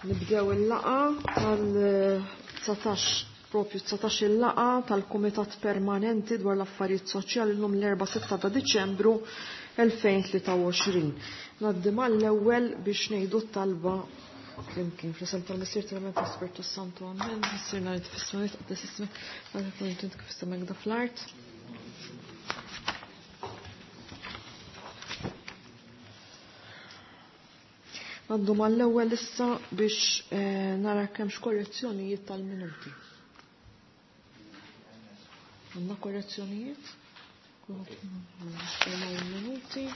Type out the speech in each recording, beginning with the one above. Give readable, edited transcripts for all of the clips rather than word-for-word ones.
Nibdew il-laqa tal-19 propju 19 il-laqa tal-Kumitat Permanenti dwar l-Affarijiet Soċjali llum l-4 6 ta' Diċembru 2023. Ngħaddi mal-ewwel biex ngħidu t-talba flimkien fl-isem tal-Missier tal-Amen tal-Spirtu Santu Amen. Missierna li fis-smewwiet qaddes ismek, int kif is-sema fl-art. Għaddu mal-ewwel issa biex eh, nara kemm korrezzjonijiet tal-minuti. Għandna korrezzjonijiet? Minuti.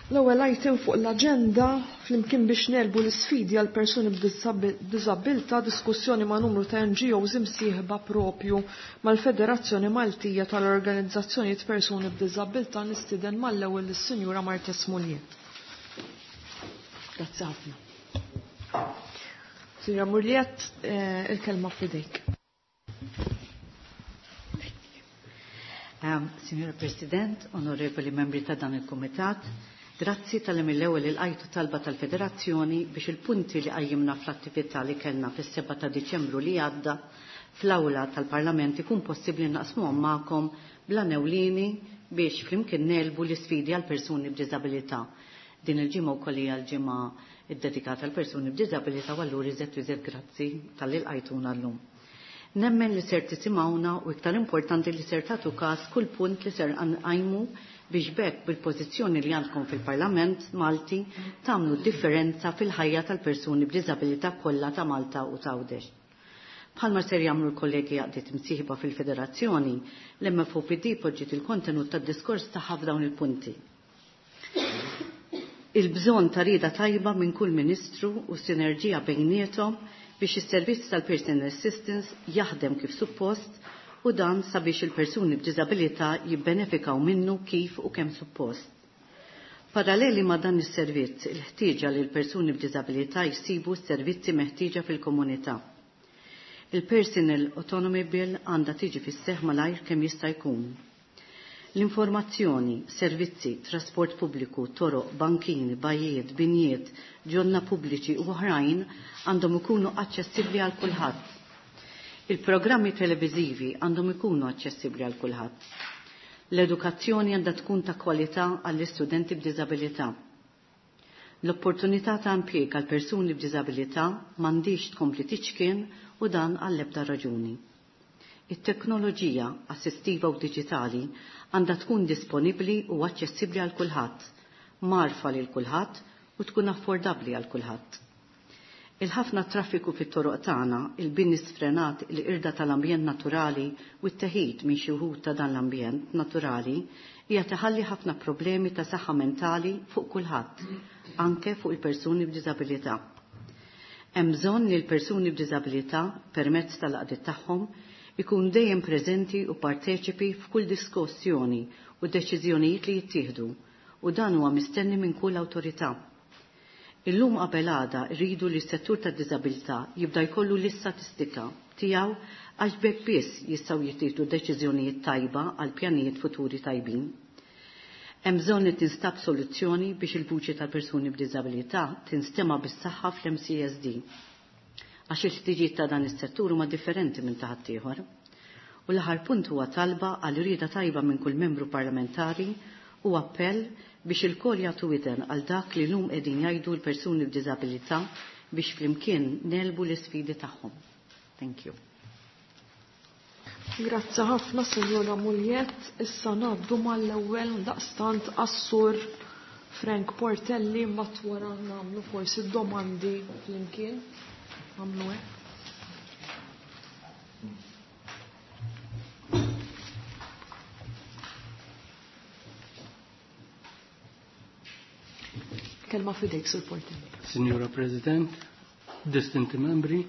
L-ewwel item fuq l-aġenda flimkien biex nelbu l-isfidi għal persuni b'diżabilità diskussjoni ma' numru ta' NGOs imsieħba propju mal-Federazzjoni Maltija tal-Organizzazzjonijiet Persuni b'Diżabilità nistieden mal-ewwel lis-Sinjura Martes Muliet. Grazzi ħafna. Sinjura Muliet, eh, il-kelma f'idejk. Signora President, onorevoli membri ta' dan il-Kumitat, Grazzi tal mill-ewwel il-qajtu talba tal-Federazzjoni biex il-punti li qajjimna fl-attività li kellna fis-7 ta' Diċembru li għadda fl-awla tal-Parlament ikun possibbli naqsmuhom magħkom bla newlini biex flimkien nelbu l-isfidi għal persuni b'diżabilità. Din il-ġimgħa wkoll hija l-ġimgħa ddedikata għal persuni b'diżabilità u allura iżed u iżed grazzi tal-li lqajtuna llum. Nemmen li ser tisimgħuna u iktar importanti li ser tagħtu każ kull punt li ser nqajmu biex bekk bil-pożizzjoni li għandkom fil-Parlament Malti tagħmlu differenza fil-ħajja tal-persuni b'diżabilità kollha ta' Malta u Tgħawdex. Bħalma ser jagħmlu l-kollegi għaqdiet imsieħba fil-Federazzjoni, l-MFOPD poġġiet il-kontenut tad-diskors tagħha f'dawn il-punti. Il-bżonn ta' rieda tajba minn kull ministru u sinerġija bejniethom biex is-servizz tal-Personal Assistance jaħdem kif suppost u dan sabiex il-persuni b'diżabilità jibbenefikaw minnu kif u kemm suppost. Paralleli ma' dan is-servizz, il-ħtieġa li l-persuni b'diżabilità jsibu s-servizzi meħtieġa fil-komunità. Il-Personal Autonomy Bill għandha tiġi fis-seħħ malajr kemm jista' jkun. L-informazzjoni, servizzi, trasport pubbliku, toroq, bankini, bajiet, binjiet, ġonna pubbliċi u oħrajn għandhom ikunu aċċessibbli għal kulħadd. Il-programmi televiżivi għandhom ikunu aċċessibbli għal kulħadd. L-edukazzjoni għandha tkun ta' kwalità għall-istudenti b'diżabilità. L-opportunità ta' impjieg għal persuni b'diżabilità m'għandix tkompli tiċkien u dan għall-ebda raġuni. It-teknoloġija assistiva u diġitali għandha tkun disponibbli u aċċessibbli għal kulħadd, marfa lil kulħadd u tkun affordabbli għal kulħadd. Il-ħafna traffiku fit-toroq tagħna, il-bini sfrenat, il-qirda tal-ambjent naturali u t-teħid minn xi wħud ta' dan l-ambjent naturali hija teħalli ħafna problemi ta' saħħa mentali fuq kulħadd, anke fuq il-persuni b'diżabilità. Hemm bżonn li l-persuni b'diżabilità permezz tal-qdiet tagħhom ikun dejjem preżenti u parteċipi f'kull diskussjoni u deċiżjonijiet li jittieħdu u dan huwa mistenni minn kull awtorità. Illum qabel għada rridu li s-settur tad-diżabilità jibda jkollu l-istatistika tiegħu għax b'hekk biss jistgħu jittieħdu deċiżjonijiet tajba għal pjanijiet futuri tajbin. Hemm bżonn li tinstab soluzzjoni biex il-vuċi tal-persuni b'diżabilità tinstema' bis-saħħa fl-MCSD għax il-ħtiġijiet ta' dan is-settur huma differenti minn ta' ħaddieħor. U l-aħħar punt huwa talba għal rieda tajba minn kull membru parlamentari u appell biex il-kol jagħtu widen għal dak li llum qegħdin jgħidu l-persuni b'diżabilità biex flimkien nelbu l-isfidi tagħhom. Thank you. Grazzi ħafna, Sinjora Muliet. Issa ngħaddu mal-ewwel daqstant għas-sur Frank Portelli mbagħad wara nagħmlu forsi domandi flimkien. Nagħmlu hekk. Kelma fidejk, Sur Portelli. Signora President, distinti membri,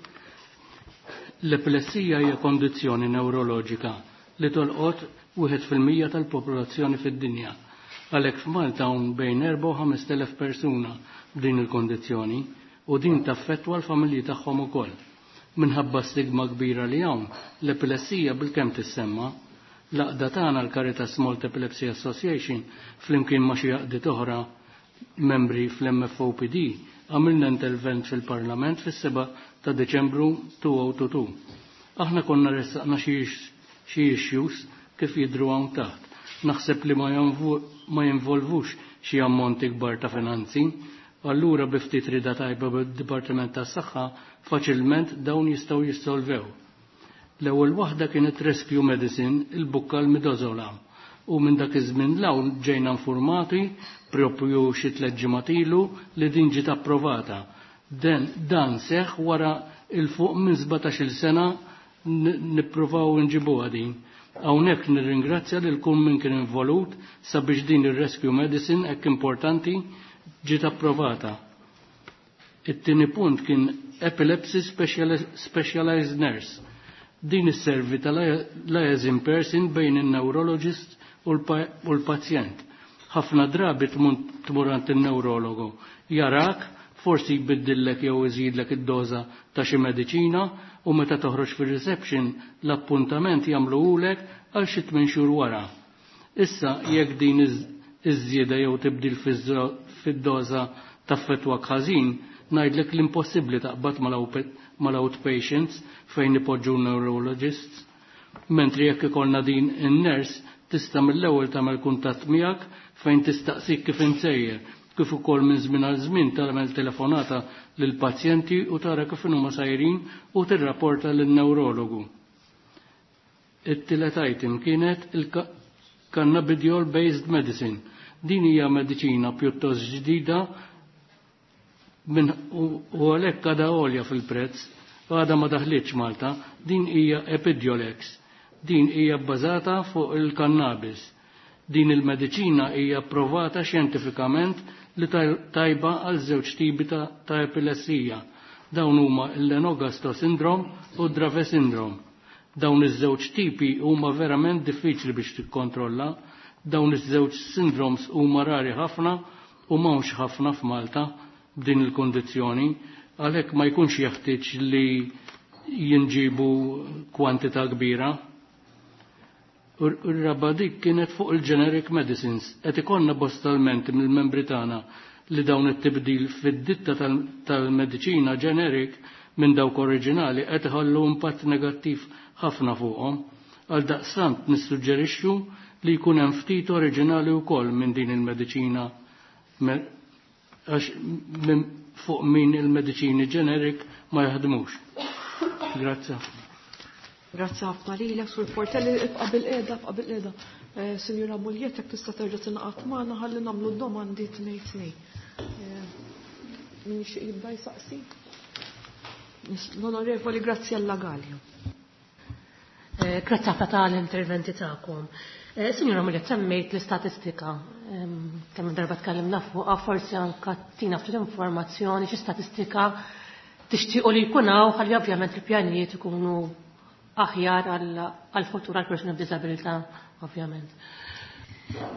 l-epilessija hija kondizzjoni neuroloġika li tolqot 1% tal-popolazzjoni fid-dinja. Għalhekk f'Malta hawn bejn 4 u 5,000 persuna b'din il-kondizzjoni u din taffettwa l-familji tagħhom ukoll. Minħabba stigma kbira li hawn, l-epilessija bilkemm tissemma. L-għaqda tagħna l-Caritas Malta Epilepsy Association flimkien ma' xi għaqdiet oħra membri fl-MFOPD għamilna intervent fil-Parlament fis-7 ta' Deċembru 2022. Aħna konna ressaqna xi issues kif jidhru hawn taħt. Naħseb li ma jinvolvux xi ammonti kbar ta' finanzi, allura bi ftit rida tajba bid-Dipartiment tas-Saħħa faċilment dawn jistgħu jissolvew. L-ewwel waħda kienet Rescue Medicine, il-bukka l-midazolam. U minn dak iż-żmien 'l hawn ġejna informati propju xi tliet ġimgħat ilu li din ġiet approvata. Dan seħħ wara il fuq minn 17-il sena nippruvaw nġibuha din. Hawnhekk nirringrazzja lil kull min kien involut sabiex din ir-rescue medicine hekk importanti ġiet approvata. It-tieni punt kien epilepsy specialized nurse. Din isservi tal-liaison person bejn in-neurologist u l-pazjent. Ħafna drabi tmur għand in-neurologu, jarak, forsi jbiddillek jew iżidlek id-doża ta' xi mediċina u meta toħroġ fir-reception l-appuntament jagħmluhulek għal xi tmien xhur wara. Issa jekk din iż-żieda jew tibdil fid-doża taffettwak ħażin, ngħidlek l-impossibbli taqbad mal-outpatients fejn ipoġġu neurologists. Mentri jekk ikollna din in-nurse tista' mill-ewwel tagħmel kuntatt miegħek fejn tistaqsik kif insejjer, kif ukoll minn żmien għal żmien tagħmel telefonata lill-pazjenti u tara kif huma sajrin u tirrapporta lin-neurologu. It-tielet item kienet il-cannabidiol based medicine. Din hija mediċina pjuttost ġdida u għalhekk għadha għolja fil-prezz, għadha ma daħlitx Malta, din hija Epidiolex. Din hija bbażata fuq il-kannabis. Din il-mediċina hija approvata xjentifikament li tajba għal żewġ tipi ta' epilessija. Dawn huma l-Lennox-Gastaut syndrome u Dravet syndrome. Dawn iż-żewġ tipi huma verament diffiċli biex tikkontrolla. Dawn iż-żewġ syndromes huma rari ħafna u m'hawnx ħafna f'Malta b'din il-kondizzjoni, għalhekk ma jkunx jeħtieġ li jinġibu kwantità kbira. Ir-raba dik kienet fuq il-generic medicines. Qed ikollna bosta lmenti mill-membri tagħna li dawn it-tibdil fid-ditta tal-mediċina generic minn dawk oriġinali qed iħallu impatt negattiv ħafna fuqhom. Għal daqstant nissuġġerixxu li jkun hemm ftit oriġinali wkoll minn din il-mediċina għax fuq min il-mediċini generic ma jaħdmux. Grazzi. Grazzi ħafna lilek sur Portelli, ibqa' bil-qiegħda, ibqa' bil-qiegħda. Sinjura Mugliett, jekk tista' terġa' tingħaqad magħna ħalli nagħmlu d-domandi tnejn tnejn. Min jixtieq jibda jsaqsi? L-Onorevoli Graziella Gallia. Grazzi ħafna tal-interventi tagħkom. Sinjura Mugliett, semmejt l-istatistika. Kemm darba tkellimna fuqha, forsi anke tina ftit informazzjoni xi statistika tixtiequ li jkun hawn ħalli ovvjament il-pjanijiet ikunu aħjar għal-futur għal-persuni b'diżabilità, ovvjament.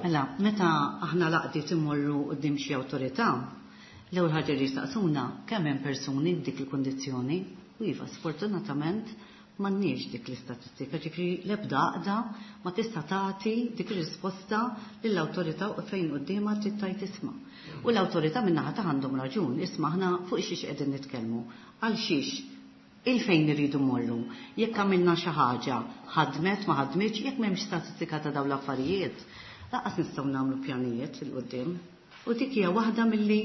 Mela, meta aħna laqdiet imorru quddiem xi awtorità, l-ewwel ħaġa li jistaqsuna kemm hemm persuni b'dik il-kundizzjoni, u iva sfortunatament m'għandniex dik l-istatistika, ġifieri l-ebda għaqda ma tista' tagħti dik ir-risposta lill-awtorità u fejn quddiemha trid tgħid isma'. U l-awtorità min-naħa ta' għandhom raġun, isma' aħna fuq xiex qegħdin nitkellmu, għal xiex il-fejn irridu mmorru, jekk għamilna xi ħaġa, ħadmet ma ħadmitx, jekk m'hemmx statistika ta' dawn l-affarijiet, lanqas nistgħu nagħmlu pjanijiet il quddiem. U dik hija waħda milli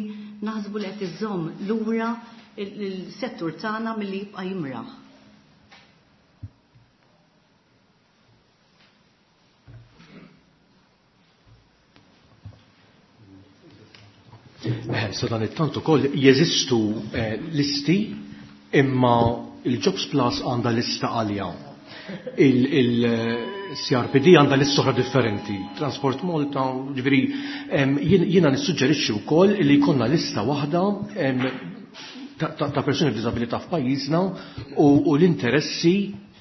naħsbu li qed iżżomm lura il-settur tagħna milli jibqa' jimraħ. Sa dan it-tant ukoll jeżistu listi imma il-Jobs Plus għandha lista għalja. Il-CRPD għandha lista oħra differenti. Transport Malta, ġifieri, jiena nissuġġerixxi wkoll li jkollna lista waħda ta' persuni b'diżabilità f'pajjiżna u l-interessi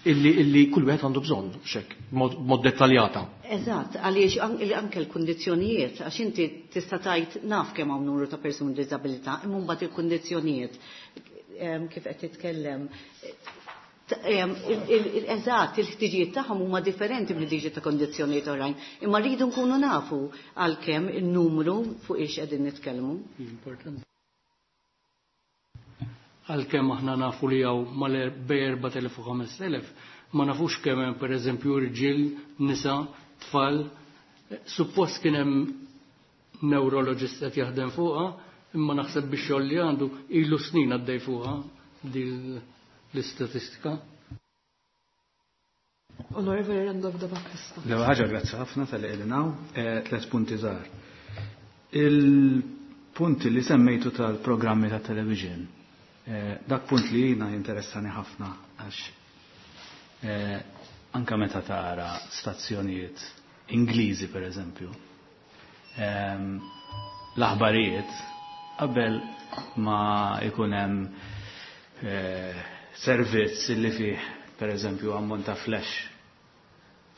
illi kull wieħed għandu bżonn, xek, mod dettaljata. Eżatt, għaliex anke l-kundizzjonijiet, għax inti tista' tgħid naf kemm hawn numru ta' persuni b'diżabilità, imma mbagħad il-kundizzjonijiet kif qed titkellem Eżatt, il-ħtiġijiet tagħhom huma differenti mill-ħtiġijiet ta' kondizzjonijiet oħrajn. Imma rridu nkunu nafu għalkemm in-numru fuq ix qegħdin nitkellmu. Importanti. Għalkemm aħna nafu li hawn mal-bej 4000 u 5000, ma nafux kemm hemm pereżempju irġiel, nisa, tfal. Suppost kien hemm neurologist qed jaħdem fuqha, imma naħseb biex xogħol li għandu ilu snin għaddej fuqha din l-istatistika. Onorevoli Randolph da Battista. L-ewwel ħaġa grazzi ħafna tal-li qegħdin hawn, tliet punti żgħar. Il-punti li semmejtu tal-programmi ta' television, dak punt li jiena jinteressani ħafna għax anka meta tara stazzjonijiet Ingliżi per eżempju, l-aħbarijiet qabel ma ikun hemm servizz li fih per eżempju ammont ta' flash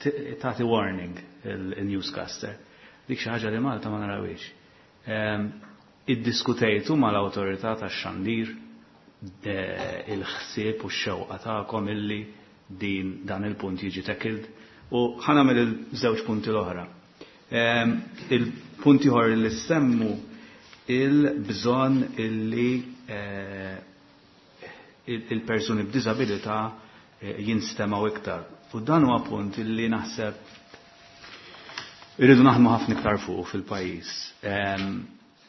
tagħti warning il-newscaster. Dik xi ħaġa li Malta ma narawiex. Iddiskutejtu mal-awtorità tax-xandir il-ħsieb u x-xewqa tagħkom illi din dan il-punt jiġi tackled u ħa nagħmel il-żewġ punti l-oħra. Il-punti ieħor li semmu il-bżonn illi il-persuni b'diżabilità jinstemaw iktar. U dan huwa punt illi naħseb irridu naħdmu ħafna iktar fuq fil-pajjiż.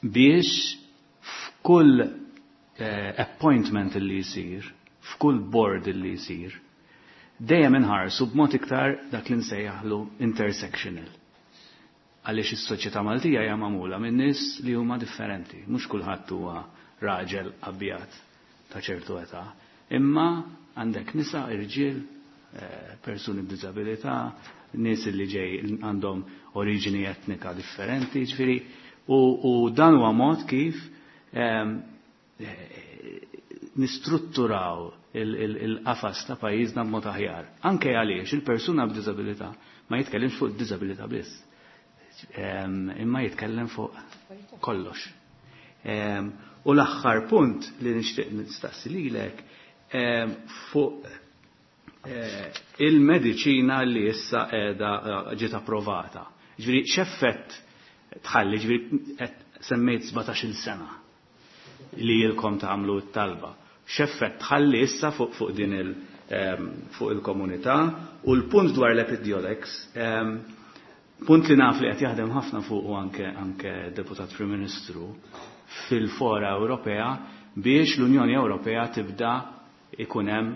Biex f'kull appointment illi jsir, f'kull board illi jsir, dejjem inħarsu b'mod iktar dak li nsejjaħlu intersectional. Għaliex is-soċjetà Maltija hija magħmula minn nies li huma differenti, mhux kulħadd huwa raġel abjad ta' ċertu età, imma għandek nisa, irġiel, persuni b'diżabilità, nies li ġej għandhom oriġini etnika differenti, ġifieri, u dan huwa mod kif nistrutturaw il-qafas ta' pajjiżna b'mod aħjar. Anke għaliex il-persuna b'diżabilità ma jitkellimx fuq id-diżabilità biss. Imma jitkellem fuq kollox. U l-aħħar punt li nixtieq nistaqsi lilek fuq il-mediċina li issa qiegħda ġiet approvata. Ġifieri x'effett tħalli, ġifieri qed semmejt 17-il sena li ilkom tagħmlu t-talba. X'effett tħalli issa fuq din fuq il-komunità u l-punt dwar l-Epidiolex, punt li naf li qed jaħdem ħafna fuq u anke Deputat Prim Ministru fil-fora Ewropea biex l-Unjoni Ewropea tibda ikun hemm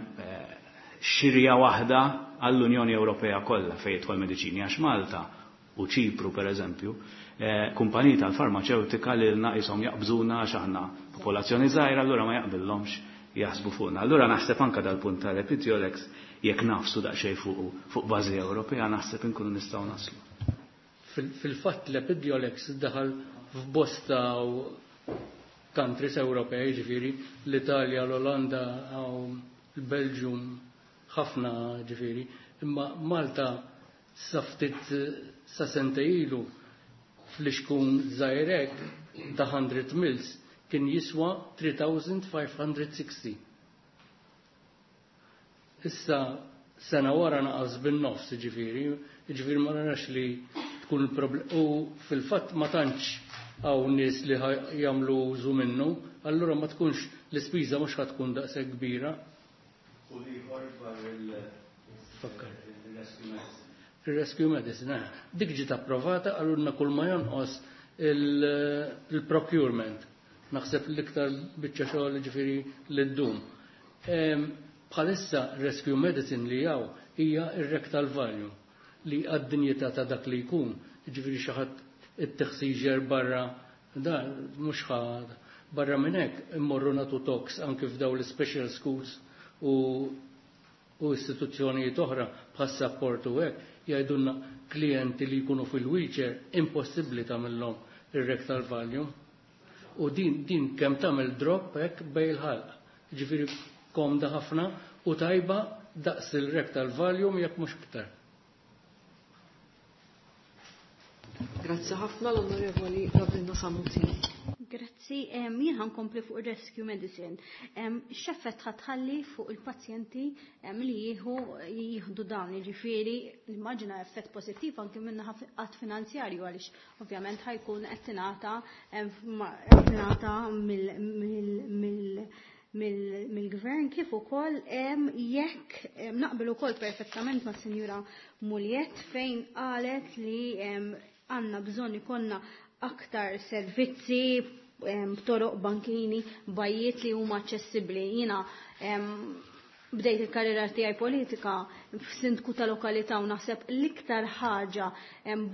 xirja waħda għall-Unjoni Ewropea kollha fejn jidħol mediċini għax Malta u Ċipru per eżempju, kumpaniji tal-farmaceutika li lna qishom jaqbżuna għax aħna popolazzjoni żgħira, allura ma jaqbillhomx jaħsbu fuqna. Allura naħseb anke dal-punt tal-Epidiolex jekk nafsu daqsxejn fuq bażi Ewropea naħseb inkunu nistgħu naslu. Fil-fatt l-Epidiolex daħal f'bosta countries Ewropej, ġifieri l-Italja, l-Olanda, l-Belġium, ħafna ġifieri, imma Malta sa ftit sa sentejn ilu fl-ixkun żgħirek ta' 100 mils kien jiswa 3560. Issa sena wara naqas bin-nofs ġifieri, ġifieri ma narax li tkun il-problem. U fil-fatt ma tantx hawn nies li jagħmlu użu minnu, allura ma tkunx l-ispiża mhux ħa tkun daqshekk kbira. U ieħor dwar il-rescue medicine. Il-rescue medicine, dik ġiet approvata, għalulna kull ma jonqos il-procurement. Naħseb l-iktar biċċa xogħol ġifieri li ddum. Bħalissa rescue medicine li hawn hija ir-rectal Valium li għad-dinjità ta' dak li jkun, ġifieri xi ħadd it-teħsiġer barra dan mhux ħad barra minn hekk immorru nagħtu talks anke f'daw l-special schools u istituzzjonijiet oħra bħas support u hekk jgħidulna klijenti li jkunu fil-wheelchair impossibbli tagħmilhom ir-rectal Valium. U din kemm tagħmel drop hekk bej il-ħalq. Ġifieri komda ħafna u tajba daqs il-rectal Valium jekk mhux iktar. Grazzi ħafna l-Onorevoli Ravina Sammut. Grazzi, jien ħankompli fuq rescue medicine. X'effett ħatħalli fuq il-pazjenti li jieħu jieħdu dawn, jiġifieri immaġina effett pożittiv anke minn qatt finanzjarju għaliex ovvjament ħajkun qed tingħata mill-gvern kif ukoll jekk naqbel ukoll perfettament ma' Sinjura Muliet fejn qalet li għandna bżonn ikollna aktar servizzi toroq bankini, bajiet li huma aċċessibbli. Jiena bdejt il-karriera tiegħi politika f'sindku ta' lokalità u naħseb l-iktar ħaġa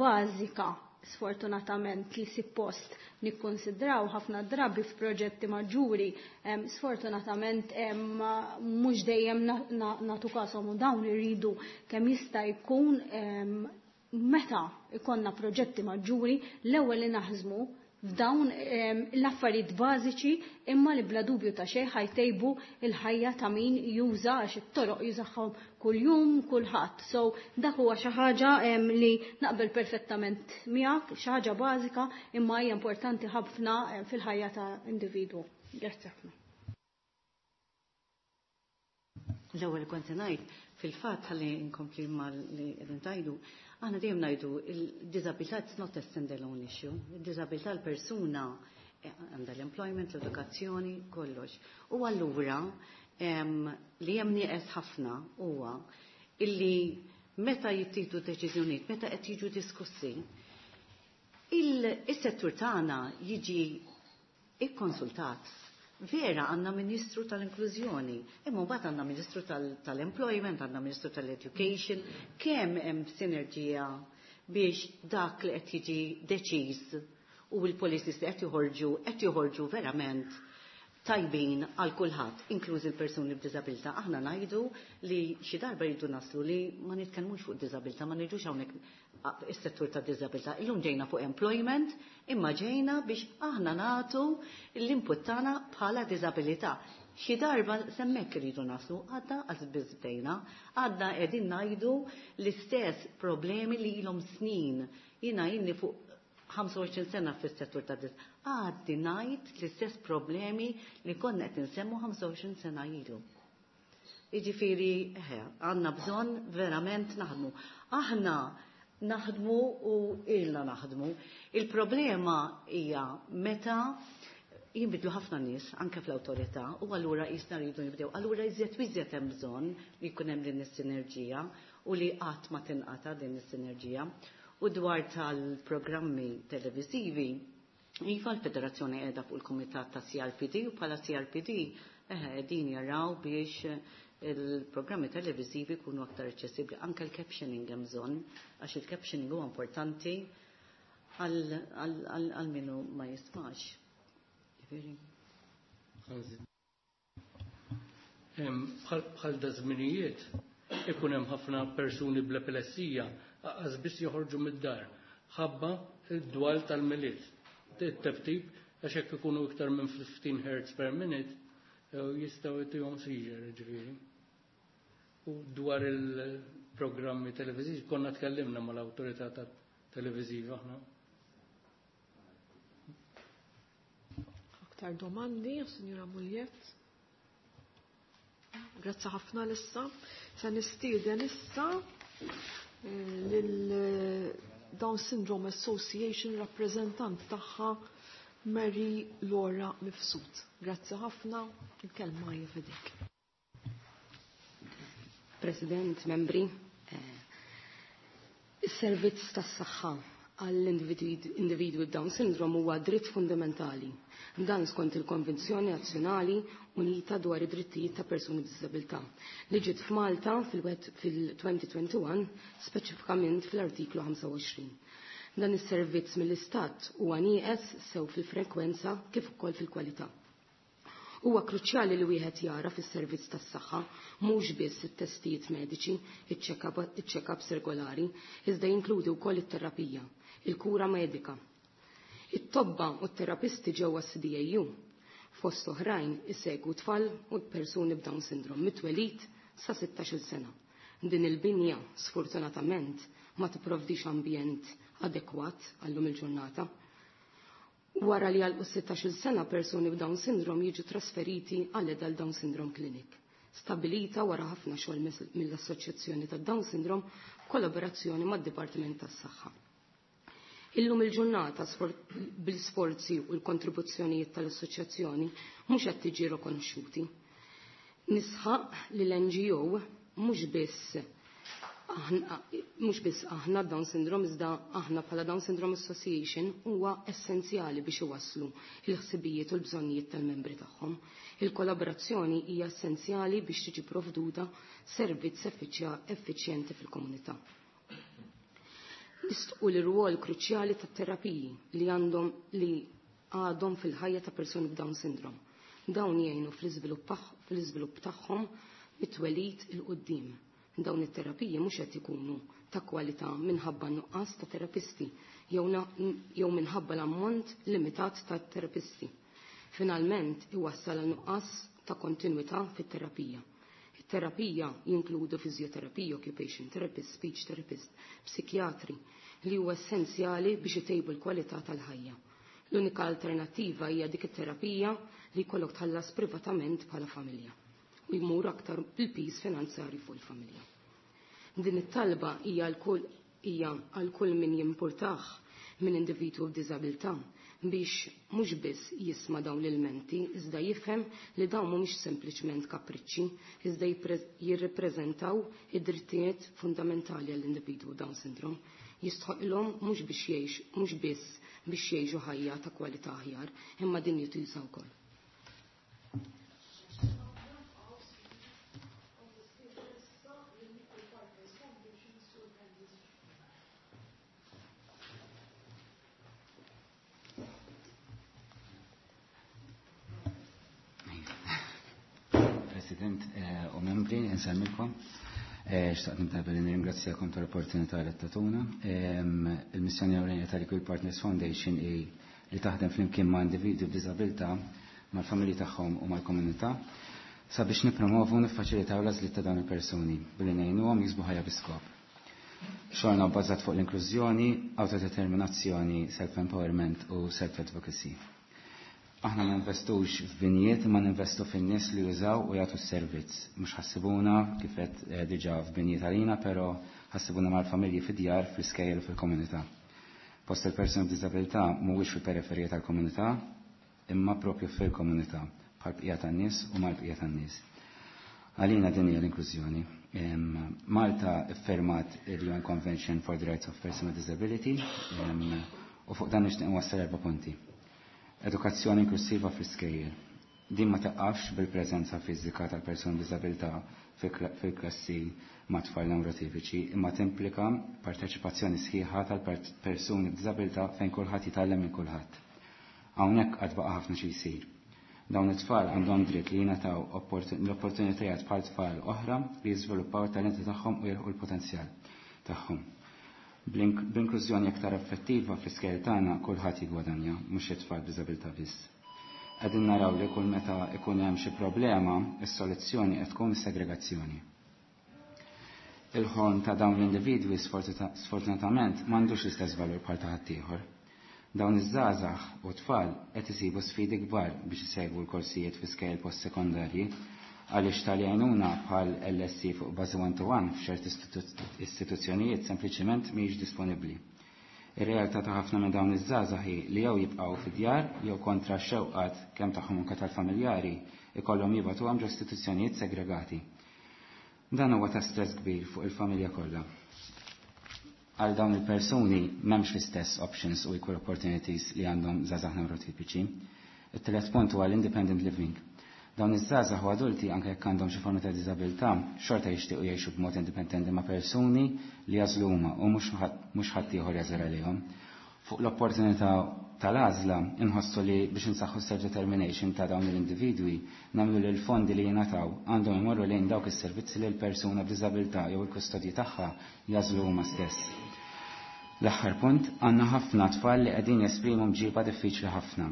bażika sfortunatament li suppost nikkonsidraw ħafna drabi f'proġetti maġġuri sfortunatament mhux dejjem nagħtu kasom u dawn irridu kemm jista' jkun meta ikonna proġetti maġġuri l-ewwel li naħżmu f'dawn l-affarijiet bażiċi imma li bla dubju ta' xejn ħajtejbu il-ħajja ta' min juża għax it-toroq jużahom kuljum kulħadd. So dak huwa xi ħaġa li naqbel perfettament miegħek, xi ħaġa bażika imma hija importanti ħafna fil-ħajja ta' individwu. Grazzi ħafna. L-ewwel kont ngħid fil-fatt ħalli nkompli mal li qegħdin tgħidu, aħna dejjem ngħidu il-diżabilità it's not a standalone issue. Il-diżabilità l-persuna għandha l-employment, l-edukazzjoni, kollox. U allura li hemm nieqes ħafna huwa illi meta jittieħdu deċiżjonijiet, meta qed jiġu diskussi, il-settur tagħna jiġi ikkonsultat. Vera għandna Ministru tal-Inklużjoni, imma mbagħad għandna Ministru tal-Employment, għandna Ministru tal-Education, kemm hemm sinerġija biex dak li qed jiġi deċiż u l-policies li qed joħorġu verament tajbin għal kulħadd, inklużi l-persuni b'diżabilità. Aħna ngħidu li xi darba jridu naslu li ma nitkellmux fuq diżabilità, ma ngħidux hawnhekk is-settur ta' diżabilità. Illum ġejna fuq employment, imma ġejna biex aħna nagħtu l-input tagħna bħala diżabilità. Xi darba semmek iridu naslu, għadna għaż bdejna, għadna qegħdin ngħidu l-istess problemi li ilhom snin. Jiena inni fuq 25 sena fis-settur ta' dis. Għaddi ngħid l-istess problemi li konna qed insemmu 25 sena ilu. Jiġifieri, għandna bżonn verament naħdmu. Aħna naħdmu u ilna naħdmu. Il-problema hija meta jinbidlu ħafna nies anke fl-awtorità u allura jisna rridu nibdew. Allura iżjed u iżjed hemm bżonn li jkun hemm din is-sinerġija u li qatt ma tinqata' din is-sinerġija. U dwar tal-programmi televizivi, iva l-Federazzjoni qiegħda fuq il-Kumitat ta' CRPD u bħala CRPD din jaraw biex il-programmi televizivi jkunu aktar aċċessibbli. Anke l-captioning hemm bżonn, għax il-captioning huwa importanti għal minu ma jismax. Bħal da żminijiet ikun hemm ħafna persuni bl-epilessija għaz biss joħorġu mid-dar ħabba id-dwal tal-Milied. It-teftib għax hekk ikunu iktar minn 15 hertz per minute jistgħu jtihom seizure ġifieri. U dwar il-programmi televiżivi konna tkellimna mal-awtorità televiżiva aħna. Aktar domandi, Signora Muliet? Grazzi ħafna lissa. Se nistieden issa lil Down Syndrome Association rappresentant tagħha Mary Laura Mifsud. Grazzi ħafna, il-kelma hija f'idejk. President, membri, is-servizz tas-saħħa għall-individwi b'Down syndrome huwa dritt fundamentali. Dan skont il-Konvenzjoni Nazzjonali Unita dwar id-drittijiet ta' persuni b'diżabilità li ġiet f'Malta fil-2021 speċifikament fl-artiklu 25. Dan is-servizz mill-Istat huwa nieqes sew fil-frekwenza kif ukoll fil-kwalità. Huwa kruċjali li wieħed jara fis-servizz tas-saħħa mhux biss it-testijiet mediċi, iċ-check-ups regolari, iżda jinkludi wkoll it-terapija, il-kura medika. It-tobba u t-terapisti ġewwa CDAU fost oħrajn isegwu tfal u persuni b'Down syndrome mit-twelid sa 16-il sena. Din il-binja sfortunatament ma tipprovdix ambjent adekwat għallum il-ġurnata. Wara li għalqu 16 sena persuni b'Down syndrome jiġu trasferiti għal Adult Down Syndrome Clinic, stabilita wara ħafna xogħol mill-Assoċjazzjoni tad Down Syndrome kollaborazzjoni mad-Dipartiment tas-Saħħa. Illum il-ġurnata bil-sforzi u l-kontribuzzjonijiet tal-assoċjazzjoni mhux qed tiġi rikonoxxuti. Nisħaq li l-NGO mhux biss mhux biss aħna Down Syndrome iżda aħna bħala Down Syndrome Association huwa essenzjali biex iwasslu il-ħsibijiet u l-bżonnijiet tal-membri tagħhom. Il-kollaborazzjoni hija essenzjali biex tiġi provduta servizz effiċjenti fil-komunità. Nistqu l-rwol kruċjali tat-terapiji li għandhom li għadhom fil-ħajja ta' persuni b'Down syndrome. Dawn jgħinu fl-iżvilupp tagħhom mit-twelid il-qudiem. Dawn it-terapiji mhux qed ikunu ta' kwalità minħabba nuqqas ta' terapisti jew minħabba l-ammont limitat ta' terapisti. Finalment iwassal għal nuqqas ta' kontinwità fit-terapija. It-terapija jinkludu fiżjoterapija, occupation therapist, speech therapist, psikjatri li huwa essenzjali biex itejbu l-kwalità tal-ħajja. L-unika alternattiva hija dik it-terapija li jkollok tħallas privatament bħala familja u jmur aktar il-piż finanzjarju fuq il-familja. Din it-talba hija għal kull min jimpurtah minn individwu b'diżabilità biex mhux biss jisma' dawn l-ilmenti, iżda jifhem li dawn mhumiex sempliċement kapriċċi, iżda jirrepreżentaw id-drittijiet fundamentali għall-individwu Down syndrome. Jistħoqilhom mhux biex jgħix, mhux biss biex jgħixu ħajja ta' kwalità aħjar, imma din jituża wkoll. President u membri, nsemmilkom. Xtaqt nibda billi nirringrazzjakom tal-opportunità li tatuna. Il-missjoni ewlenija tal-Equal Partners Foundation hi li taħdem flimkien ma' individwi b'diżabilità, mal-familji tagħhom u mal-komunità sabiex nippromovu u niffaċilitaw l-għażliet ta' dawn il-persuni billi ngħinuhom jiksbu ħajja bi skop. Xogħolna bbażat fuq l-inklużjoni, autodeterminazzjoni, self-empowerment u self-advocacy. Aħna ma ninvestux f'binjiet, ma ninvestu fin-nies li jużaw u jagħtu s-servizz. Mhux ħassibuna kif qed diġà f'binjiet għalina, però ħassibuna mal-familji fid-djar, fl-iskejjel u fil-komunità. Post il-persuni b'diżabilità mhuwiex fil-periferija tal-komunità, imma propju fil-komunità, bħal bqija tan-nies u mal-bqija tan-nies. Għalina din hija l-inklużjoni. Malta iffirmat il-UN Convention for the Rights of Persons with Disability u fuq dan nixtieq nwassal 4 punti. Edukazzjoni inklusiva fl-iskejjel. Din ma taqafx bil-preżenza fiżika tal-persuni b'diżabilità fil-klassi ma' tfal neurotipiċi, imma timplika parteċipazzjoni sħiħa tal-persuni b'diżabilità fejn kulħadd jitgħallem minn kulħadd. Hawnhekk għad baqa' ħafna xi jsir. Dawn it-tfal għandhom dritt li jingħataw l-opportunitajiet bħal tfal oħra li jiżviluppaw it-talenti tagħhom u jilħqu l-potenzjal tagħhom. B'inklużjoni aktar effettiva fl-iskejjel tagħna kulħadd jiggwadanja, mhux it-tfal b'diżabilità biss. Qegħdin naraw li kull meta ikun hemm xi problema, is-soluzzjoni qed tkun is-segregazzjoni. Il-ħolm ta' dawn l-individwi sfortunatament m'għandux l-istess valur bħal ta' ħaddieħor. Dawn iż-żgħażagħ u tfal qed isibu sfidi kbar biex isegwu l-korsijiet fi skejjel post-sekondarji għaliex tal-għajnuna bħal LSC fuq bażi one-to-one f'ċerti istituzzjonijiet sempliċement mhijiex disponibbli. Ir-realtà ta' ħafna minn dawn iż-żgħażagħ hi li jew jibqgħu fid-djar jew kontra x-xewqat kemm tagħhom anke tal-familjari ikollhom jibgħatuhom ġo istituzzjonijiet segregati. Dan huwa ta' stress kbir fuq il-familja kollha. Għal dawn il-persuni m'hemmx l-istess options u equal opportunities li għandhom żgħażagħ neurotipiċi. It-tielet punt huwa l-independent living. Dawn iż-żgħażagħ u adulti anke jekk għandhom xi forma ta' diżabilità, xorta jixtiequ jgħixu b'mod indipendenti ma' persuni li jażlu huma u mhux ħadd ieħor jażel għalihom. Fuq l-opportunità tal-għażla inħossu li biex insaħħu self-determination ta' dawn l-individwi nagħmlu li l-fondi li jingħataw għandhom imorru lejn dawk is-servizzi li l-persuna b'diżabilità jew il-kustodji tagħha jażlu huma stess. L-aħħar punt, għandna ħafna tfal li qegħdin jesprimu mġiba diffiċli ħafna.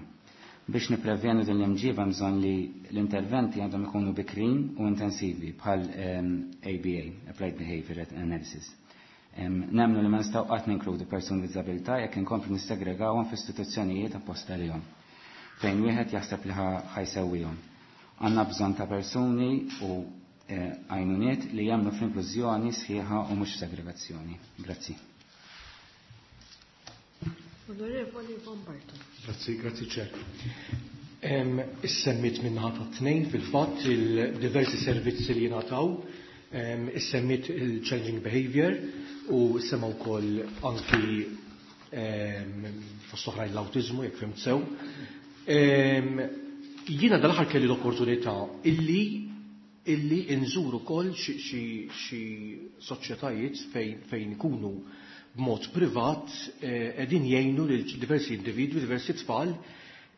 Biex nipprevjenu din l-imġiba bżonn li l-interventi għandhom ikunu bikrin u intensivi bħal ABA, Applied Behavior Analysis. Nemmnu li ma nistgħu qatt ninkludu persuni b'diżabilità jekk inkomplu nissegregawhom f'istituzzjonijiet apposta lihom fejn wieħed jaħseb li ħa jsewwihom. Għandna bżonn ta' persuni u għajnuniet li jemmnu fl-inklużjoni sħiħa u mhux segregazzjoni. Grazzi. Onorevoli Von Barton. Grazzi, grazzi Chair. Issemmit min-naħa tat-tnejn fil-fatt il-diversi servizzi li jingħataw, issemmit il-challenging behavior u semma wkoll anki fost oħrajn l-awtiżmu jekk fhimt sew. Jiena dal-aħħar kelli l-opportunità illi inżur ukoll xi soċjetajiet fejn ikunu b'mod privat qegħdin jgħinu lil diversi individwi, diversi tfal,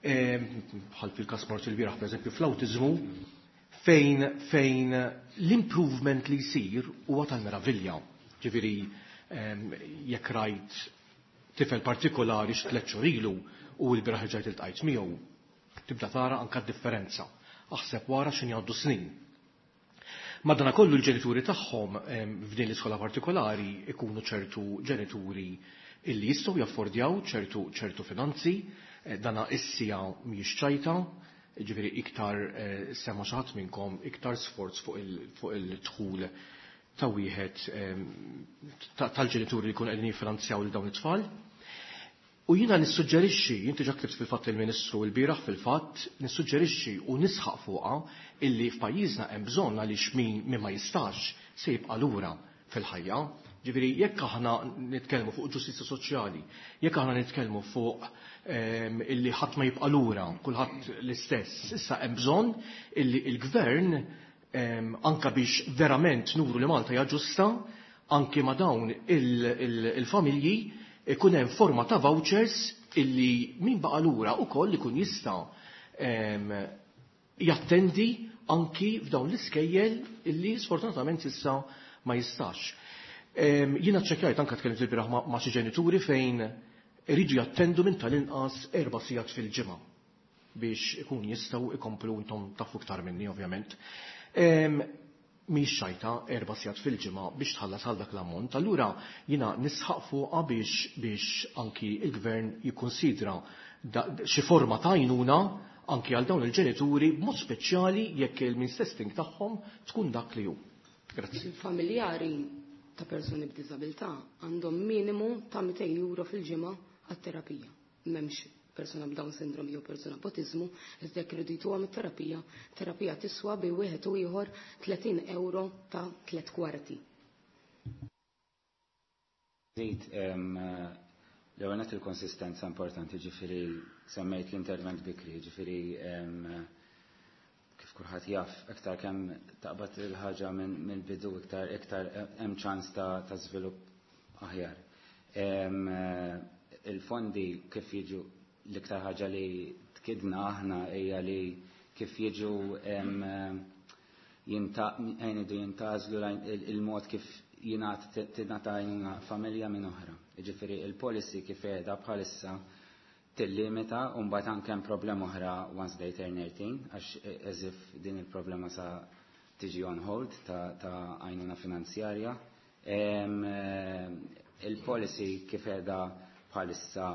bħal fil-każ mort il-bieraħ pereżempju fl-awtiżmu, fejn l-improvement li jsir huwa tal-meravilja. Ġifieri jekk rajt tifel partikolari xi tliet xhur ilu u l-bieraħ ġajt iltqajt miegħu, tibda tara anka d-differenza. Aħseb wara x'inhi jgħaddu snin. Madanakollu l-ġenituri tagħhom f'din l-iskola partikolari ikunu ċertu ġenituri illi jistgħu jaffordjaw ċertu finanzi, dana issija mhijiex ċajta, ġifieri iktar sema xi ħadd minnkom iktar sforz fuq il-dħul ta' wieħed tal-ġenituri li jkunu qegħdin jiffinanzjaw lil dawn it-tfal. U jiena nissuġġerixxi, inti ġa ktibt fil-fatt il-Ministru l-bieraħ fil-fatt, nissuġġerixxi u nisħaq fuqha illi f'pajjiżna hemm bżonn għaliex min ma jistax se jibqa' lura fil-ħajja. Ġifieri jekk aħna nitkellmu fuq ġustizzja soċjali, jekk aħna nitkellmu fuq illi ħadd ma jibqa' lura, kulħadd l-istess, issa hemm bżonn illi l-gvern anka biex verament nuru li Malta hija ġusta, anki ma' dawn il-familji ikun hemm forma ta' vouchers illi min baqa' lura wkoll ikun jista' jattendi anki f'dawn l-iskejjel illi sfortunatament issa ma jistax. Jiena ċċekkjajt anke tkellimt il-bieraħ ma' xi ġenituri fejn iridu jattendu minn tal-inqas 4 sigħat fil-ġimgħa biex ikun jistgħu ikomplu, intom tafu iktar minni ovvjament. Mhix xajta 4 sigħat fil-ġimgħa biex tħallas għal dak l-ammont. Allura jiena nisħaq fuqha biex anki il-gvern jikkonsidra xi forma ta' għajnuna anki għal dawn il-ġenituri b'mod speċjali jekk il-means testing tagħhom tkun dak li hu. Grazzi. Il-familjari ta' persuni b'diżabilità għandhom minimu ta' 200 euro fil-ġimgħa għat-terapija. M'hemmx persuna b'Down syndrome jew persuna b'autiżmu, iżda jekk iridu jtuhom it-terapija, terapija tiswa bi wieħed u ieħor 30 euro ta' tliet kwarti. Żid, l-ewwel nett il-konsistenza importanti, ġifieri semmejt l-intervent bikri, ġifieri kif kulħadd jaf, iktar kemm taqbad il-ħaġa mill-bidu iktar hemm ċans ta' żvilupp aħjar. Il-fondi kif jiġu, l-iktar ħaġa li tkidna aħna hija li kif jiġu jgħidu jintgħażlu il-mod kif tingħata għajnuna familja minn oħra. Jiġifieri il-policy kif qiegħda bħalissa tillimita u mbagħad anke hemm problema oħra once they turn 18, għax as if din il-problema sa tiġi on hold ta' għajnuna finanzjarja. Il-policy kif qiegħda bħalissa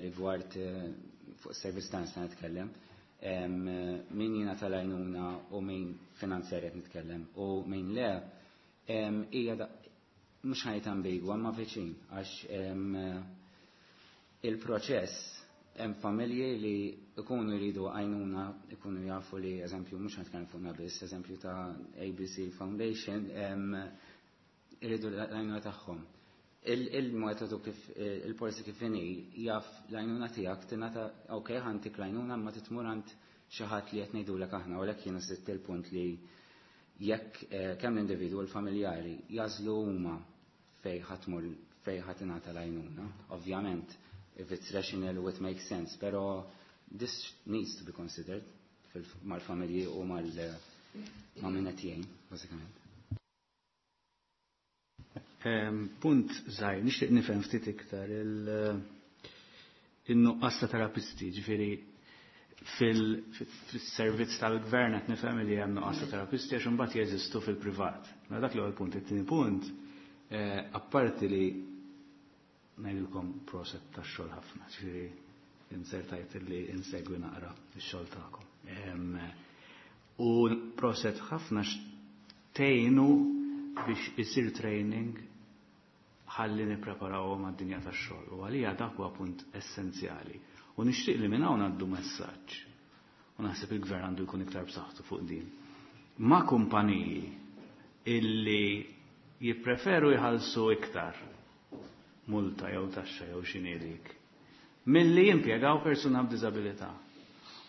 rigward fuq service ta' nista' nitkellem, min jingħata l-għajnuna u min finanzjarja qed nitkellem u min le, hija mhux ħajt ambigwa ma viċin għax il-proċess hemm familji li ikunu jridu għajnuna, ikunu jafu li, eżempju, mhux nitkellem fuqna biss, eżempju ta' ABC Foundation, iridu l-għajnuna tagħhom. Il-metodu kif, il-policy kif inhi, jaf l-għajnuna tiegħek tingħata, ok, ħantik l-għajnuna, ma titmur għand xi ħadd li qed ngħidulek aħna, u lek jiena sitt il-punt li jekk kemm l-individwu u l-familjari jażlu huma fejn ħatmur, fejn ħadd ingħata l-għajnuna. Ovvjament, if it's rational it makes sense, pero this needs to be considered mal-familji u ma' min qed jgħin, bażikament. Punt żgħir, nixtieq nifhem ftit iktar in-nuqqas ta' terapisti, ġifieri fil-servizz tal-gvern qed nifhem li hemm nuqqas ta' terapisti għax imbagħad jeżistu fil-privat. Mela dak l-ewwel punt. It-tieni punt, Apparti li ngħidilkom proset tax-xogħol ħafna, ġifieri insertajt li insegwi naqra x-xogħol tagħkom. U proset ħafna xtejnu biex isir training ħalli nippreparawhom għad-dinja tax-xogħol. U għalija dak huwa punt essenzjali. U nixtieq li minn hawn għaddu messaġġ. U naħseb il-gvern għandu jkun iktar b'saħħtu fuq din. Ma' kumpaniji illi jippreferu jħallsu iktar multa jew taxxa jew x'inhi dik milli jimpjegaw persuna b'diżabilità.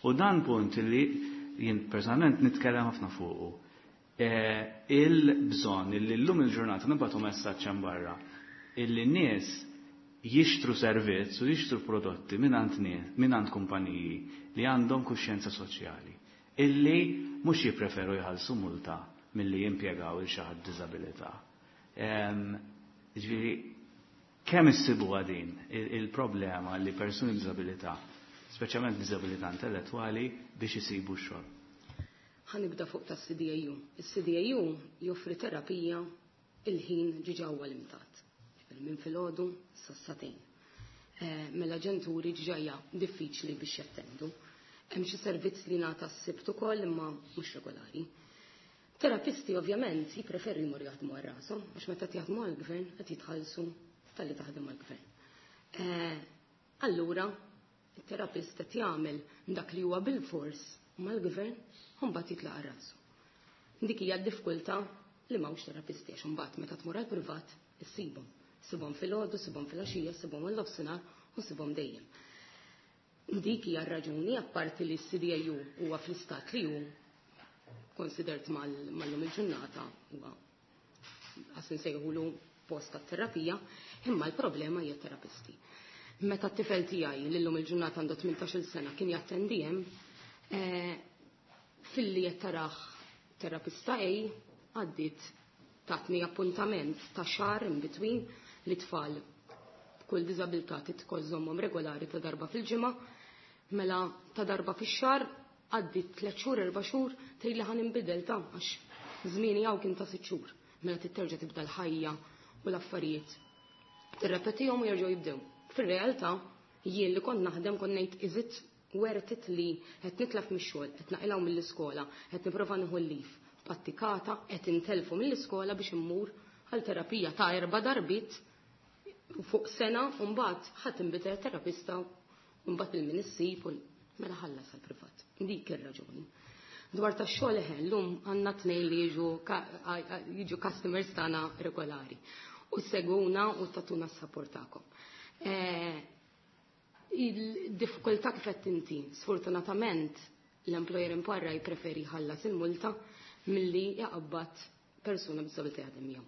U dan punt li jien personalment nitkellem ħafna fuqu. Il-bżonn illi llum il-ġurnata nibgħatu messaġġ hemm barra illi nies jixtru servizz u jixtru prodotti mingħand kumpaniji li għandhom kuxjenza soċjali illi mhux jippreferu jħallsu multa milli jimpjegaw il xi ħadd b'diżabilità. Ġifieri kemm issibuha din il-problema li persuni b'diżabilità, speċjalment b'diżabilità intellettwali, biex isibu x-xogħol? Ħa nibda fuq tas-CDAU. Is-CDAU joffri terapija il-ħin ġiġa huwa limitat. Minn filgħodu sas-satejn. Mela ġenituri ġiġa hija diffiċli biex jattendu. Hemm xi servizz li ngħata s-sibt ukoll imma mhux regolari. Terapisti ovvjament jippreferu jmorru jaħdmu għal rashom għax meta jaħdmu għall-gvern qed jitħallsu talli taħdem għall-gvern. Allura, it-terapist qed jagħmel dak li huwa bil-fors mal-gvern u mbagħad jitlaq għal rasu. Dik hija d-diffikultà li m'hawnx terapisti għax imbagħad meta tmur għall-privat issibhom. Issibhom filgħodu, issibhom filgħaxija, issibhom għall-nofsinhar u ssibhom dejjem. Dik hija r-raġuni apparti li s-CDAU huwa fl-istat li hu konsidert mal-lum il-ġurnata huwa għas nsejħulu post tat-terapija, imma l-problema hija terapisti. Meta t-tifel tiegħi li llum il-ġurnata għandu 18-il sena kien jattendi hemm, filli qed taraħ terapista A għaddiet tatni appuntament ta' xahar in between li tfal b'kull diżabilità titkożżommhom regolari ta' darba fil-ġimgħa, mela ta' darba fix-xahar għaddiet 3 xhur 4 xhur tgħid li ħa ninbidel ta' għax żmieni hawn kien ta' 6 xhur. Mela titterġa' tibda l-ħajja u l-affarijiet. Tirrepetihom u jerġgħu jibdew. Fir-realtà jien li kont naħdem kont ngħid is it worth it li qed nitlef mix-xogħol, qed naqilgħu mill-iskola, qed nipprova nieħu l-leave, pattikata, qed intelfu mill-iskola biex immur għal terapija ta' 4 darbiet fuq sena u mbagħad ħadd inbidel terapista u mbagħad il-min issib u mela ħallas għall-privat. Dik ir-raġuni. Dwar tax-xogħol eħe, llum għandna tnejn li jiġu customers tagħna regolari u seguna u tatuna s-support tagħkom. Il-diffikultà kif qed inti, sfortunatament l-employer imparra jippreferi jħallas il-multa milli jaqbad persuna b'disabilità jaħdem miegħu.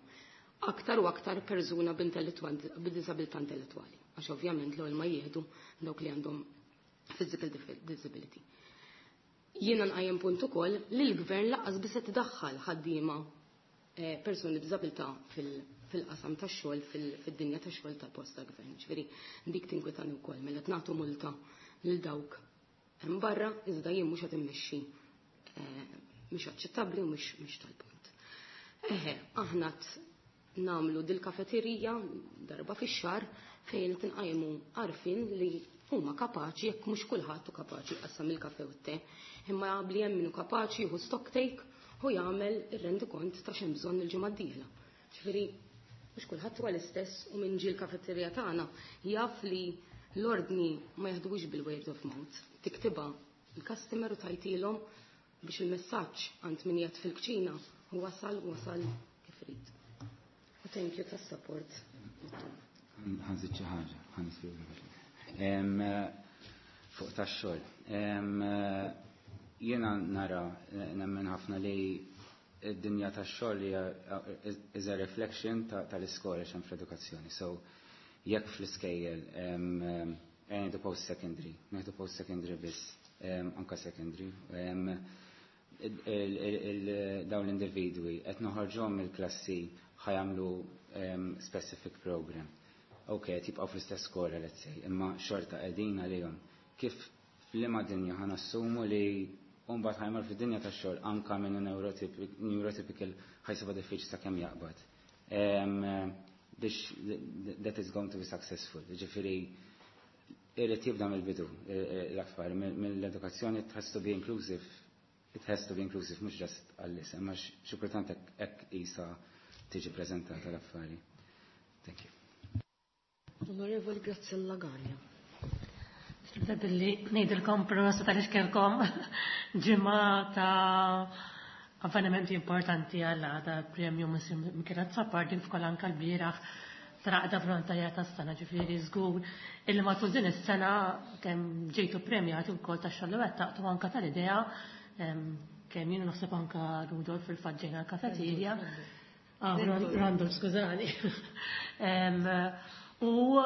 Aktar u aktar persuna b'disabilità intellettwali, għax ovvjament l-ewwel ma jieħdu dawk li għandhom physical disability. Jiena nqajjem punt ukoll li l-gvern laqqas biss qed idaħħal ħaddiema persuni b'diżabilità fil-qasam tax-xogħol, fid-dinja tax-xogħol tal-post ta' gvern. Ġifieri dik tinkwetani wkoll mela qed nagħtu multa lil dawk hemm barra iżda jien mhux qed immexxi mhux aċċettabbli u mhux tal-punt. Eħe, aħna nagħmlu dil-kafeterija darba fix-xahar fejn qed inqajmu għarfien li huma kapaċi, jekk mhux kulħadd hu kapaċi jqassam il-kafe u t-te, imma li hemm min hu kapaċi jieħu stock take u jagħmel ir-rendikont ta' x'hemm bżonn il-ġimgħa d-dieħla. Ġifieri mhux kulħadd huwa l-istess u min ġie l-kafeterija tagħna jaf li l-ordni ma jaħdux bil-word of mouth. Tiktibha il-customer u tajtilhom biex il-messaġġ għand min qiegħed fil-kċina wasal wasal kif irid. U thank you tas-support. Ħanżid xi ħaġa, ħanispjega. Fuq tax-xogħol. Jiena nara nemmen ħafna li id-dinja tax-xogħol hija is a reflection tal-iskola x'hemm fl-edukazzjoni. So jekk fl-iskejjel ngħidu post-secondary, ngħidu post-secondary biss, anka secondary, dawn l-individwi qed noħorġhom mill-klassi ħajamlu specific program. Ok, tibqgħu fl-istess skola, let's say, imma xorta qegħdin għalihom. Kif f'liema dinja ħa nassumu li mbagħad ħajmar fid-dinja tax-xogħol anka minn neurotypical ħajsibha diffiċli sakemm jaqbad. Biex that is going to be successful. Ġifieri irrid jibda mill-bidu l-affari, mill-edukazzjoni. It has to be inclusive. It has to be inclusive, mhux just għall-isem, għax xi kultant hekk qisha tiġi preżentata l-affari. Thank you. Onorevoli Graziella Gallia. Nibda billi ngħidilkom prosit għaliex kellkom ġimgħa ta' avvenimenti importanti għal ta' premju Michele Azzopardi f'kol anka l-bieraħ traqda volontarjat tas-sena. Ġifieri żgur illi matul din is-sena kemm ġejtu premjati wkoll tax-xogħol li wettaqtu, anka tal-idea, kemm jien naħseb anka Rudolf fil-fatt ġejna l-kafeterja. Ah, Randolph, skużani. U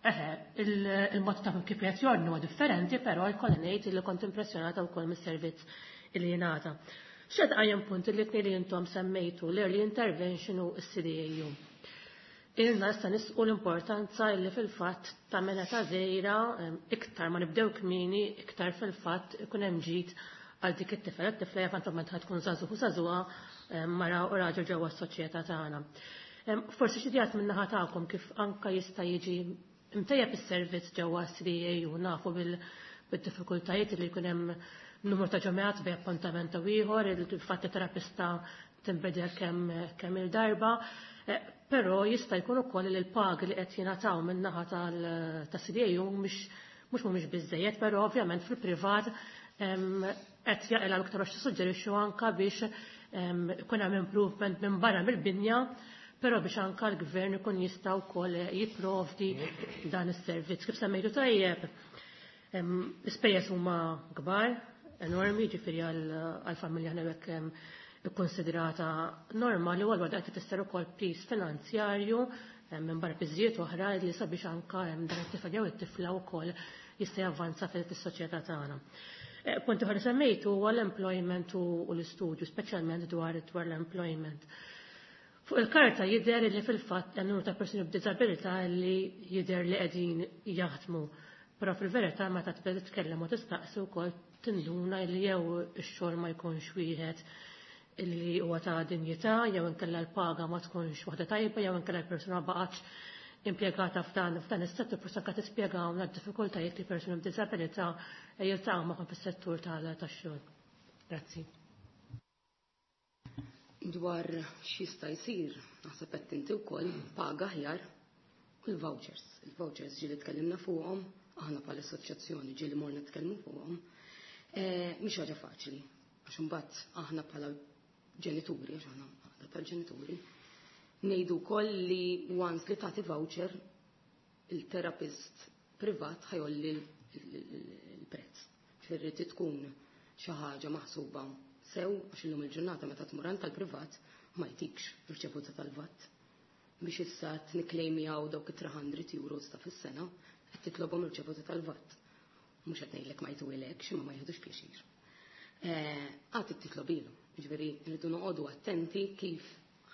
eħe, il-mod ta' kif qed jordnu huwa differenti, però jkolli ngħid li kont impressjonata wkoll mis-servizz li jingħata. Xed qajjem punt li tnejn li intom semmejtu, l-early intervention u s-CDAU. Ilna issa nisqu l-importanza li fil-fatt ta' mena ta' żejra, iktar ma nibdew kmieni, iktar fil-fatt ikun hemm ġid għal dik it-tifel, it-tifla eventualment ħa tkun żagħżugħ u żagħżugħa, mara u raġel ġewwa s-soċjetà tagħna. Forsi xi ideat min-naħa tagħkom kif anka jista' jiġi imtejjeb is-servizz ġewwa CDAU. Nafu bil-diffikultajiet li jkun hemm numru ta' ġimgħat bejn appuntament u ieħor, il-fatt terapista tinbidel kemm il-darba, però jista' jkun ukoll li l-pagi li qed jingħataw min-naħa tas-CDAU mhux mhumiex biżejjed, però ovvjament fil-privat qed jaqilgħu iktar, għax tissuġġerixxu anka biex ikun hemm improvement minn barra mill-binja, però biex anka l-gvern ikun jista' wkoll jipprovdi dan is-servizz. Kif semmejtu tajjeb, l-ispejjeż huma kbar, enormi, ġifieri għall-familja ħna ikkonsidrata normali, u għal qed tifisser ukoll piż finanzjarju minn barra piżijiet oħra li sabiex anka dan it-tifel jew it-tifla wkoll jista' javvanza fis-soċjetà tagħna. Punt ieħor li semmejtu huwa l-employment u l-istudju, speċjalment dwar l-employment. Fuq il-karta jidher li fil-fatt hemm numru ta' persuni b'diżabilità li jidher li qegħdin jaħdmu. Però fil-verità meta tibda titkellem u tistaqsi wkoll tinduna li jew ix-xogħol ma jkunx wieħed li huwa ta' dinjità, jew inkella l-paga ma tkunx waħda tajba, jew inkella l-persuna ma baqgħetx impjegata f'dan is-settur. Forsi anke tispjegawna d-diffikultajiet li persuni b'diżabilità jiltaqgħu magħhom fis-settur tax-xogħol. Grazzi. Dwar x'jista' jsir, naħseb qed inti wkoll paga aħjar u l-vouchers. Il-vouchers ġieli tkellimna fuqhom, aħna bħala assoċjazzjoni ġieli morna tkellmu fuqhom. Mhix ħaġa faċli, għax imbagħad aħna bħala ġenituri, għax aħna għaqda tal-ġenituri, ngħidu wkoll li once li tagħti voucher, il-terapist privat ħa jgħolli l-prezz. Ġifieri tkun xi ħaġa maħsuba sew, għax illum il-ġurnata meta tmur għand tal-privat ma jtikx irċevuta tal-VAT. Biex issa nikklejmjaw dawk it-300 euros ta' fis-sena, qed titlobhom irċevuta tal-VAT. Mhux qed ngħidlek ma jtuhilekx, imma ma jieħdux pjaċir. Għad titlobilu, ġifieri rridu noqogħdu attenti kif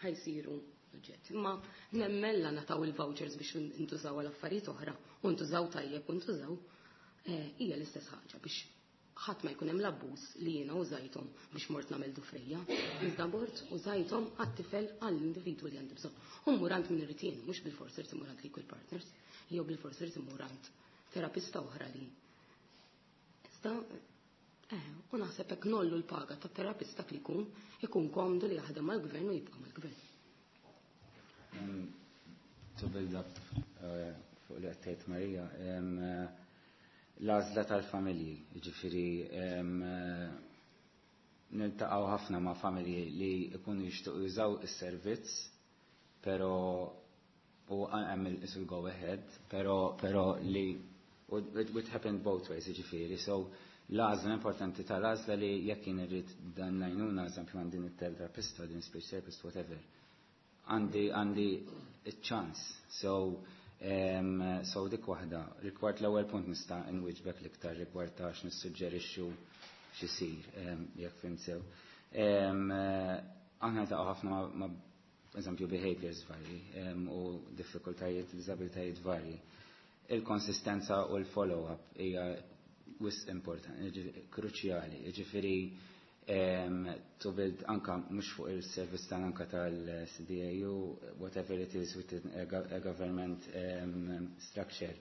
ħa jsiru suġġett. Imma nemmen la nataw il-vouchers biex intużaw għal affarijiet oħra, u ntużaw tajjeb u ntużaw, hija l-istess ħaġa biex ħadd ma jkun hemm l-abbuż li jiena użajthom biex mort nagħmel dufrejja. Iżda mort użajthom għat-tifel, għall-individwu li għandi bżonn. U mmur għand min irid jien, mhux bil-fors irid imur għand l-Equal Partners, jew bil-fors irid imur għand terapista oħra li. Iżda u naħseb hekk ngħollu l-paga ta' terapista li jkun ikun komdu li jaħdem mal-gvern u jibqa' mal-gvern. To build up fuq li għedt Marija, l-għażla tal-familji, ġifieri niltaqgħu ħafna ma' familji li jkunu jixtiequ jużaw is-servizz, pero u hemm il go ahead, pero li it happened both ways, ġifieri, so l-għażla importanti tal-għażla li jekk jien irrid dan l-għajnuna, eżempju għandi it-terapista, din speech therapist, whatever, għandi ċans. So dik waħda. Rigward l-ewwel punt nista' nwieġbek l-iktar rigward ta' x'nissuġġerixxu x'isir, jekk fhimt sew. Aħna ta' ħafna ma' eżempju behaviors varji u diffikultajiet, disabilitajiet varji. Il-konsistenza u l-follow-up hija wisq importanti, kruċjali, ġifieri. To build anka mhux fuq il-service tan anka tal-CDAU, whatever it is within a government structure.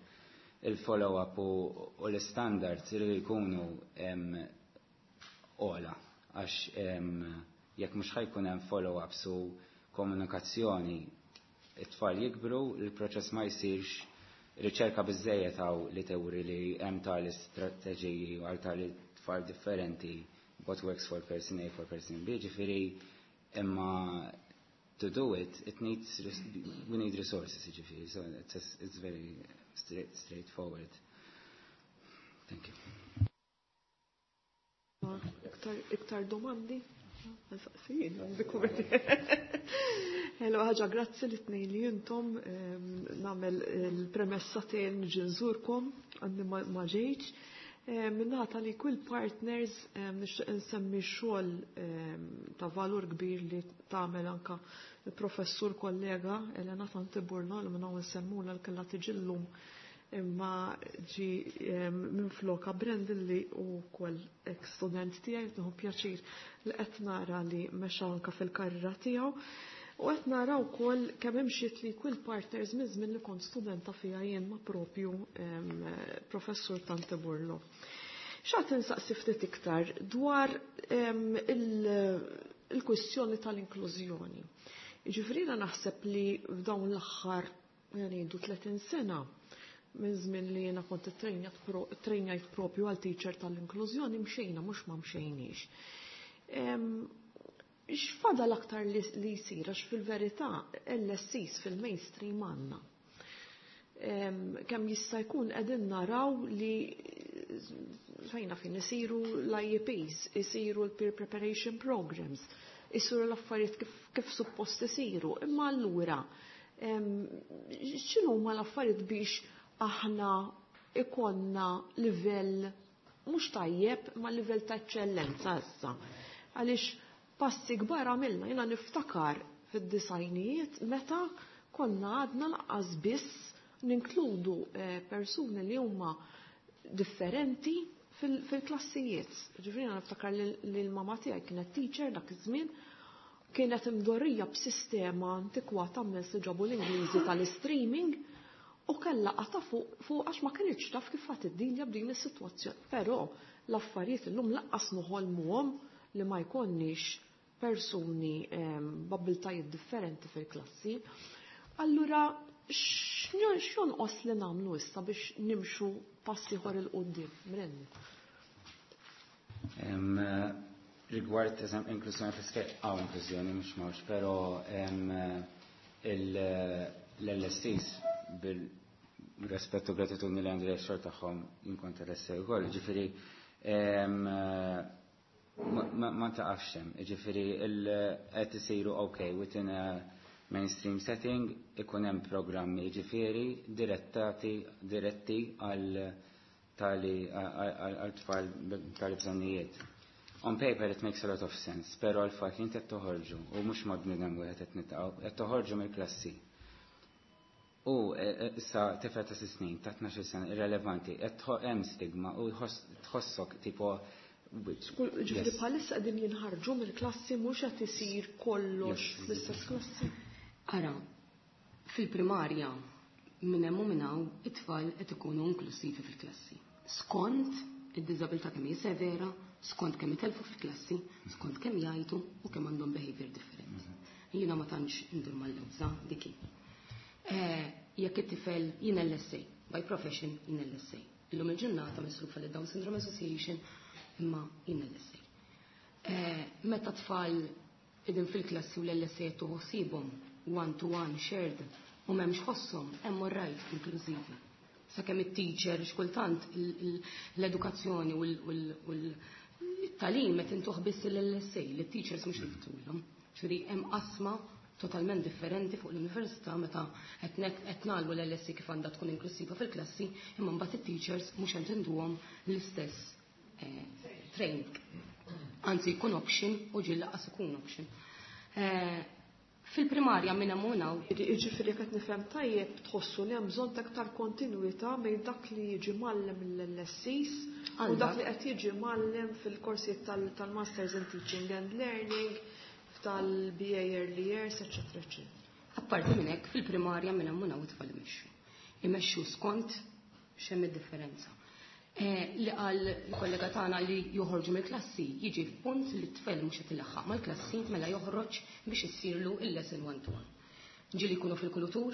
Il-follow-up u l-standards iridu jkunu ogħla għax jekk mhux ħa jkun hemm follow-ups u komunikazzjoni, it-tfal jikbru, il-proċess ma jsirx. Riċerka biżejjed hawn li tewri li hemm tali strateġiji għal tali tfal differenti, what works for person A for person B, ġifieri imma to do it, it needs, we need resources, ġifieri, so it's very straightforward. Thank you. Iktar domandi? Saqsijin, Hello, ħaġa, grazzi li tnejn li intom. Nagħmel il-premessa tiegħi niġi nżurkom, għandi ma ġejtx. Min-naħa tal-Equal Partners nixtieq insemmi xogħol ta' valur kbir li tagħmel anka il-professur kollega Elena Tanti Burlo, li minn hawn insemmula, li kellha tiġi llum imma ġi minn floka Brandon li wkoll ex student tiegħi. Nieħu pjaċir li qed nara li mexa anka fil-karriera tiegħu. U qed nara wkoll kemm imxiet l-Equal Partners minn żmien li kont studenta fiha jien ma' propju professur Tante Burlo. Xtaqt insaqsi ftit iktar dwar il-kwistjoni tal-inklużjoni. Ġifieri naħseb li f'dawn l-aħħar ngħidu 30 sena minn żmien li jiena kont trejnjajt propju għal teacher tal-inklużjoni, mxejna, mhux ma mxejniex. X'fadal aktar li jsir, għax fil-verità LSCs fil-mainstream għandna? Kemm jista' jkun qegħdin naraw li fejna fin isiru l-IEPs, isiru l-peer preparation programs, isiru l-affarijiet kif suppost isiru, imma allura x'inhu huma l-affarijiet biex aħna ikonna livell mhux tajjeb ma livell ta' eċċellenza issa? Għaliex passi kbar għamilna, jiena niftakar fid-disgħinijiet meta konna għadna lanqas biss ninkludu persuni li huma differenti fil-klassijiet. Ġifieri niftakar li l-mama tiegħi kienet teacher dak iż-żmien, kienet imdorrija b'sistema antikwata minn li ġabu l-Ingliżi tal-streaming u kellha qata fuq għax ma kienx taf kif ħadd iddilja b'din is-sitwazzjoni. Però l-affarijiet illum lanqas noħolmuhom li ma jkollniex persuni b'abiltajiet differenti fil-klassi. Allura, x'jonqos li nagħmlu issa biex nimxu passi ieħor 'il quddiem? Brenni. Rigward eżem inklużjoni fl għaw inklużjoni mhux mawx, però l-LSCs, bil-rispettu, gratitudni li għandi xogħol tagħhom, jien LSA wkoll, ġifieri ma taqafx hemm, ġifieri qed isiru, okay, within a mainstream setting ikun hemm programmi, ġifieri direttati diretti għal tali għal tfal tali bżonnijiet. On paper it makes a lot of sense, pero għal-fat li inti qed toħorġu u mhux ma bniedem wieħed qed nitaqgħu, qed toħorġu mill-klassi. U issa tifel ta' 6 snin, ta' 12 sena, irrelevanti, qed hemm stigma u tħossok tipo. Ġifieri bħalissa qegħdin jinħarġu mill-klassi, mhux qed isir kollox fl-istess klassi. Ara, fil-primarja minn hemm u minn hawn it-tfal qed ikunu inklusivi fil-klassi. Skont id-diżabilità kemm hi severa, skont kemm itelfu fil-klassi, skont kemm jgħidu u kemm għandhom behavior differenti. Jiena ma tantx indur mal-lewża diki. Jekk it-tifel, jien LSA, by profession jien LSA. Illum il-ġurnata misrufa li Down Syndrome Association, imma jien LSA. Meta tfal idin fil-klassi u l-LSA tuħsibhom one to one shared u m'hemmx ħosshom, hemm right inklużivi. Sakemm it-teacher, xkultant l-edukazzjoni u l-tagħlim qed intuħ biss l-LSA, l-teachers mhux jiftulhom. Ġifieri hemm qasma totalment differenti fuq l-università meta qed ngħallmu l-LSA kif għandha tkun inklusiva fil-klassi, imma mbagħad it-teachers mhux qed intuhom l-istess training. Anzi jkun option u ġieli lanqas ikun option. Fil-primarja minn hemm hawn. Jiġifieri qed nifhem tajjeb tħossu li hemm bżonn ta' aktar kontinwità bejn dak li jiġi mgħallem mill-LSCs u dak li qed jiġi mgħallem fil-korsijiet tal-Masters in Teaching and Learning, tal-BA Early Years, eċetera, eċetera. Apparti minn hekk fil-primarja minn hemm hawn it-tfal imexxu. Imexxu skont x'hemm id-differenza. Li qal il-kollega tagħna li joħorġu mill-klassi jiġi f'punt li t-tfel mhux qed ilaħħaq mal-klassi mela joħroġ biex issirlu il-lesson one to one. Ġieli jkunu fil-kultur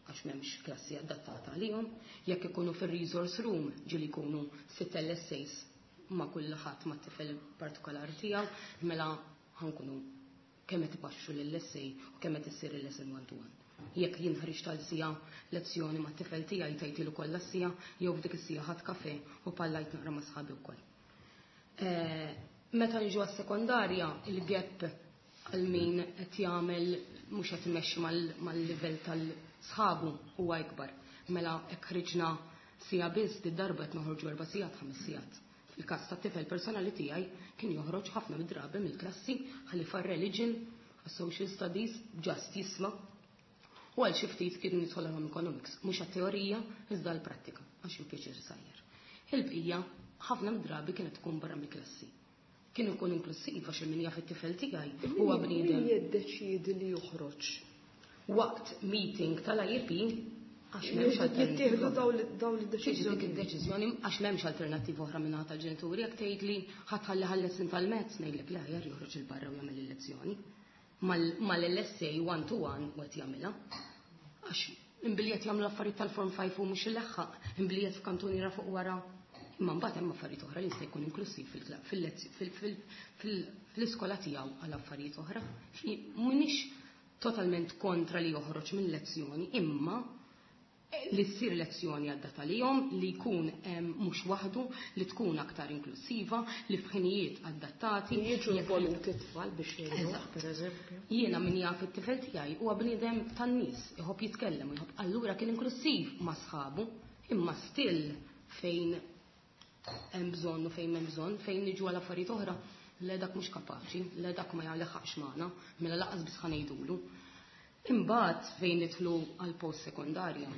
għax m'hemmx klassi adattata għalihom, jekk ikunu fir-resource room ġieli jkunu sitt LSAs ma' kulħadd ma' tifel partikolari tiegħu, mela ħankunu kemm qed ipaxxu lill-LSA u kemm qed issir il-lesson one to one. Jekk jien ħriġt għal siegħa lezzjoni mat-tifel tiegħi tajtilu kollha s-siegħa jew f'dik is-siegħa ħadt kafe u pallajt naqra ma' sħabi wkoll. Meta niġu għas-sekondarja, il-gap għal min qed jagħmel mhux qed imexxi mal-livell tal-sħabu huwa ikbar. Mela hekk ħriġna siegħa biss, di darba qed noħorġu 4 sigħat, 5 sigħat. Fil-każ tat-tifel personali tiegħi kien joħroġ ħafna mid-drabi mill-klassi ħalli far-religion, għas-social studies, just jisma'. U għal xi ftit kien jidħol għal economics, mhux għat-teorija iżda għall-prattika, għax hu pjaċir sajjer. Il-bqija ħafna mid-drabi kienet tkun barra mill-klassi. Kien ikun inklusiv għax min jaf it-tifel tiegħi huwa bniedem. Min jiddeċiedi li joħroġ? Waqt meeting tal-IEP għax m'hemmx Jittieħdu dawn id-deċiżjoni. Dik id-deċiżjoni għax m'hemmx alternattiva oħra minn tal-ġenituri jekk tgħid li ħadd ħalli ħalles tal-mezz ngħidlek le aħjar joħroġ il barra u jagħmel il-lezzjoni. Mal-LSA one to one u qed jagħmilha. Għax imbilli qed jagħmlu affarijiet tal-Form 5 u mhux il-leħħaq, imbilli qed f'kantuniera fuq wara. Imma mbagħad hemm affarijiet oħra li jista' jkun inklusiv fl-iskola tiegħu għal affarijiet oħra. M'iniex totalment kontra li joħroġ minn lezzjoni, imma li ssir lezzjoni adattata għalihom, li jkun mhux waħdu, li tkun aktar inklusiva, li f'ħinijiet adattati. Li jiġu involuti t-tfal biex jgħinu, per eżempju. Jiena min jaf it-tifel tiegħi huwa bniedem tan-nies, iħobb jitkellem, iħobb allura kien inklusiv ma' sħabu, imma still fejn hemm bżonn u fejn hemm bżonn, fejn niġu għal affarijiet oħra, le dak mhux kapaċi, le dak ma jagħleħaqx magħna, mela laqas biss ħa ngħidulu. Imbagħad fejn nidħlu għal post sekondarja,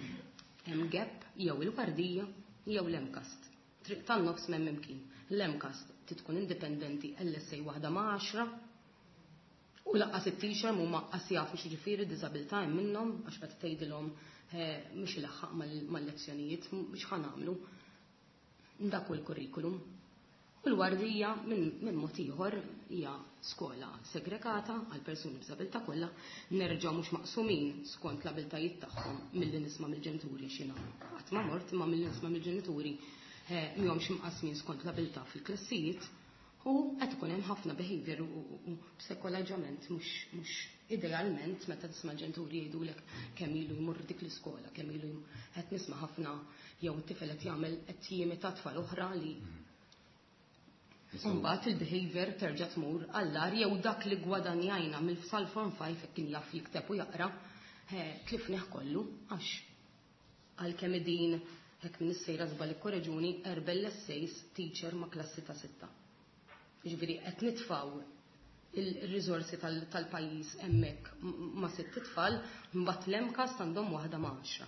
hemm gap jew il-Wardija jew l-MCAST. Triq tan-nofs m'hemm imkien. L-MCAST tkun indipendenti LSA waħda ma' 10 u laqqas it-teacher mhuma qas jafu x'jiġifieri diżabilità hemm minnhom għax meta tgħidilhom mhux ilaħħaq mal-lezzjonijiet, mhux ħa nagħmlu. Dak hu l-kurrikulum. U l-Wardija minn mod ieħor hija skola segregata għal persuni b'diżabilità kollha, nerġgħu mhux maqsumin skont l-abiltajiet tagħhom milli nisma' mill-ġenituri x'inhu. Qatt ma mort imma milli nisma' mill-ġenituri mhomx imqasmin skont l-abilità fil-klassijiet u qed ikun hemm ħafna behavior u psikoloġament mhux idealment meta tisma' l-ġenituri jgħidulek kemm ilu jmur dik l-iskola, kemm ilu qed nisma' ħafna jew it-tifel qed jagħmel qed jimita tfal oħra li Mbagħad il-behavior terġa' tmur għall-agħar jew dak li gwadanjajna mill-sal Form 5 hekk kien jaf jikteb u jaqra, tlifnih kollu għax għalkemm din hekk minn is-sejra żball ikkoreġuni 4 LSAs teacher ma' klassi ta' 6. Jiġifieri qed nitfgħu il-riżorsi tal-pajjiż hemmhekk ma' 6 tfal, mbagħad l-MCAST għandhom waħda ma' 10.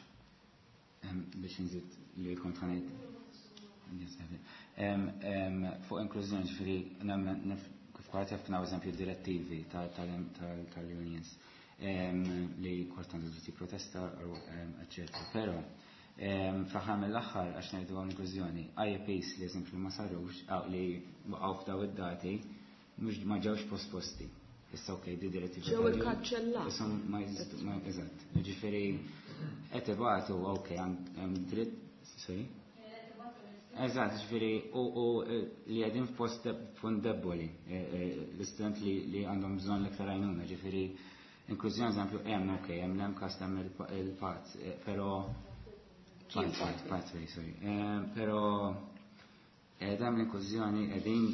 Biex nżid li kont ħa ngħid fuq inklużjoni, ġifieri nemmen kif kwart jafna eżempju direttivi tal-unions li kwart għandu dritti protesta, eccetera. Però fl-aħħar mill-aħħar għax ngħidu hawn inklużjoni, IEPs li eżempju ma sarux, li waqgħu f'daw id-dati, mhux ma ġewx posposti. Issa ok, di direttivi Ġew ikkanċellati. Issa ma jeżistu, ma eżatt. Ġifieri qed ibatu, ok, hemm dritt, sorry? Eżatt, ġifieri u li qegħdin f'post punt deboli, l-istudent li għandhom bżonn l-iktar għajnuna, ġifieri inklużjoni eżempju hemm, ok, hemm l-MCAST, hemm il-PAT, però pathway, sorry. Però dam l-inklużjoni qegħdin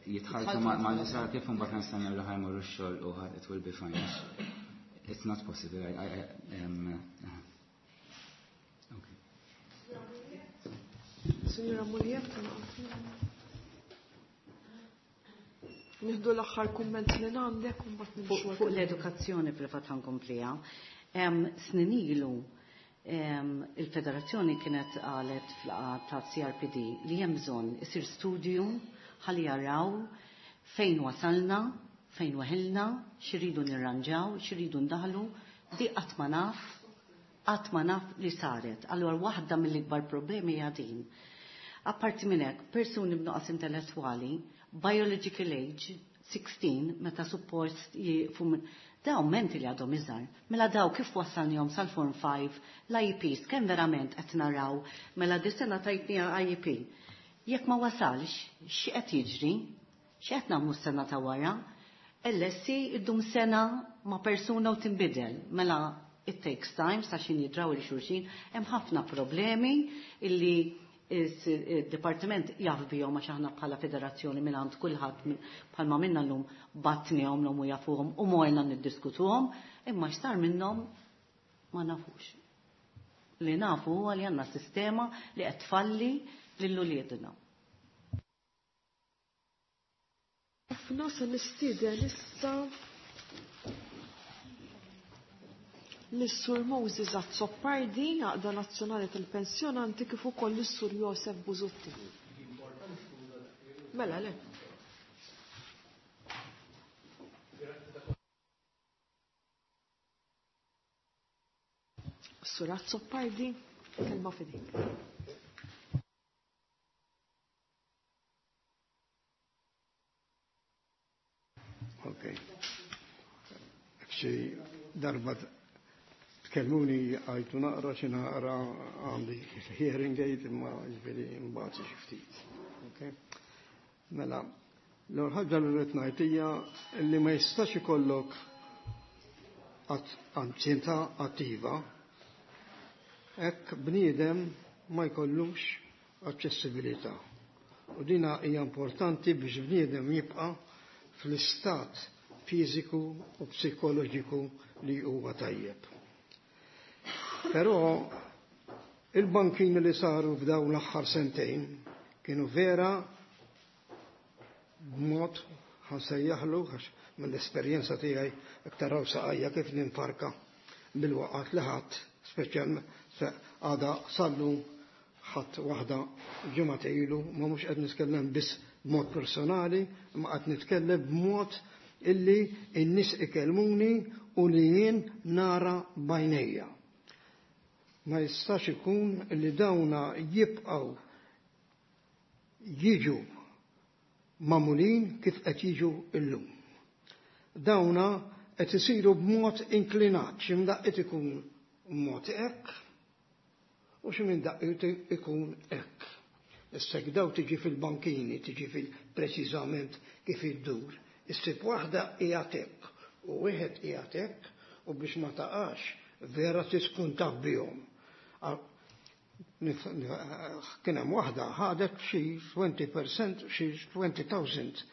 jitħalltu ma' nisa kif imbagħad nistennew li ħa jmorru x-xogħol u it will be fine. It's not possible. Okay. Signora Muliet. Nieħdu l-aħħar kumment minn għandek u mbagħad nimxu. Fuq l-edukazzjoni fil-fatt ħankompliha. Snin ilu il-federazzjoni kienet qalet fl-laqgħa ta' CRPD li hemm bżonn isir studju ħalli jaraw fejn wasalna, fejn weħilna, x'iridu nirranġaw, x'iridu ndaħlu, di qatt ma naf, qatt ma naf li saret. Allura waħda mill-ikbar problemi hija din. Apparti minn hekk, persuni b'nuqqas intellettwali, biological age 16, meta suppost jieqfu daw menti li għadhom iżgħar. Mela daw kif wassalnihom sal-Form 5, l-IEPs, kemm verament qed naraw, mela dis-sena tajtniha IEP. Jekk ma wasalx, x'qed jiġri? X'qed nagħmlu s-sena ta' wara? LSC iddum sena ma' persuna u tinbidel. Mela it takes time sa xin jidraw il xulxin, hemm ħafna problemi illi il-Dipartiment jaf bihom għax aħna bħala federazzjoni minn għand kulħadd bħalma minna llum batnihom l u jafuhom u morna niddiskutuhom, imma x'sar minnhom ma nafux. Li nafu huwa li għandna sistema li qed tfalli lil uliedna. Ħafna se nistieden issa lis-Sur Moses Azzopardi, Għaqda Nazzjonali tal-Pensjonanti, kif ukoll lis-Sur Josef Busuttil. Mela le. Sur Azzopardi, kelma f'idejk. Ok. Xi darba tkellmuni għajtu naqra xi naqra għandi hearing aid imma ġifieri mbagħad xi ftit. Ok. Mela, l-ewwel ħaġa li rrid ngħid hija li ma jistax ikollok anzjanità attiva hekk bniedem ma jkollux aċċessibilità. U dina hija importanti biex bniedem jibqa' fl-istat fiżiku u psikoloġiku li huwa tajjeb. Però il-bankini li saru f'dawn l-aħħar sentejn kienu vera b'mod ħansejjaħlu għax mill-esperjenza tiegħi iktar raw saqajja kif ninfarka bil-waqgħat li ħadd, speċjalment għada sallu ħadd waħda ġimgħa ilu, ma mhux qed nitkellem biss b'mod personali, imma qed nitkellem b'mod illi n-nies ikellmuni u li jien nara b'għajnejja. Ma jistax ikun li dawna jibqgħu jiġu magħmulin kif qed jiġu illum. Dawna qed isiru b'mod inklinat, xi mdaqqiet ikun b'mod hekk u xi minn daqqiet ikun hekk. Issa jekk daw tiġi fil-bankini, tiġi fil-preċiżament kif iddur, issib waħda qiegħed hekk u wieħed qiegħed hekk u biex ma taqax vera tkun taf bihom. Kien hemm waħda ħadet xi 20%, xi 20,000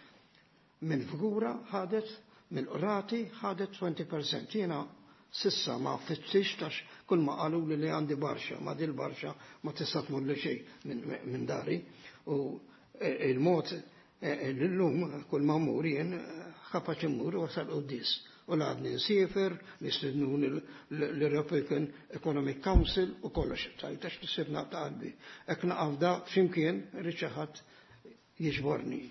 minn figura ħadet mill-qrati ħadet 20%. Jiena sissa ma fittix tax kull ma qalu li li għandi barxa, ma dil barxa ma tista' tmur li xejn minn dari. U il-mod l-lum kull ma mmur jien kapaċi mmur wasal quddis. U l-għadni nsiefer, nistednuni l-European Economic Council u kollox. Tajtax nisibna ta' qalbi. Ek naqaf da x'imkien irid xi ħadd jiġborni.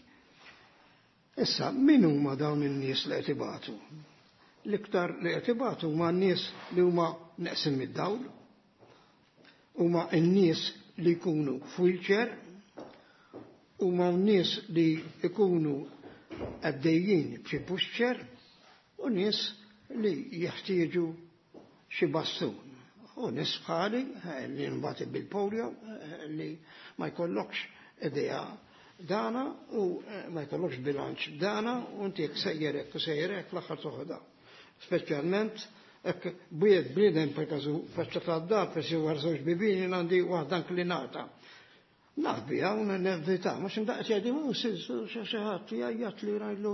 Issa, min huma dawn in-nies li qed ibatu? L-iktar li qed ibatu huma n-nies li huma neqsin mid-dawl, huma n-nies li jkunu f'wheelchair, huma n-nies li jkunu għaddejjin b'xi pushchair, u nies li jeħtieġu xi bastun. U nies bħali li nbati bil-polio li ma jkollokx idea dana u ma jkollokx bilanċ dana u inti jekk sejjerek u sejjerek l-aħħar toħodha. Speċjalment hekk bwied bniedem per każu faċċa tad-dar per xi wara żewġ bibien jien għandi waħda inklinata. Naf biha u nevita, ma x'imdaqs jgħidi mhu xi ħadd jgħajjat li rajlu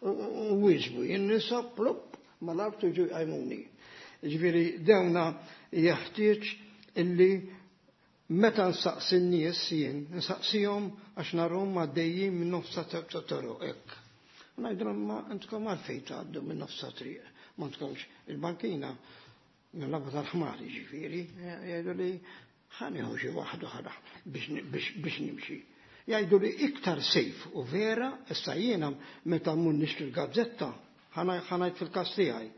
u wieġbu, jien nisa plupp mal-art jiġu jqajmuni. Ġifieri dawna jeħtieġ illi meta nsaqsi n-nies jien, nsaqsihom għax narhom għaddejjin minn nofsa ta' toroq hekk. U ngħidilhom ma intkom għalfejn tgħaddu minn nofs triq, ma tkomx il-bankina nilgħabha tal-ħmar jiġifieri, jgħidu li ħa nieħu xi waħda oħra biex nimxi. Jgħidu li iktar safe u vera, issa jiena meta mmur nixtri l-gazzetta, ħa ngħid fil-każ tiegħi.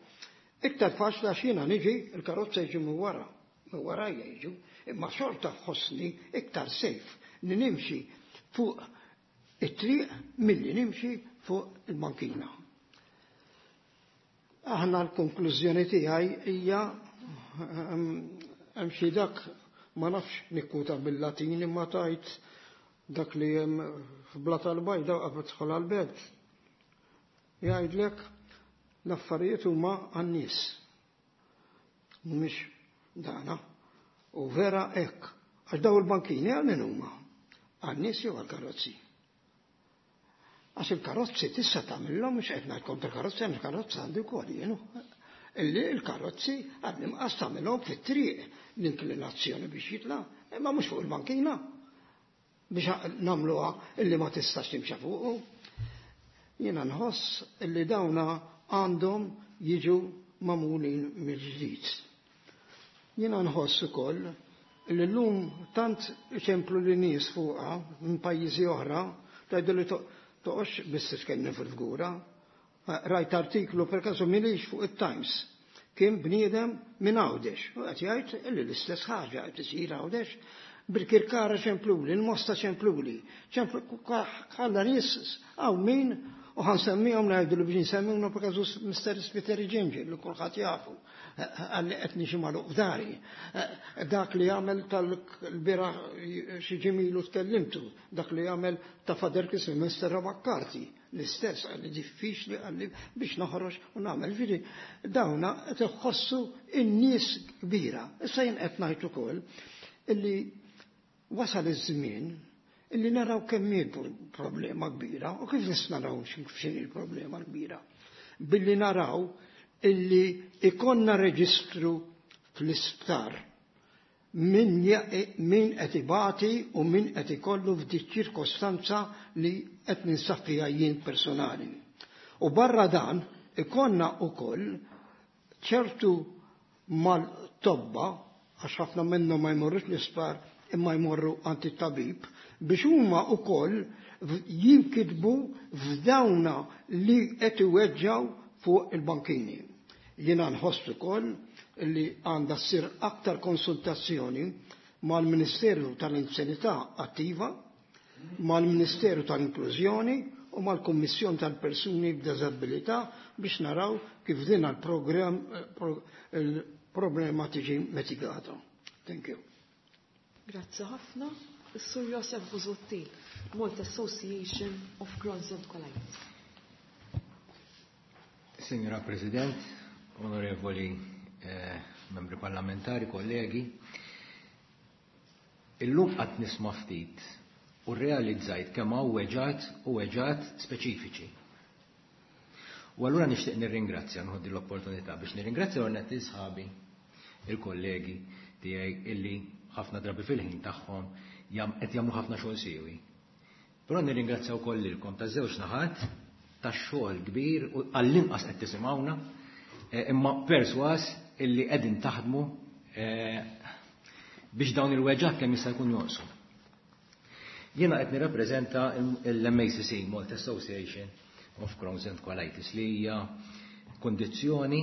Iktar faċli għax jiena niġi, il-karozza jiġi minn wara, minn warajja jiġu, imma xorta ħossni iktar safe li nimxi fuq it-triq milli nimxi fuq il-bankina. Aħna l-konklużjoni tiegħi hija hemm xi dak ma nafx nikkuta bil-Latin imma tajt dak li hemm f'Blata l-Bajda qabel tidħol għall-belt. Jgħidlek l-affarijiet huma għan-nies. Mhumiex dana. U vera hekk. Għax daw il-bankini għal min huma? Għan-nies jew għall-karozzi? Għax il-karozzi tista' tagħmilhom mhux qed ngħid kontra karozzi, hemm karozza għandi wkoll jienu. Illi l-karozzi għall-inqas tagħmilhom fit-triq l-inklinazzjoni biex jitla', imma mhux fuq il-bankina biex nagħmluha illi ma tistax timxa fuqu. Jiena nħoss illi dawna għandhom jiġu magħmulin mill-ġdid. Jiena nħoss ukoll illi llum tant iċemplu li nies fuqha minn pajjiżi oħra tgħidu li toqgħodx biss titkellem fil-fgura. Rajt artiklu per kasu milix fuq it-Times. Kien bniedem minn Għawdex u qed jgħid illi l-istess ħaġa qed isir Għawdex Birkirkara ċempluli, il-Mosta ċempluli, ħalla nies hawn min u ħansemmihom ngħidu li biex nsemmihom per kasu Mr. Spiteri Ġinġi li kulħadd jafu għalli qed niġi magħluq f'dari. Dak li jagħmel tal-bieraħ xi ġimilu tkellimtu, dak li jagħmel ta' Father Christmas Mr. Rabakkarti, l-istess għalli diffiċli għalli biex noħroġ u nagħmel. Ġifieri dawna qed iħossu in-nies kbira. Issa jien qed ngħid ukoll illi wasal iż-żmien illi naraw kemm hi problema kbira u kif nistgħu naraw x'inhi l-problema kbira. Billi naraw illi ikonna reġistru fl-isptar min min qed ibati u min qed ikollu f'dik ċirkostanza li qed ninsab fiha jien personali. U barra dan ikonna ukoll ċertu mal-tobba għax ħafna minnhom ma jmorrux l-isptar imma jmorru għand it-tabib biex huma wkoll jinkitbu f'dawna li qed iweġġgħu fuq il-bankini. Jiena nħoss ukoll li għandha ssir aktar konsultazzjoni mal-Ministeru tal-Anzjanità Attiva, mal-Ministeru tal-Inklużjoni u mal-Kummissjoni tal-Persuni b'Diżabilità biex naraw kif din il-problema tiġi mitigata. Thank you. Grazzi ħafna. Is-Sur Josef Busuttil, Malta Association of Crohn's and Colitis. Signora President, onorevoli membri parlamentari, kollegi, illum qatt nisma' ftit u realizzajt kemm hawn weġgħat u weġgħat speċifiċi. U allura nixtieq nirringrazzja, nħoddi l-opportunità biex nirringrazzja l sħabi, il-kollegi tiegħi illi ħafna drabi fil-ħin tagħhom qed jagħmlu ħafna xogħol siewi. Però nirringrazzja wkoll lilkom ta' żewġ naħat tax-xogħol kbir u għall-inqas qed tisimgħuna, imma perswas illi qegħdin taħdmu biex dawn il-weġgħat kemm jista' jkun jonqsu. Jiena qed nirrappreżenta l-MACC, Malta Association of Crohn's and Colitis, li hija kondizzjoni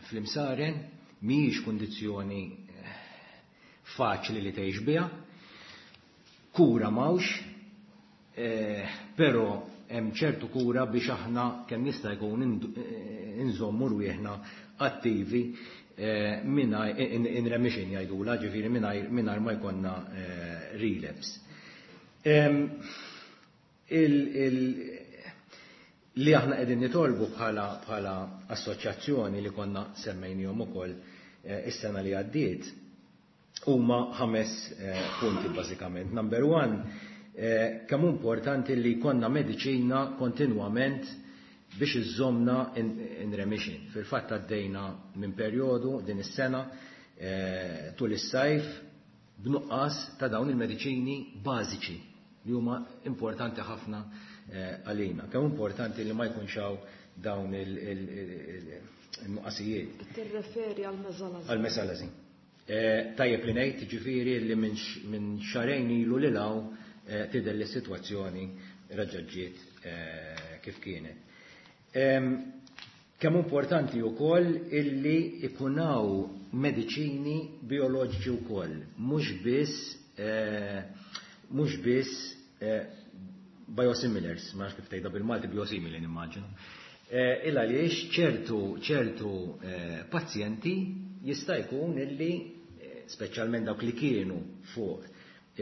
fl-imsaren, mhijiex kondizzjoni faċli li tgħix biha, kura m'hawnx, però hemm ċertu kura biex aħna kemm jista' jkun inżommu rwieħna attivi mingħajr in remission jgħidula, ġifieri mingħajr ma jkollna relapse. Li aħna qegħdin nitolbu bħala assoċjazzjoni li konna semmejnihom ukoll is-sena li għaddiet huma 5 punti bażikament. Number 1, kemm importanti li jkollna mediċina kontinwament biex iżżomna in remission. Fil-fatt għaddejna minn perjodu din is-sena tul is-sajf b'nuqqas ta' dawn il-mediċini bażiċi li huma importanti ħafna għalina. Kemm importanti li ma jkunx hawn dawn il-nuqqasijiet. Tirreferi għal mesalazin. Għal mesalazin. Tajjeb li ngħid ġifieri li minn xahrejn ilu lil hawn tidher li s-sitwazzjoni reġgħet ġiet kif kienet. Kemm importanti wkoll illi ikun hawn mediċini bioloġiċi wkoll, mhux biss mhux biss biosimilars, ma nafx kif tgħidha bil-Malti biosimili nimmaġinu. Illa għaliex ċertu ċertu pazjenti jista' jkun illi speċjalment dawk li kienu fuq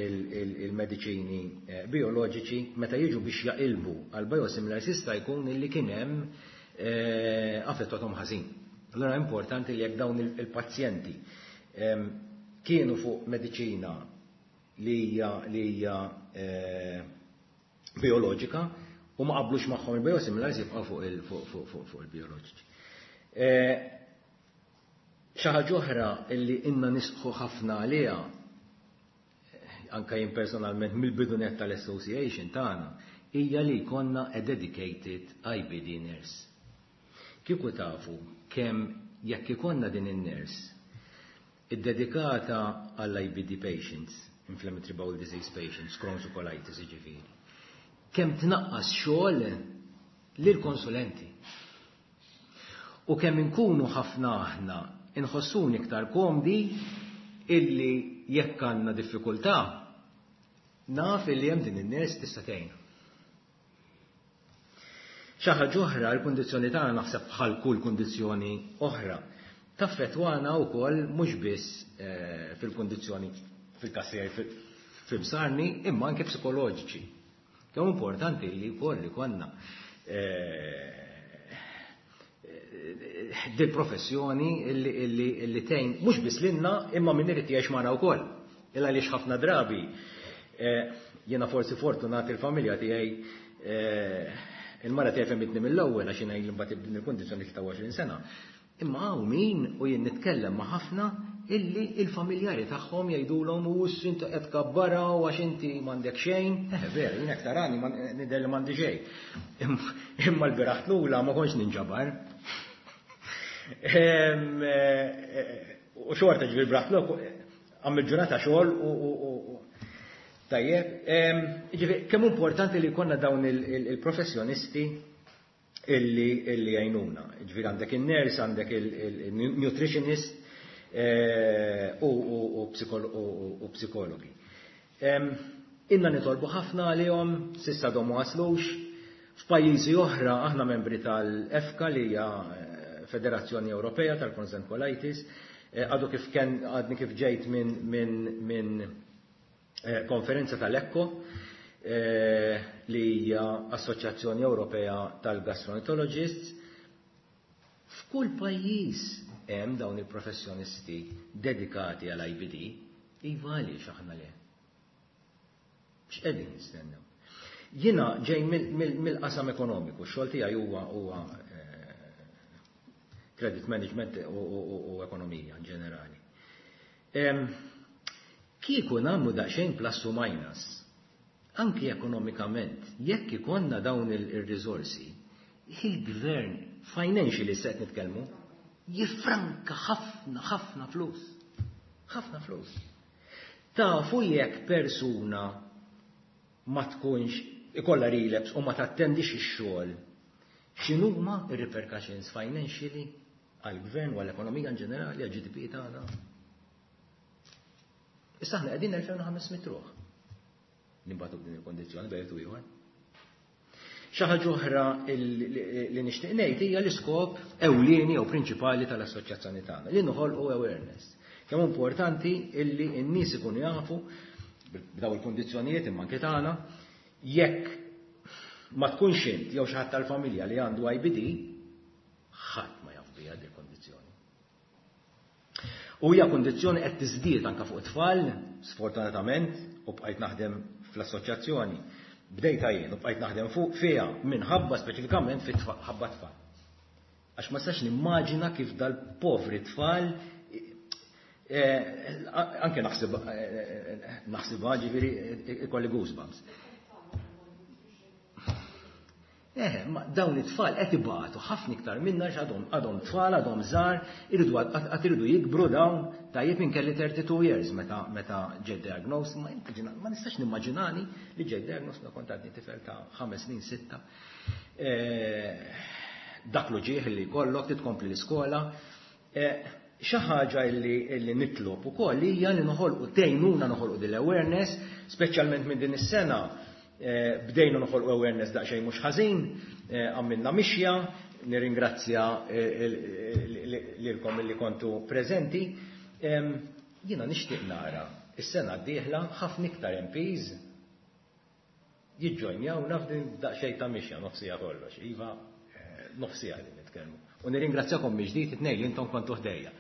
il-mediċini bioloġiċi meta jiġu biex jaqilbu għal biosimilars jista' jkun illi kien hemm affettwathom ħażin. Allura importanti li jekk dawn il-pazjenti kienu fuq mediċina li hija li hija bioloġika u ma qablux magħhom il-biosimilars jibqgħu fuq il-bioloġiċi. Xi ħaġa oħra illi inna nisħu ħafna għaliha anka jien personalment mill-bidu nett tal-association tagħna hija li jkollna a dedicated IBD nurse. Kieku tafu kemm jekk ikollna din in-nurse iddedikata għall-IBD patients, inflammatory bowel disease patients, Crohn's u colitis jiġifieri, kemm tnaqqas xogħol lill-konsulenti. U kemm inkunu ħafna aħna inħossuni iktar komdi illi jekk għandna diffikultà naf illi hemm din in-nurse tista' tgħin. Xi ħaġa oħra, l-kundizzjoni tagħna naħseb bħal kull kundizzjoni oħra taffettwana wkoll mhux biss fil-kundizzjoni fil-każ tiegħi fil-msarni imma anke psikoloġiċi. Kemm importanti li wkoll ikollna dil professjoni illi tgħin mhux biss lilna imma min irid jgħix magħna wkoll. Illa għaliex ħafna drabi jiena forsi fortunat il-familja tiegħi il-mara tiegħi fehmitni mill-ewwel għax jiena mbagħad din il-kundizzjoni 23 sena. Imma hawn min u jien nitkellem ma' ħafna illi il-familjari tagħhom jgħidulhom u inti qed kabbara u għax inti m'għandek xejn. Vera, jien hekk tarani nidher li m'għandi xejn. Imma l-bieraħ tlula ma kontx ninġabar. U xorta ġifieri braħt għamil ġurnata xogħol u tajjeb. Ġifieri kemm importanti li jkollna dawn il-professjonisti illi jgħinuna. Ġifieri għandek in-nurse, għandek il-nutritionist u psikologi. Inna nitolbu ħafna għalihom, s'issa għadhom ma waslux. F'pajjiżi oħra aħna membri tal-EFCA li hija Federazzjoni Ewropea tal-Crohn's and Colitis. Għadu kif ken għadni kif ġejt minn konferenza tal-ECCO li hija Assoċjazzjoni Ewropea tal-Gastroenterologists. F'kull pajjiż hemm dawn il-professjonisti dedikati għal IBD, iva għaliex aħna le. X'qegħdin nistennew? Jiena ġej mill-qasam ekonomiku, x-xogħol tiegħi huwa credit management u ekonomija in ġenerali. Kieku nagħmlu daqsxejn plus u minus, anki ekonomikament, jekk ikollna dawn il-riżorsi, il-gvern financially se qed nitkellmu, jiffranka ħafna ħafna flus. Ħafna flus. Tafu jekk persuna ma tkunx ikollha relapse u ma tattendix ix-xogħol, x'inhuma r-repercussions financially għall-gvern u għall-ekonomija in ġenerali, għall-GDP tagħna? Issa aħna qegħdin 2500 ruħ. Nimbagħtu b'din il-kondizzjoni bejn u ieħor. Xi ħaġa oħra li nixtieq ngħid hija l-iskop ewlieni jew prinċipali tal-assoċjazzjoni tagħna, li noħolqu awareness. Kemm importanti illi n-nies ikunu jafu b'daw il-kundizzjonijiet imma anke tagħna, jekk ma tkunx int jew xi ħadd tal-familja li għandu IBD, ħadd ma jaf biha din il-kondizzjoni. U hija kundizzjoni qed tiżdied anke fuq it-tfal, sfortunatament, u bqajt naħdem fl-assoċjazzjoni. Bdejta jien u bqajt naħdem fuq fiha minħabba speċifikament fit-ħabba tfal. Għax ma sax nimmaġina kif dal-povri tfal anke naħsibha ġifieri ikolli goosebumps. Eh, ma dawn it-tfal qed ibatu ħafna iktar minna għadhom għadhom tfal, għadhom żgħar, iridu għad iridu jikbru dawn, tajjeb minn kelli 32 years meta meta ġed diagnosed, ma ma nistax nimmaġinani li ġed diagnosed meta kont għadni tifel ta' ħames snin sitta. Eh, dak l-ġieħ li jkollok titkompli l-iskola. Eh, xi ħaġa illi nitlob ukoll hija li noħolqu tgħinuna noħolqu din l-awareness, speċjalment minn din is-sena Eh, bdejna noħolqu awareness daqsxejn mhux ħażin, eh, għamilna mixja, nirringrazzja eh, lilkom li kontu preżenti. Jiena nixtieq nara is-sena d-dieħla ħafna iktar MPs jiġġojnjawna f'din daqsxejn ta' mixja nofsija kollox. Iva, nofsija li nitkellmu. U nirringrazzjakom mill-ġdid it-tnejn li intom kontu ħdejja.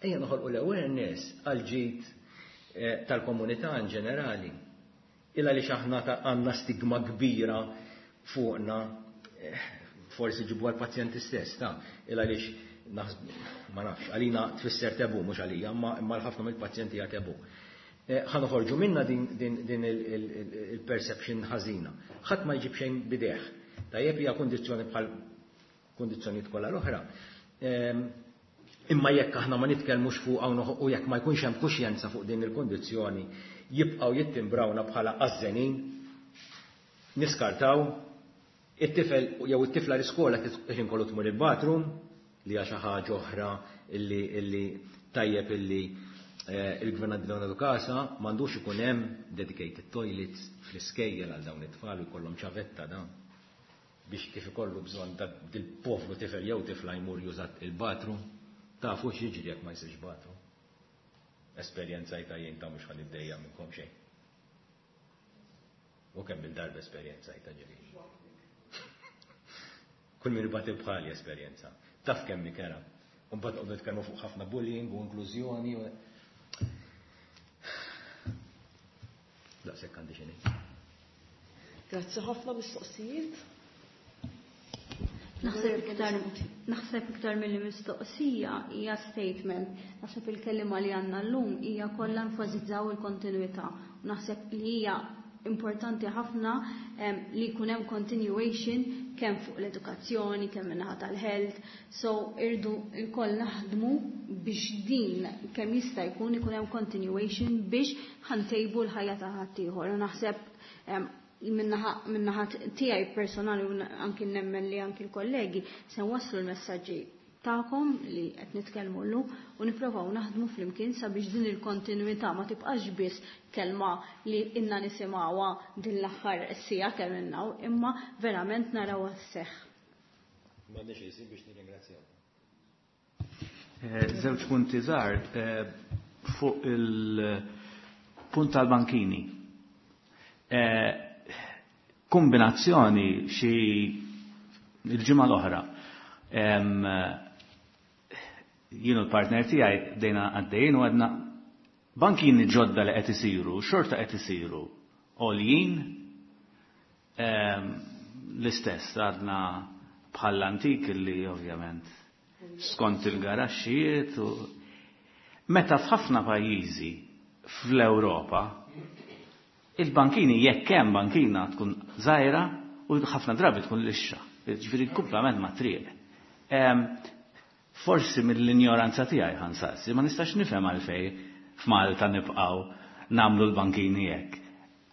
Ejja noħolqu l-awareness għal ġid eh, tal-komunità in ġenerali. Illa li aħna għandna stigma kbira fuqna, eh, forsi ġibu għal-pazjenti stess, ta' illa li ma nafx, għalina tfisser tabu, mhux għalija, imma l-ħafna mill-pazjenti hija tabu. Eh, ħa noħorġu minna din il-perception ħażina. Ħadd ma jġib xejn b'idejh. Tajjeb hija kundizzjoni bħal kundizzjonijiet kollha l-oħra. Ehm, imma jekk aħna ma nitkellmux fuq u jekk ma jkunx hemm kuxjenza fuq din il-kundizzjoni, jibqgħu jittimbrawna bħala għażżenin, niskartaw, it-tifel jew it-tifla l-iskola ħin kollu tmur il-bathroom, li hija xi ħaġa oħra illi, illi tajjeb illi eh, il-gvern għad nagħtu kasa m'għandux ikun hemm dedicated toilets fl-iskejjel għal dawn it-tfal u jkollhom ċavetta dan biex kif ikollu bżonn ta' dil-povru tifel jew tifla jmur juża il-bathroom. Tafu x'jiġri jekk ma jsirx bathroom. Esperjenzajtha jien ta' mhux ħa niddejjaq minnkom xejn. U kemm il-darba esperjenzajtha ġifieri. Kull min ibati bħali esperjenza. Taf kemm ikera. U mbagħad noqogħdu nitkellmu fuq ħafna bullying u inklużjoni. Daqshekk għandi xi ngħid. Grazzi ħafna mistoqsijiet. Naħseb iktar naħseb iktar milli mistoqsija hija statement. Naħseb il-kelliema li għandna llum hija kollha enfasizzaw il-kontinuità. U naħseb li hija importanti ħafna li jkun hemm continuation kemm fuq l-edukazzjoni, kemm min-naħa tal-health. So irdu lkoll naħdmu biex din kemm jista' jkun ikun hemm continuation biex ħa ntejbu l-ħajja ta' ħaddieħor. U naħseb min-naħa tiegħi personali u anki nemmen li anki l-kollegi se nwasslu l-messaġġi tagħkom li qed nitkellmu llum u nipprovaw naħdmu flimkien sabiex din il-kontinuità ma tibqax biss kelma li inna nisimgħuha din l-aħħar siegħa kemm innaw, imma verament narawha sseħħ. M'għandix isib biex nirringrazzjaw. Eh, żewġ punti żgħar eh, fuq il-punt tal-bankini. Eh, kombinazzjoni xi il-ġimgħa l-oħra. Jien u l-partner tiegħi bdejna għaddejjin u għedna bankini ġodda li qed isiru, xorta qed isiru għoljin l-istess għadna bħall-antik li ovvjament skont il-garaxxijiet u meta f'ħafna pajjiżi fl-Ewropa il-bankini jekk hemm bankina tkun żgħira u ħafna drabi tkun lixxa, ġifieri kumplament ma' triq. Forsi mill-injoranza tiegħi ħa nsaqsi, ma nistax nifhem għalfejn f'Malta nibqgħu nagħmlu l-bankini hekk.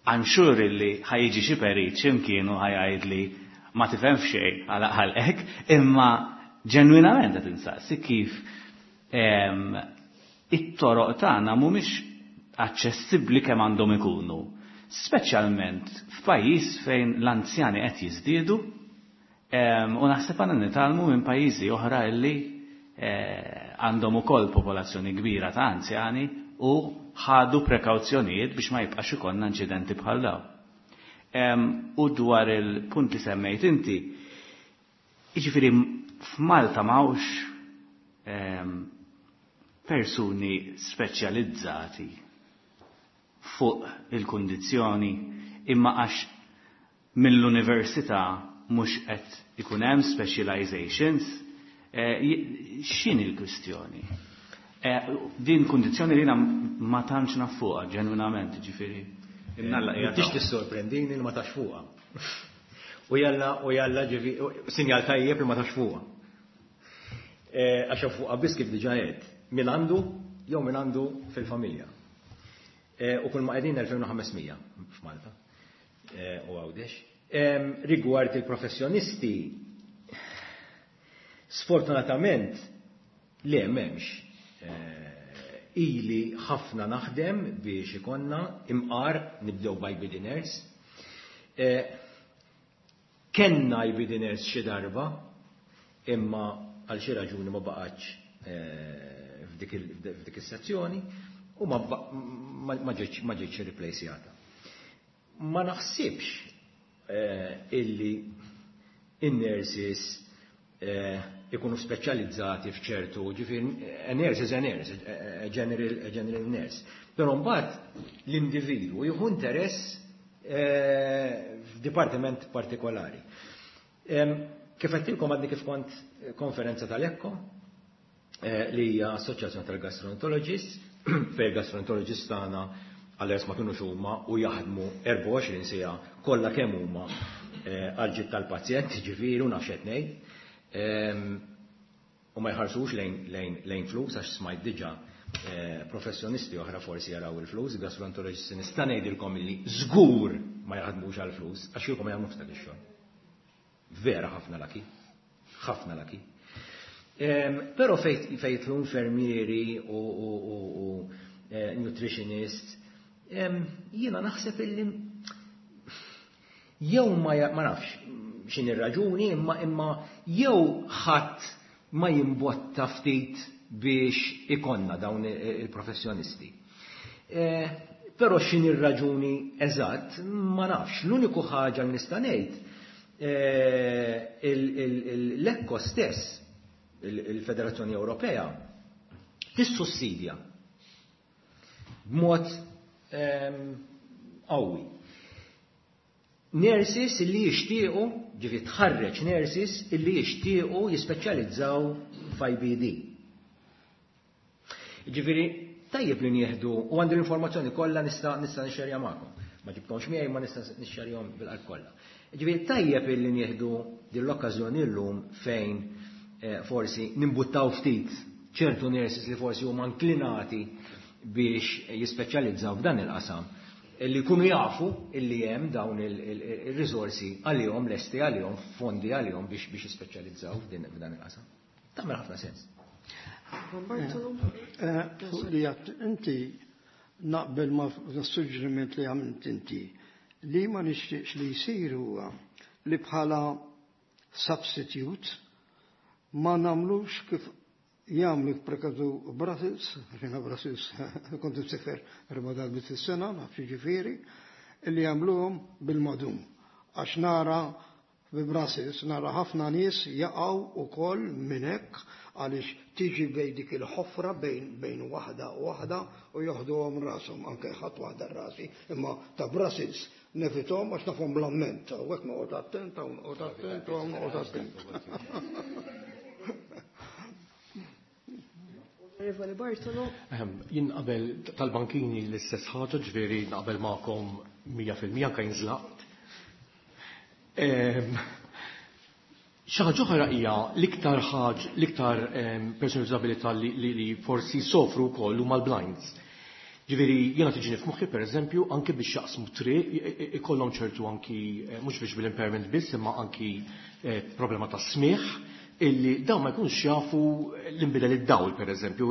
I'm sure illi ħa jiġi xi perit x'imkien u ħa jgħidli ma tifhem f'xejn għal ħalqek, imma ġenwinament qed insaqsi kif it-toroq tagħna mhumiex aċċessibbli kemm għandhom ikunu. Speċjalment f'pajjiż fejn l-anzjani qed jiżdiedu u naħseb għandna nitgħallmu minn pajjiżi oħra illi eh, għandhom ukoll popolazzjoni kbira ta' anzjani u ħadu prekawzjonijiet biex ma jibqax ikollna inċidenti bħal dawn. U dwar il-punt li semmejt inti, jiġifieri f'Malta m'hawnx persuni speċjalizzati fuq il-kundizzjoni imma għax mill-università mhux qed ikun hemm specializations, eh, x'inhi l-kwistjoni? Eh, din kundizzjoni li ma tantx naf fuqha ġenwinament, ġifieri. Tix tissorprendini li ma tafx fuqha. U jalla, u jalla ġivi, sinjal tajjeb li ma tafx fuqha. Għax fuqha biss kif diġà għedt, min għandu jew min għandu fil-familja. U kull ma qegħdin 2500 f'Malta u Għawdex. Rigward il-professjonisti, sfortunatament le m'hemmx. Ili ħafna naħdem biex ikonna imqar nibdew by beginners. Kenna IBD nurse xi darba, imma għal xi raġuni ma baqgħetx f'dik is-sezzjoni u ma ġietx irriplejsjata. Ma naħsibx illi in-nurses ikunu speċjalizzati f'ċertu, ġifieri a nurse is a nurse, a general, a general nurse. Però mbagħad l-individwu jieħu interess f'dipartiment partikolari. Kif għedtilkom għadni kif kont konferenza tal-ECCO, li hija Assoċjazzjoni tal-Gastroenterologists, fejn gastroenterologists tagħna għal ma kienux huma u jaħdmu 24 siegħa kollha kemm huma għal ġid tal-pazjent, ġifieri u naf x'qed ngħid. U ma jħarsux lejn flus għax smajt diġà professjonisti oħra forsi jaraw il-flus, gastroenterologisti nista' ngħidilkom illi żgur ma jaħdmux għal-flus għax kieku ma jagħmlux dak ix-xogħol. Vera ħafna lucky, ħafna lucky. Però fejn jidħlu infermieri u nutritionists, jiena naħseb illi jew ma nafx x'inhi ir-raġuni imma jew ħadd ma jimbotta ftit biex ikonna dawn il-professjonisti. Però x'inhi ir-raġuni eżatt ma nafx. L-uniku ħaġa li nista' ngħid l-ECCO stess, il-Federazzjoni Ewropea, tissussidja b'mod qawwi nurses illi jixtiequ, ġifi tħarreġ nurses illi jixtiequ jispeċjalizzaw f'IBD. Ġifieri tajjeb li nieħdu u għandi l-informazzjoni kollha nista' nixxerja magħkom. Ma ġibtomx miegħi ma nista' nixxerjahom bil-qalb kollha. Ġifieri tajjeb illi nieħdu din l-okkażjoni llum fejn forsi nimbuttaw ftit ċertu nurses li forsi huma inklinati biex jispeċjalizzaw f'dan il-qasam illi jkunu jafu illi hemm dawn il-risorsi għalihom, lesti għalihom, fondi għalihom biex jispeċjalizzaw f'dan il-qasam. Tagħmel ħafna sens. Fuq li għedt inti naqbel ma suġġeriment li għamilt inti li ma nixtieqx li jsir huwa li bħala substitute ma nagħmlux kif jagħmlu prekadu Brussels, ġena Brussels kont nsifer erba' darbiet fis-sena, naf ġifieri, illi jagħmluhom bil-madum. Għax nara bi Brussels nara ħafna nies jaqgħu ukoll minn hekk għaliex tiġi bejn dik il-ħofra bejn waħda u waħda u joħduhom rashom, anke ħadd waħda rasi, imma ta' Brussels nevitahom għax nafhom bl-amment, u hekk noqgħod attent, u noqgħod attent, u noqgħod attent. Onorevoli Bartolo. Jien qabel tal-bankini l-istess ħaġa, ġifieri naqbel magħkom 100% anke jinżlaqt. Xi ħaġa oħra hija l-iktar ħaġ, l-iktar persuni b'diżabilità li forsi sofru wkoll huma l-blinds. Ġifieri jiena tiġini f'moħħi pereżempju anke biex jaqsmu triq ikollhom ċertu anki mhux biex bil-impairment biss imma anki problema ta' smigħ illi dawn ma jkunux jafu l-inbidel id-dawl pereżempju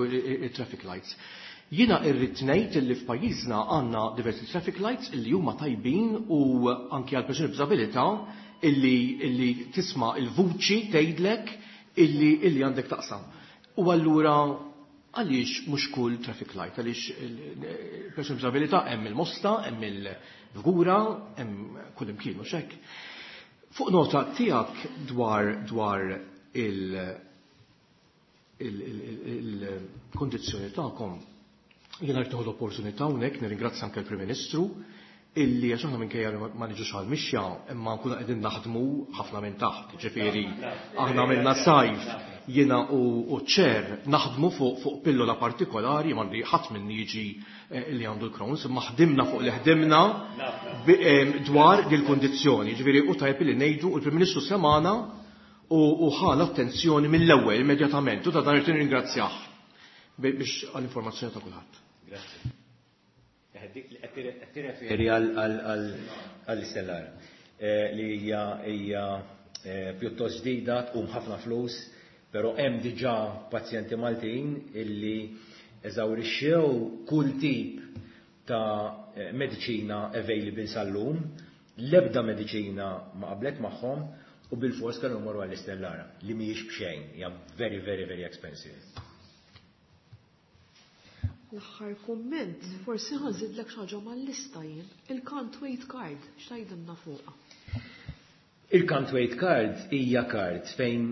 il-traffic lights. Jiena irrid ngħid illi f'pajjiżna għandna diversi traffic lights illi huma tajbin u anki għal persuni b'diżabilità illi tisma' il-vuċi tgħidlek illi għandek taqsam. U allura għaliex mhux kull traffic light, għaliex il-persuni b'diżabilità hemm il-Mosta, hemm il-Fgura, hemm kull imkien mhux hekk. Fuq nota tiegħek dwar il-kondizzjoni tagħkom, jiena rrid nieħu l-opportunità hawnhekk nirringrazzja anke l-Prim Ministru. illi għax aħna minkejja li ma niġux għall-mixja imma nkunu qegħdin naħdmu ħafna minn taħt, ġifieri aħna għamilna sajf jiena u ċ-chair naħdmu fuq fuq pillola partikolari m'għandi ħadd minni jiġi li għandu l-Crohn's, imma ħdimna fuq li ħdimna dwar dil-kundizzjoni. Ġifieri hu tajjeb illi ngħidu u l-Prim Ministru semagħna u ħa l-attenzjoni mill-ewwel immedjatament u ta' dan irrid nirringrazzjah biex għall-informazzjoni ta' kulħadd. Grazzi. Qed tirreferi għall-istellar li hija hija pjuttost ġdida, tqum ħafna flus, però hemm diġà pazjenti Maltin illi eżawrixxew kull tip ta' mediċina available sal-lum, l-ebda mediċina ma qablet magħhom u bilfors kellhom imorru għall-istellara li mhijiex b'xejn, hija very very very expensive. L-aħħar kumment, forsi ħa nżidlek xi ħaġa mal-lista jien, il-can't wait card, x'tgħidilna fuqha? Il-can't wait card hija card fejn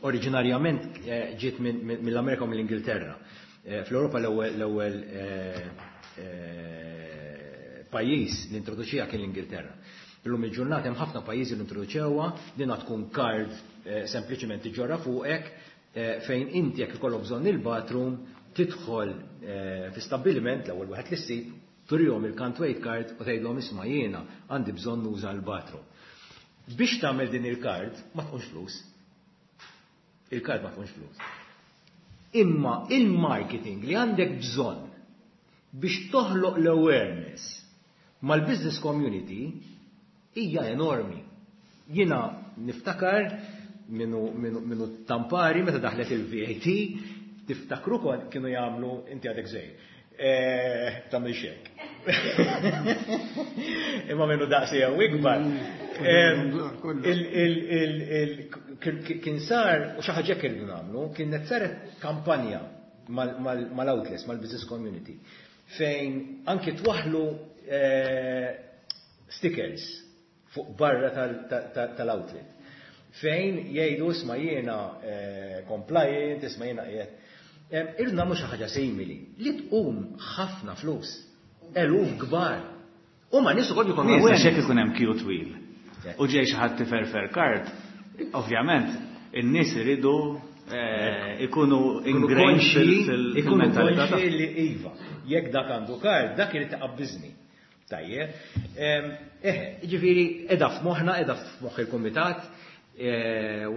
oriġinarjament ġiet mill-Amerika u mill-Ingilterra. Fl-Ewropa l-ewwel pajjiż li introduċiha kien l-Ingilterra. Illum il-ġurnata hemm ħafna pajjiżi li introduċewha, dinha tkun card sempliċement tiġġorra fuqek fejn inti jekk ikollok bżonn il-bathroom tidħol fi stabbiliment l-ewwel wieħed li ssib, turihom il-can't wait card u tgħidlhom isma' jiena għandi bżonn nuża l-bathroom. Biex tagħmel din il-card ma tkunx flus. Il-card ma tkunx flus. Imma il-marketing li għandek bżonn biex toħloq l-awareness mal-business community hija enormi. Jiena niftakar minnu tampari meta daħlet il-VAT, tiftakru kon kienu jagħmlu inti għadek żejr. Tagħmel xek. Imma minnu daqsi jew ikbar. Kien sar, u xi ħaġa irridu nagħmlu, kienet saret kampanja mal-outlets, mal-business community, fejn anki twaħlu stickers fuq barra tal-outlet. Fejn jgħidu isma' jiena compliant, isma' jiena qiegħed. Irridu nagħmlu xi ħaġa simili li tqum ħafna flus, eluf kbar. U ma nies ukoll jkunu Nies, awareness. Għax jekk ikun hemm queue twil. U ġej xi ħadd tiferfer card, ovvjament in-nies iridu ikunu ingrained Ikunu fil-mentalità konxi li iva, jekk dak għandu card, dak irid iqabbiżni. Tajjeb. Ġifieri qiegħda f'moħħna, qiegħda f'moħħ il-kumitat,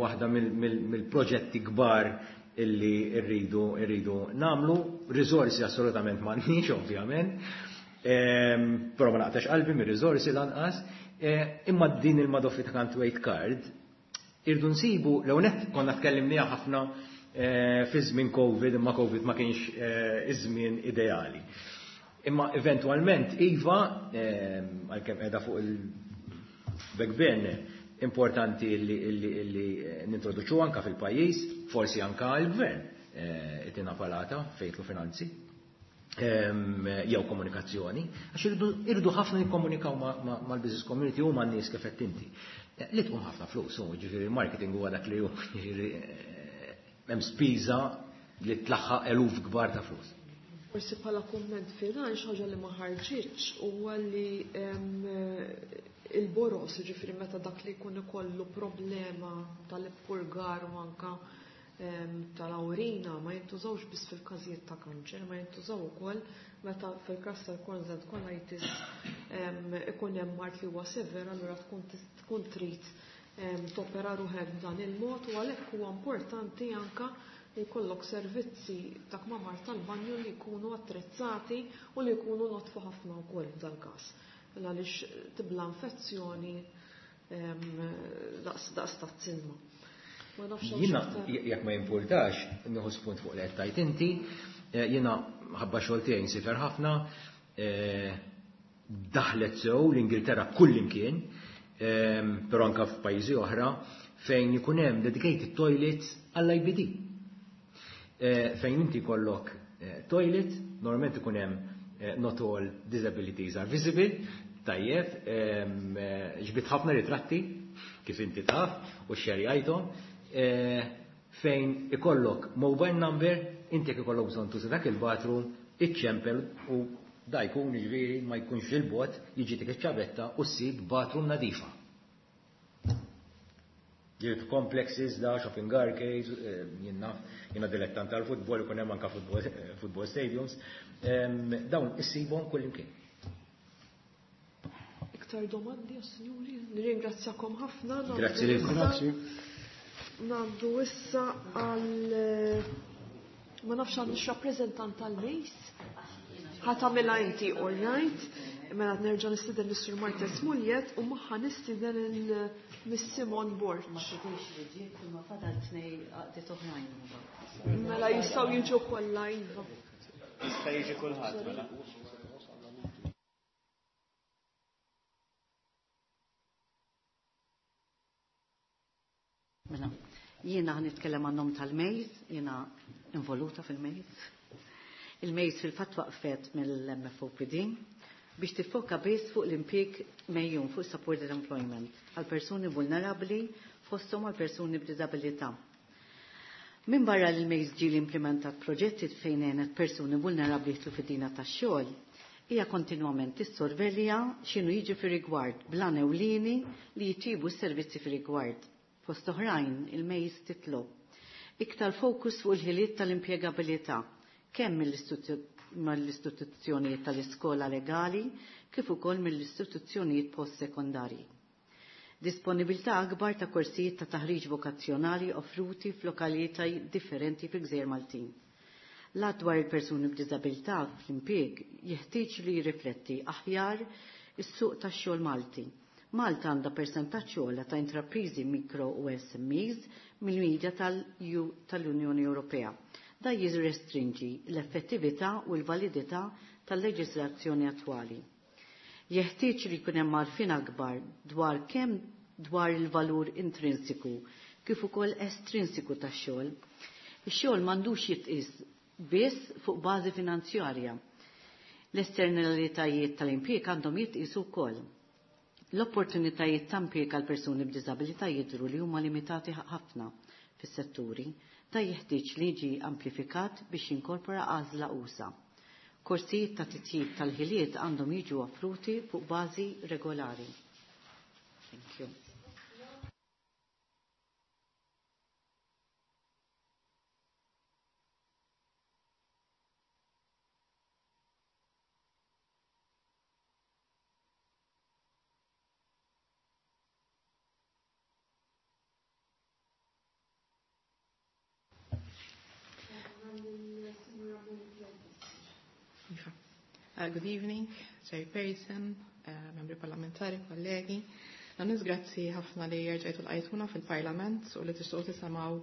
waħda mill-proġetti kbar illi rridu nagħmlu, riżorsi assolutament m'għandniex ovvjament, però ma naqtax qalbi mir-riżorsi lanqas, imma din il-Madoffi ta' Can't Wait Card irdu nsibu, l net konna tkellimniha ħafna fi żmien Covid, imma Covid ma kienx iż-żmien ideali. Imma eventwalment iva, għalkemm qiegħda fuq il-back burner, importanti illi nintroduċu anka fil-pajjiż, forsi anka l-gvern itina palata fejtlu finanzi, jew komunikazzjoni, għax irridu ħafna nikkomunikaw mal-business community u man-nies kif qed inti. Li tqum ħafna flus, u ġifieri il-marketing huwa dak li hu, ġifieri hemm spiża li tlaħħaq eluf kbar ta' flus. Forsi bħala kumment finali xi ħaġa li ma ħarġitx huwa li il-boros, ġifieri meta dak li jkun ikollu problema tal-ippurgar u anka tal-awrina ma jintużawx biss fil-każijiet ta' kanċer, ma jintużaw ukoll meta fil-każ tal-Crohn's and colitis ikun hemm mard li huwa sever, allura tkun trid topera ruħek b'dan il-mod u għalhekk huwa importanti anka li jkollok servizzi ta' kmamar tal-banju li jkunu attrezzati u li jkunu notfu ħafna wkoll f'dal każ. Għaliex tibla infezzjoni daqs ta' silma. Ma nafx hawn Jiena, xi aktar. jekk ma jimpurtax, nieħu spunt fuq li qed tgħid inti, jiena ħabba xogħol tiegħi nsifer ħafna, daħlet sew l-Ingilterra kull imkien, però anka f'pajjiżi oħra, fejn ikun hemm dedicated toilets għall-IBD. Fejn inti kollok toilet, normalment ikun hemm not all disabilities are visible, tajjeb, ġbit ħafna ritratti, kif inti taf, u xerjajthom, fejn ikollok mobile number, inti jekk ikollok bżonn tuża dak il-bathroom, iċċempel u Da jkun jiġifieri ma jkunx il-bot jiġi dik iċ-ċavetta u ssib bathroom nadifa. Ġifieri complexes da, shopping arcades, jien naf, jiena dilettant tal-futbol, ikun hemm anke football stadiums, dawn issibhom kullimkien. Iktar domandi, signori? Nirringrazzjakom ħafna. Grazzi lilkom. Grazzi. Ngħaddu issa għal ma nafx għandix rappreżentant tal-MEIS. Ħa tagħmilha inti, all right. Mela nerġa' nistieden lis-Sur Martes Muljet u magħha nistieden il-Miss Simon Borg. Ma tidhirx li ġiet imma fadal tnej għaqdiet oħrajn imbagħad. Mela jistgħu jiġu kollha iva. Jista' jiġi kulħadd mela. Mela, jiena nitkellem għan-nom tal-MEIS, jiena involuta fil-MEIS. Il-MEIS fil-fatt waqfet mill-MFOPD biex tiffoka biss fuq l-impjieg mejjun fuq supported employment għal persuni vulnerabbli fosthom għal persuni b'diżabilità. Min barra li l-MEIS ġie implementat proġetti fejn għenet persuni vulnerabbli jidħlu fid-dinja tax-xogħol, hija kontinwament tissorvelja x'inhu jiġi fir-rigward blan ewlieni li jitjiebu s-servizzi fir-rigward. Fost oħrajn, il-MEIS titlob iktar fokus fuq il-ħiliet tal-impjegabilità kemm mill-istituzzjonijiet tal-iskola legali kif ukoll mill-istituzzjonijiet post-sekondarji. Disponibilità akbar ta' korsijiet ta' taħriġ vokazzjonali offruti f'lokalitajiet differenti fil-Gżejjer Maltin. L-att dwar il-persuni b'diżabilità fl-impjieg jeħtieġ li jirrifletti aħjar is-suq tax-xogħol Malti. Malta għandha persentaġġ ogħla ta' intrapriżi mikro u SMEs mill-medja tal-Unjoni Ewropea. Da jirrestrinġi l-effettività u l-validità tal-leġiżlazzjoni attwali. Jeħtieġ li jkun hemm għarfien akbar dwar kemm dwar il-valur intrinsiku kif ukoll estrinsiku tax-xogħol. Ix-xogħol m'għandux jitqies biss fuq bażi finanzjarja. L-esternalitajiet tal-impjieg għandhom jitqisu wkoll. L-opportunitajiet ta' impjieg għal persuni b'diżabilità jidhru li huma limitati ħafna fis-setturi, da jeħtieġ li jiġi amplifikat biex jinkorpora għażla usa. Korsijiet ta' titjib tal-ħiliet għandhom jiġu offruti fuq bażi regolari. Thank you. Good evening, Chairperson, membri parlamentari, kollegi. Nanis grazzi ħafna li rġajtu lqajtuna fil-Parlament u li tixtuqu tisimgħu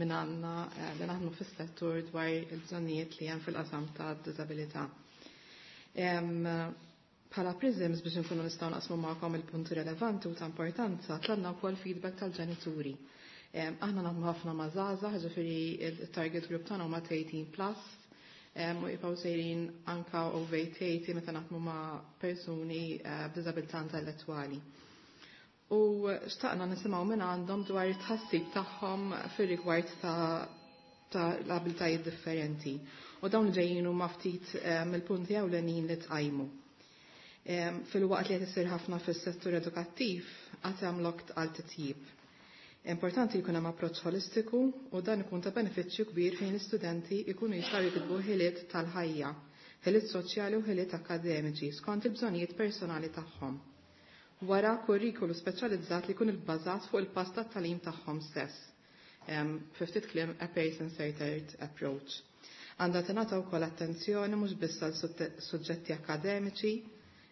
minn għandna li naħdmu fis-settur dwar il-bżonnijiet li hemm fil-qasam ta' diżabilità. Bħala Prisms biex nkunu nistgħu naqsmu magħkom il-punti relevanti u ta' importanza, tlabna wkoll feedback tal-ġenituri. Aħna naħdmu ħafna ma' żgħażagħ, ġifieri il-target group tagħna huma 18 plus, u jibqgħu sejrin anka over 80 meta naħdmu ma' persuni b'diżabilità intellettwali. U xtaqna nisimgħu minn għandhom dwar it-tħassib tagħhom fir-rigward ta' l-abilitajiet differenti. U dawn ġejjin huma ftit mill-punti ewlenin li tqajmu. Fil-waqt li qed isir ħafna fis-settur edukattiv għad hemm lok għal titjib. Importanti jkun hemm approċċ holistiku u dan ikun ta' benefiċċju kbir fejn l-istudenti jkunu jistgħu jikitbu ħiliet tal-ħajja, ħiliet soċjali u ħiliet akademiċi skont il-bżonnijiet personali tagħhom. Wara kurrikulu speċjalizzat li jkun ibbażat fuq il-pass tat-tagħlim tagħhom stess. Fi ftit kliem a person-centered approach. Għandha tingħata wkoll attenzjoni mhux biss għal suġġetti akademiċi,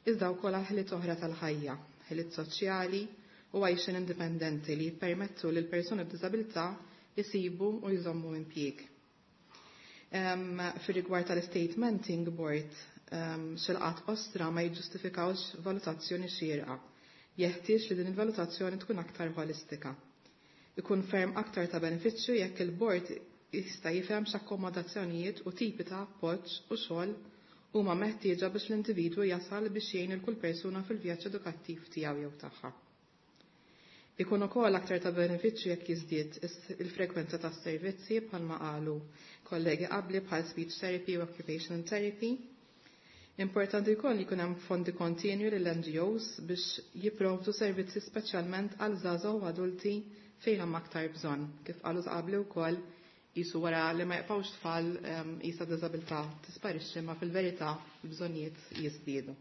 iżda wkoll għal ħiliet oħra tal-ħajja, ħiliet soċjali u għajxin indipendenti li jippermettu lil persuni b'diżabilità jisibu u jżommu impjieg. Fir-rigward tal-statementing board, xilqat ostra ma jiġġustifikawx valutazzjoni xierqa. Jeħtieġ li din il-valutazzjoni tkun aktar holistika. Ikun ferm aktar ta' benefiċċju jekk il-board jista' jifhem x'akkomodazzjonijiet u tipi ta' appoġġ u xogħol huma meħtieġa biex l-individwu jasal biex jgħin il kull persuna fil-vjaġġ edukattiv tiegħu jew tagħha. Ikun ukoll aktar ta' benefiċċju jekk jiżdied il-frekwenza ta' servizzi bħalma qalu kollegi qabli bħal speech therapy u occupational therapy. Importanti wkoll li jkun hemm fondi kontinwi lill-NGOs biex jipprovdu servizzi speċjalment għal żgħażagħ u adulti fejn hemm aktar bżonn. Kif qalu qabli wkoll qisu wara li ma jibqgħux tfal qisha diżabilità tisparixxi ma fil-verità l-bżonnijiet jiżdiedu.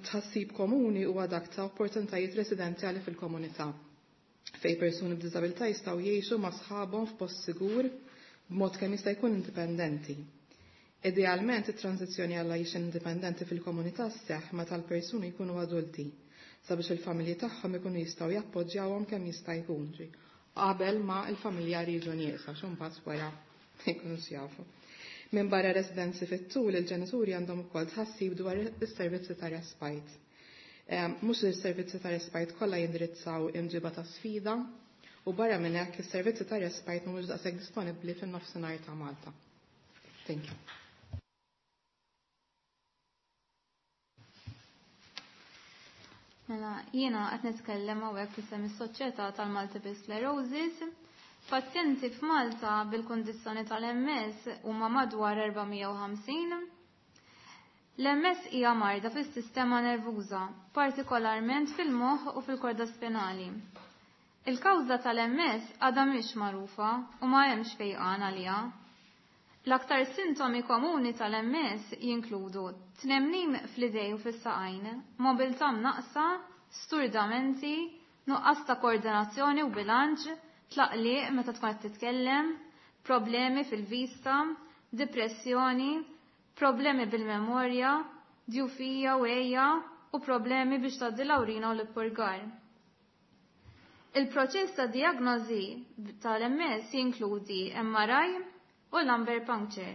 Tħassib komuni huwa dak ta' opportunitajiet residenzjali fil-komunità fejn persuni b'diżabilità jistgħu jgħixu ma' sħabhom f'post sigur b'mod kemm jista' jkun indipendenti. Idealment it-tranżizzjoni għal għajxien indipendenti fil-komunità sseħħ meta l-persuni jkunu adulti sabiex il-familji tagħhom ikunu jistgħu jappoġġjawhom kemm jista' jkun qabel ma l-familjari jiġu nieqsa x'imbagħad wara ma jkunux jafu. Minn barra residenzi fit-tul, il-ġenituri għandhom ukoll tħassib dwar is-servizzi ta' respite. Mhux is-servizzi ta' respite kollha jindirizzaw imġiba ta' sfida u barra minn hekk is-servizzi ta' respite mhumiex daqshekk disponibbli fin-nofsinhar ta' Malta. Thank you. Mela, jiena qed nitkellem hawnhekk f'isem is-Soċjetà tal-Multiple Sclerosis. Pazjenti f'Malta bil-kundizzjoni tal-MS huma madwar 450. L-MS hija marda fis-sistema nervuża, partikolarment fil-moħħ u fil-korda spinali. Il-kawża tal-MS għadha mhix magħrufa u ma hemmx fejqan għaliha. L-aktar sintomi komuni tal-MS jinkludu tnemnim fl-idej u fis-saqajn, mobilità mnaqqsa, sturdamenti, nuqqas ta' koordinazzjoni u bilanċ, tlaqliq meta tkun qed titkellem, problemi fil-vista, depressjoni, problemi bil-memorja, djufija u għeja u problemi biex tgħaddi l-awrina u l-ippurgar. Il-proċess ta' diagnosi tal-MS jinkludi MRI u lumbar puncture.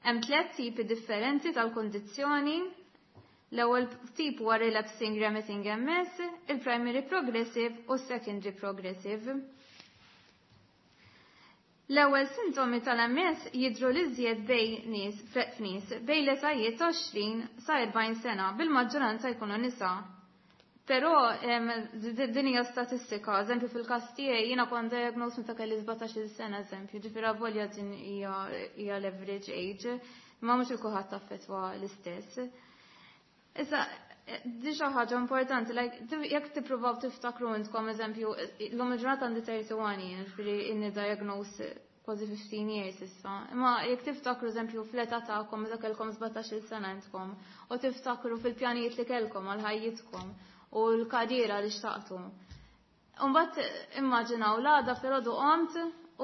Hemm tliet tipi differenti tal-kundizzjoni. L-ewwel tip huwa relapsing remitting MS, il-primary progressive u secondary progressive. L-ewwel sintomi tal-MS jidhru l-iżjed bejn nies f'nies bejn l-etajiet 20 sa 40 sena bil-maġġoranza jkunu nisa. Però din hija statistika, eżempju fil-każ tiegħi jiena kont diagnosed meta kelli 17-il sena eżempju, ġifieri avolja din hija l-average age, imma mhux il kulħadd affettwa l-istess. Issa, di xi ħaġa importanti, like, jekk tippruvaw tiftakru intkom eżempju, l-lum il-ġurnata għandi 31 jien, ġifieri inni diagnosed kważi 15 years issa. Imma jekk tiftakru eżempju fl-età tagħkom meta kellkom 17-il sena intkom u tiftakru fil-pjanijiet li kellkom għal ħajjitkom u l-karriera li xtaqtu. Imbagħad immaġinaw l-għada filgħodu qomt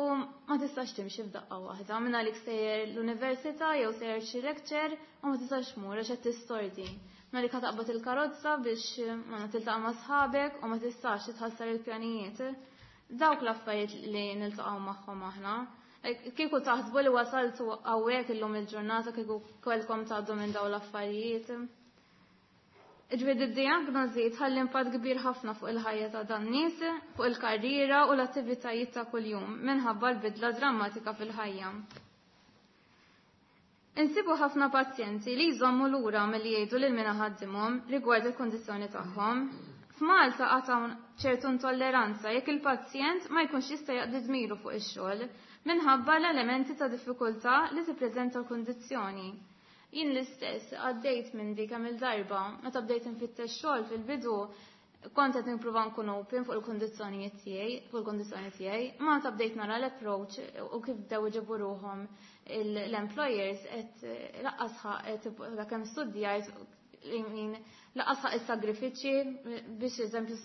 u ma tistax timxi f'daqqa waħda. Minn għalik sejjer l-università jew sejjer xi lecture u ma tistax tmur għax qed tistordi. Minn għalik taqbad il-karozza biex ma tiltaqa' ma' sħabek u ma tistax titħassar il-pjanijiet. Dawk l-affarijiet li niltaqgħu magħhom aħna. Kieku taħsbu li wasaltu hawnhekk illum il-ġurnata kieku kellkom tgħaddu minn dawn l-affarijiet. Ġifieri id-diagnosi tħalli impatt kbir ħafna fuq il-ħajja ta' dan nies, fuq il-karriera u l-attivitajiet ta' kuljum minħabba l-bidla drammatika fil-ħajja. Insibu ħafna pazjenti li jżommu lura milli jgħidu lil min iħaddimhom rigward il-kondizzjoni tagħhom. F'Malta għad hawn ċertu intolleranza jekk il-pazjent ma jkunx jista' jaqdi dmiru fuq ix-xogħol minħabba l-elementi ta' diffikultà li tippreżenta l-kundizzjoni. Jien l-istess għaddejt minn dik kemm il-darba meta bdejt infittex xogħol fil-bidu kont qed nipprova nkun open fuq il-kundizzjonijiet tiegħi, fuq il-kundizzjoni tiegħi, ma meta bdejt nara l-approach u kif bdew iġibu ruħhom l-employers qed laqqas ħaq dak kemm studjajt laqqas ħaq is-sagrifiċċji biex eżempju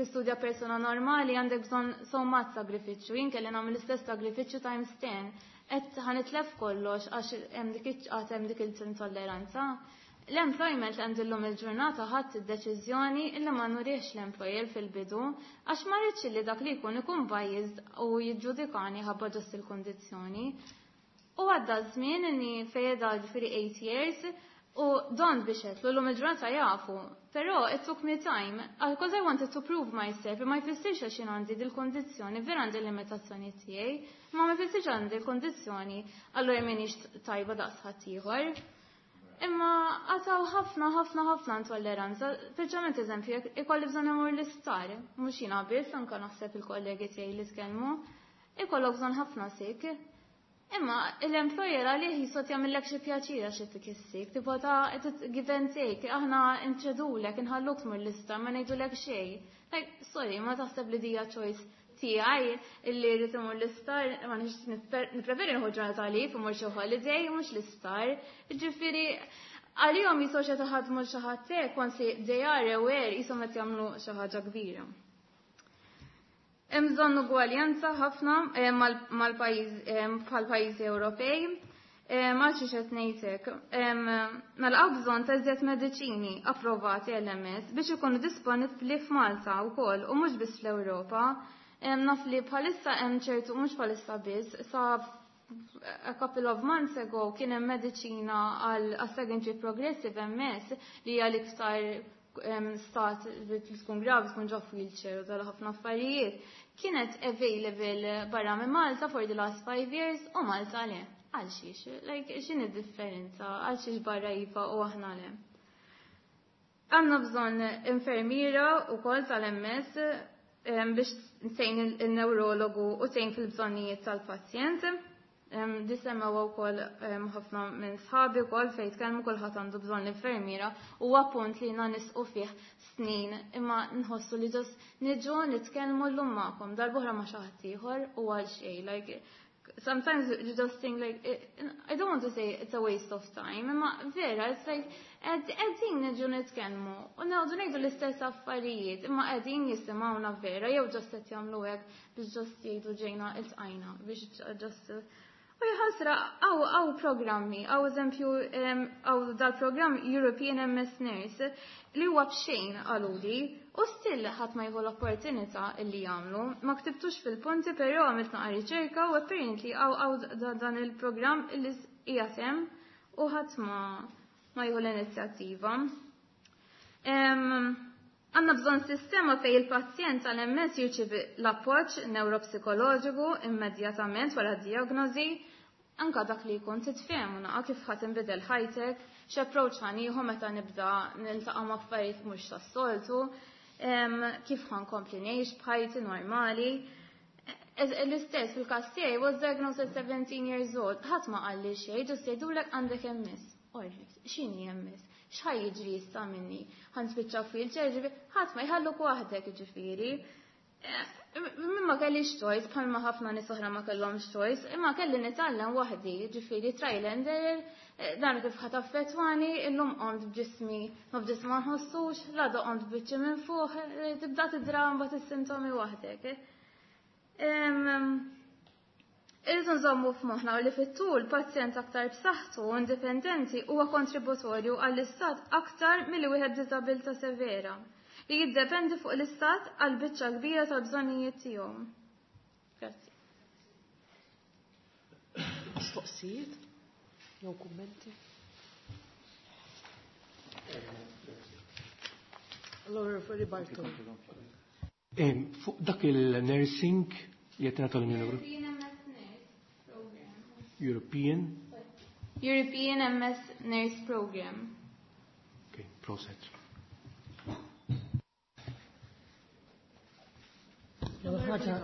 tistudja persuna normali għandek bżonn sommat sagrifiċċju, jien kelli nagħmel l-istess sagrifiċċju times 10. Qed ħanitlef kollox għax hemm dik iċ hemm dik il-intolleranza. L-employment li għandillum il-ġurnata ħadd id-deċiżjoni illi ma nuriex l-employer fil-bidu għax ma rridx li dak li jkun ikun biased u jiġġudikani ħabba ġust il-kondizzjoni. U għadda żmien inni fejeda ġifieri 8 years u don biex qedlu llum il-ġurnata jafu. Però it took me time, because I wanted to prove myself, ma jfissirx għax jien għandi dil-kondizzjoni, vera għandi limitazzjoni tiegħi, ma ma jfissirx għandi l-kondizzjoni, allura m'iniex tajba daqs ħaddieħor. Imma għataw ħafna, ħafna, ħafna intolleranza, speċjalment eżempju, jekk ikolli bżonn imur l-isptar, mhux jiena biss, anke naħseb il-kollegi tiegħi li tkellmu, ikollok bżonn ħafna sick. Imma l-employer għalih jisot jagħmillek xi pjaċira xi tikissik, tipo ta' give and take, aħna inċedulek, inħalluk tmur l-isptar, ma ngħidulek xejn. Like, sorry, ma taħseb li dija choice tiegħi illi rrid imur l-isptar, ma nix nippreferi nieħu ġurnata leave imur xi holiday mhux l-isptar. Ġifieri għalihom jisgħu xi taħadmu xi ħadd hekk, once they are aware jisom qed jagħmlu xi ħaġa kbira. Hemm bżonn ugwaljanza ħafna mal-pajjiż bħal pajjiżi Ewropej. Ma xi qed ngħidlek. Mela hawn bżonn ta' iżjed mediċini approvati LMS biex ikunu disponibbli f'Malta wkoll u mhux biss fl-Ewropa. Naf li bħalissa hemm ċertu mhux bħalissa biss sa a couple of months ago kien hemm mediċina għal secondary progressive MS li hija l-iktar stat li tkun gravi, tkun ġo wheelchair u tal ħafna affarijiet, kienet available barra minn Malta for the last 5 years u Malta le. Għal xiex? Like, x'inhi differenza? Għal xiex barra iva u aħna le? Għandna bżonn infermiera u kol tal-MS biex tgħin il-neurologu u tgħin fil-bżonnijiet tal-pazjent. Disemmew wkoll ħafna minn sħabi wkoll fejn tkellmu, kulħadd għandu bżonn l-infermiera u appunt li jiena nisqu fih snin, imma nħossu li just niġu nitkellmu llum magħkom, darb'oħra ma' xi ħadd ieħor u għal xejn. Like, sometimes you just think, like, I don't want to say it's a waste of time, imma vera, it's like qegħdin niġu nitkellmu u ngħidu ngħidu l-istess affarijiet, imma qegħdin jisimgħuna vera jew just qed jagħmlu hekk biex just jgħidu ġejna iltqajna biex just. U jħasra, hawn programmi, hawn eżempju, hawn dal-program European MS Nurse, li huwa b'xejn għaluli, u still ħadd ma jieħu l-opportunità li jagħmlu. Ma ktibtux fil-punti, però għamilt naqra riċerka u apparently hawn dan il-programm illi qiegħed hemm u ħadd ma jieħu l-inizjattiva. Għandna bżonn sistema fej il-pazjent tal-MS jirċivi l-appoġġ neuropsikoloġiku immedjatament wara d-diagnosi, anka dak li jkun titfhem u naqa kif ħa tinbidel ħajtek, x'approach ħa nieħu meta nibda niltaqa' ma' affarijiet mhux tas-soltu, kif ħa nkompli ngħix b'ħajti normali. L-istess fil-każ tiegħi, was diagnosed at 17 years old, ħadd ma qalli xejn, just jgħidulek għandek MS. Alright, x'inhi MS? X'ħa jiġri issa minni? Ħa nispiċċa wheelchair, ġifieri, ħadd ma jħalluk waħdek ġifieri. Ma kellix choice, bħalma ħafna nies oħra ma kellhomx choice, imma kelli nitgħallem waħdi, ġifieri trial and error, dan kif ħa taffettwani, illum qomt b'ġismi, ma b'ġismi ma nħossux, l-għada qomt biċċi minn fuq, tibda tidra mbagħad is-sintomi waħdek. Irridu nżommu f'moħħna li fit-tul pazjent aktar b'saħħtu u indipendenti huwa kontributorju għall-istat aktar milli wieħed b'diżabilità severa li jiddependi fuq l-istat għal biċċa kbira tal-bżonnijiet tiegħu. Grazzi. Mistoqsijiet? Jew kummenti? Allora, Bartolo. Fuq dak il-nursing li qed nagħtu l-Unjoni Ewropea. European European MS Nurse Program. Okay, proset. L-ewwel ħaġa,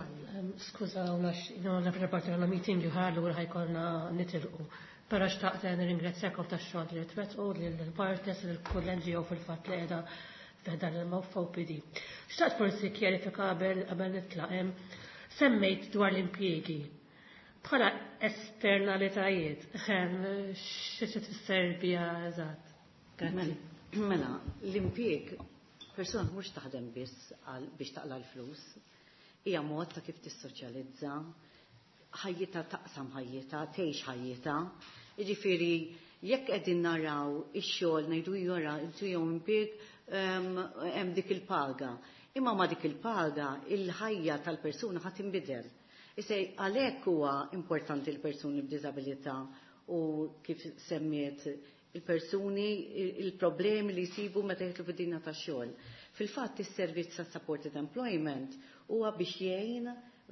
skuża għax għandna preparati għandna meeting li ħallu u ħa jkollna nitilqu. Però xtaqt nirringrazzjakom tax-xogħol li twettqu lill-partners, lil kull NGO fil-fatt li qiegħda f'dan il-OPD. Xtaqt forsi kjarifika qabel nitlaq semmejt dwar l-impjiegi. Bħala esternalitajiet, xi tfisser biha eżatt? Grazzi. Mela, l-impjieg, persuna mhux taħdem biss biex taqla l-flus, hija mod ta' kif tissoċjalizza, ħajjita taqsam ħajjita, tgħix ħajjita. Jiġifieri jekk qegħdin naraw ix-xogħol ngħidu jora jew impjieg hemm dik il-paga. Imma ma dik il-paga il-ħajja tal-persuna ħa tinbidel. Issa għalhekk huwa importanti l-persuni b'diżabilità u kif semmiet il-persuni, il-problemi li jsibu meta jidħlu fid-dinja tax-xogħol. Fil-fatt is-servizz ta' supported employment huwa biex jgħin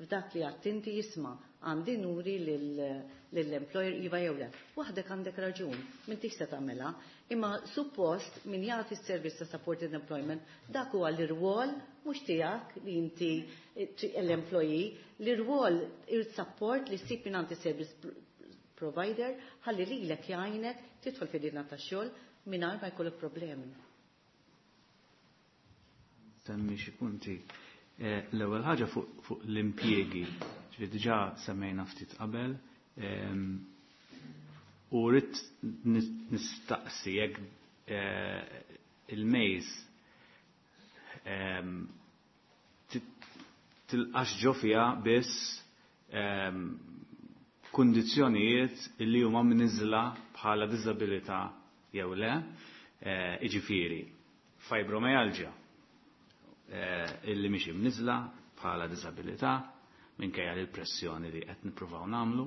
f'dak li għattinti jisma' għandi nuri lill-employer iva jew le. Waħdek għandek raġun, m'intix se tagħmilha, imma suppost min jagħti s-servizz ta' supported employment dak huwa l-irwol mhux tiegħek li inti l-employee, l-irwol il-support li ssib minn service. provider ħalli lilek jgħinek tidħol fid-dinja tax-xogħol mingħajr ma jkollok problemi. Semmi xi punti. L-ewwel ħaġa fuq l-impjiegi, ġifieri diġà semmejna ftit qabel, u rrid nistaqsi jekk il-mejz tilqax ġo fiha biss kundizzjonijiet li huma mniżla bħala diżabilità jew le, jiġifieri fibromyalgia illi mhix imniżla bħala diżabilità minkejja li l-pressjoni li qed nippruvaw nagħmlu.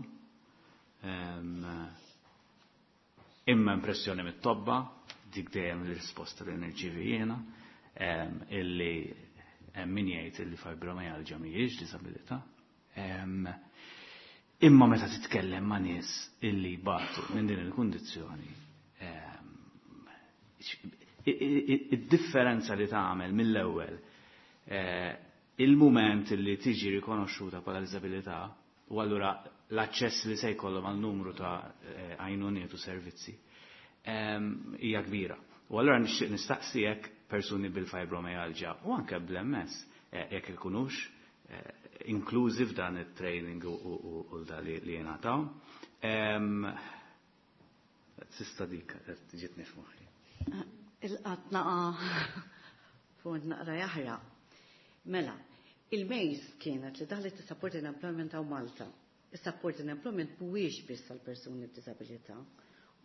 Imma impressjoni mit-tobba, dik dejjem l-risposta li nirċievi jiena, illi hemm min jgħid illi fibromyalgia mhijiex diżabilità. Imma meta titkellem ma' nies illi jbatu minn din il-kundizzjoni, id-differenza li tagħmel mill-ewwel il-mument li tiġi rikonoxxuta bħala diżabilità u allura l-aċċess li se jkollhom għal numru ta' għajnuniet u servizzi hija kbira. U allura nixtieq nistaqsi jekk persuni bil-fibromyalgia u anke bl-MS jekk ikunux inklużi f'dan it-training u da li jingħataw. Sista dik ġietni f'moħħi. Il-qatt naqa' fuq naqra jaħraq. Mela, il-mejz kienet li daħlet is-Supported Employment hawn Malta. Is-Supported Employment mhuwiex biss għal persuni b'diżabilità,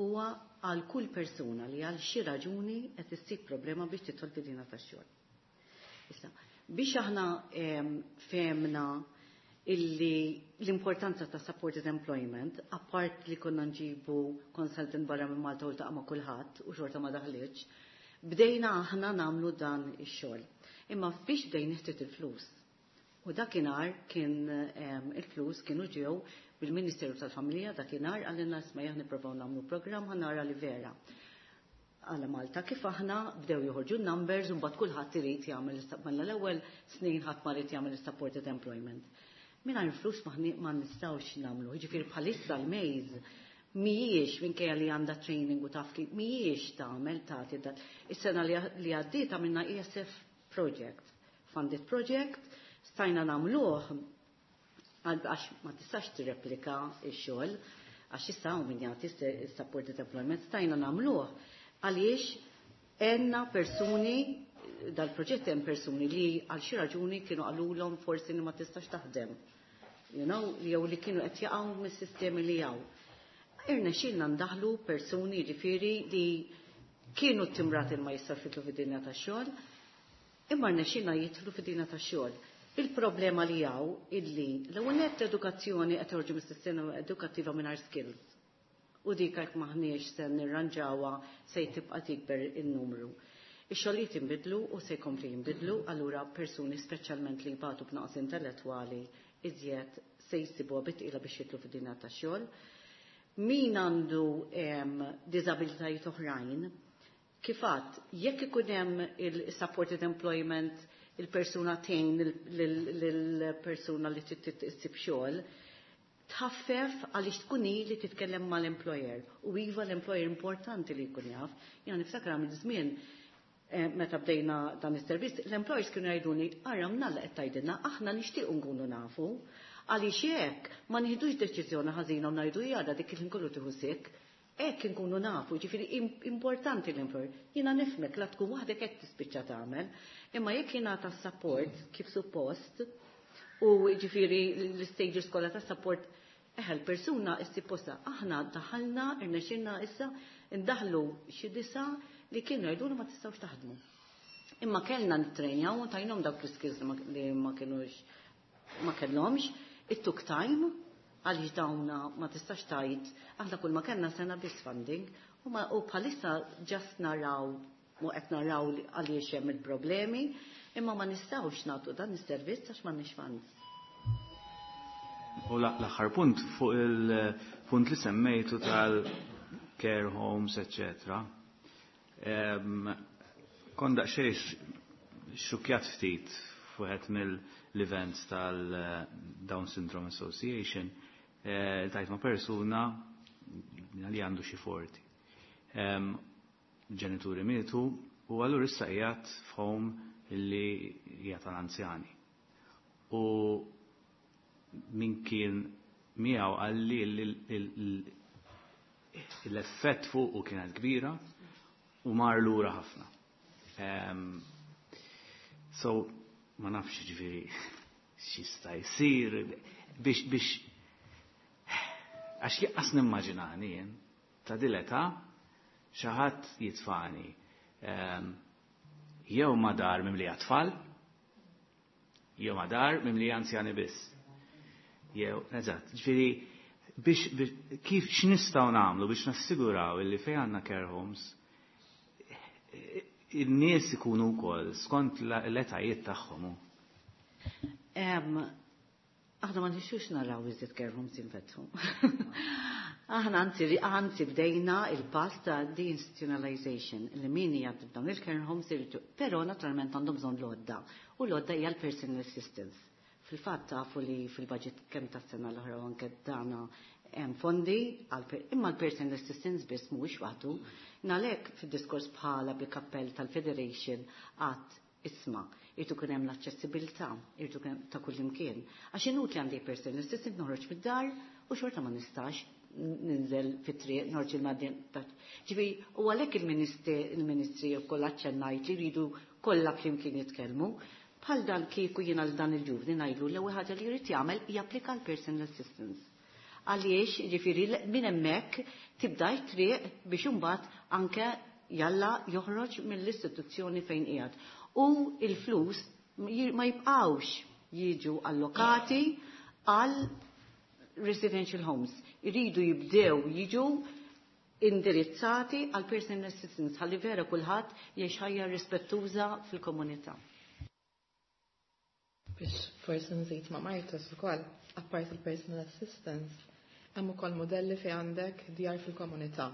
huwa għal kull persuna li għal xi raġuni qed issib problema biex tidħol fid-dinja tax-xogħol. Issa, biex aħna fehmna illi l-importanza ta' supported employment, apart li konna nġibu consultant barra minn Malta u ltaqa' ma' kulħadd u xorta ma daħlitx, bdejna aħna nagħmlu dan ix-xogħol. Imma biex bdejna ħtiet il-flus. U dakinhar kien il-flus kienu ġew bil-Ministeru tal-Familja dakinhar għalina isma' aħna nippruvaw nagħmlu programm ħa nara li vera. Għala Malta kif aħna bdew joħorġu numbers u mbagħad kulħadd irid jagħmel mela l-ewwel snin ħadd ma rid jagħmel supported employment. Mingħajr flus ma nistgħux nagħmlu. Jiġifieri bħalissa l-mejz mhijiex minkejja li għandha training u taf kif mhijiex tagħmel tagħti dat. Is-sena li għaddiet għamilna ESF project, funded project, stajna nagħmluh għax ma tistax tirreplika x-xogħol għax issa hawn min jagħti supported employment, stajna nagħmluh għaliex għenna persuni dal-proġett hemm persuni li għal xi raġuni kienu qalulhom forsi li ma tistax taħdem. Jew li kienu qed jaqgħu mis-sistemi li hawn. Irnexxielna ndaħlu persuni jiġifieri li kienu timrati ma jistax jidħlu fid-dinja tax-xogħol, imma rnexxielna jidħlu fid-dinja tax-xogħol. Il-problema li hawn illi l-ewwel nett edukazzjoni qed toħorġu mis-sistema edukattiva mingħajr skills. U dik jekk maħniex se nirranġawha se tibqa' tikber in-numru. Ix-xogħlijiet inbidlu u se jkompli jinbidlu, allura persuni speċjalment li jbatu b'naqs intellettwali iżjed se jsibuha bi tqila biex jidħlu fid-dinja tax-xogħol. Min għandu diżabilitajiet oħrajn, kif għadt, jekk ikun hemm il-supported employment, il-persuna tgħin lill-persuna li trid issib xogħol, tħaffef għaliex tkun hi li titkellem mal-employer. U iva l-employer importanti li jkun jaf. Jiena niftakar għamil żmien meta bdejna dan is-servizz, l-employers kienu jgħiduni ara mnalla qed tgħidilna aħna nixtiequ nkunu nafu. Għaliex hekk ma nieħdux deċiżjoni ħażina u ngħidu jara dik il-ħin kollu tieħu sick. Hekk inkunu nafu, ġifieri importanti l-employer. Jiena nifhmek la tkun waħdek hekk tispiċċa tagħmel, imma jekk jingħata support kif suppost u ġifieri l-stages kollha ta' support, l-persuna issib postha. Aħna daħalna, irnexxilna issa ndaħlu xi disa li kienu jgħidulu ma tistgħux taħdmu. Imma kellna nittrejnjaw u tajnhom dawk l-skills li ma kienux ma kellhomx, it took time għaliex dawna ma tistax tajt, aħna kull ma kellna sena biss funding, u bħalissa just naraw, mu qed naraw għaliex hemm il-problemi, imma ma nistgħux nagħtu dan is-servizz għax m'għandniex funds. U l-aħħar punt fuq il-punt li semmejtu tal-care homes, eccetera. Kon daqsxejn xukjat ftit fuqet mill-events tal-Down Syndrome Association, tajt ma' persuna Li għandu xi 40. Ġenituri mietu u allura issa qiegħed f'home illi hija tal-anzjani. U min kien miegħu qalli l-effett fuqu kienet kbira u mar lura ħafna. So, ma nafx ġifieri x'jista' jsir biex għax lanqas nimmaġinani jien ta' dil-età xi ħadd jitfani jew ma' dar mimlija tfal, jew ma' dar mimlija anzjani biss. Jew, eżatt, ġifieri biex kif x'nistgħu nagħmlu biex nassiguraw illi fejn għandna care homes in-nies ikunu wkoll skont l-etajiet tagħhom. Aħna ma nixtiequx naraw iżjed care homes jinfetħu. Aħna anzi bdejna il-pass ta' deinstitutionalization li min jgħaddi f'dawn il-care homes irridu, però naturalment għandhom bżonn l-għodda. U l-għodda hija l-personal assistance. Fil-fatt tafu li fil-budget kemm tas-sena l-oħra u anke dana hemm fondi imma l-personal assistance biss mhuwiex waħdu. Għalhekk fid-diskors bħala bil-kappell tal-Federation għat isma, irtu kun hemm l-aċċessibilità, irtu kun ta' kull imkien. Għax inutli għandi personal assistant noħroġ mid-dar u xorta ma nistax ninżel fit-triq, noħroġ il-madjen. Ġifieri, u għalhekk il-ministri wkoll aċċennajt li jridu kollha flimkien jitkellmu. Bħal dan kieku jiena l dan il-ġuvni ngħidlu l-ewwel ħaġa li jrid jagħmel japplika l-personal assistance. Għaliex, ġifieri, minn hemmhekk tibda t-triq biex imbagħad anke jalla joħroġ mill-istituzzjoni fejn qiegħed. U il-flus ma jibqawx jiġu allokati għal residential homes. Iridu jibdew jiġu indirizzati għal personal assistance ħalli vera kulħadd jgħix ħajja rispettuża fil-komunità. Biex forsi nżid ma' Martes ukoll, apart il-personal assistance, hemm ukoll modelli fejn għandek djar fil-komunità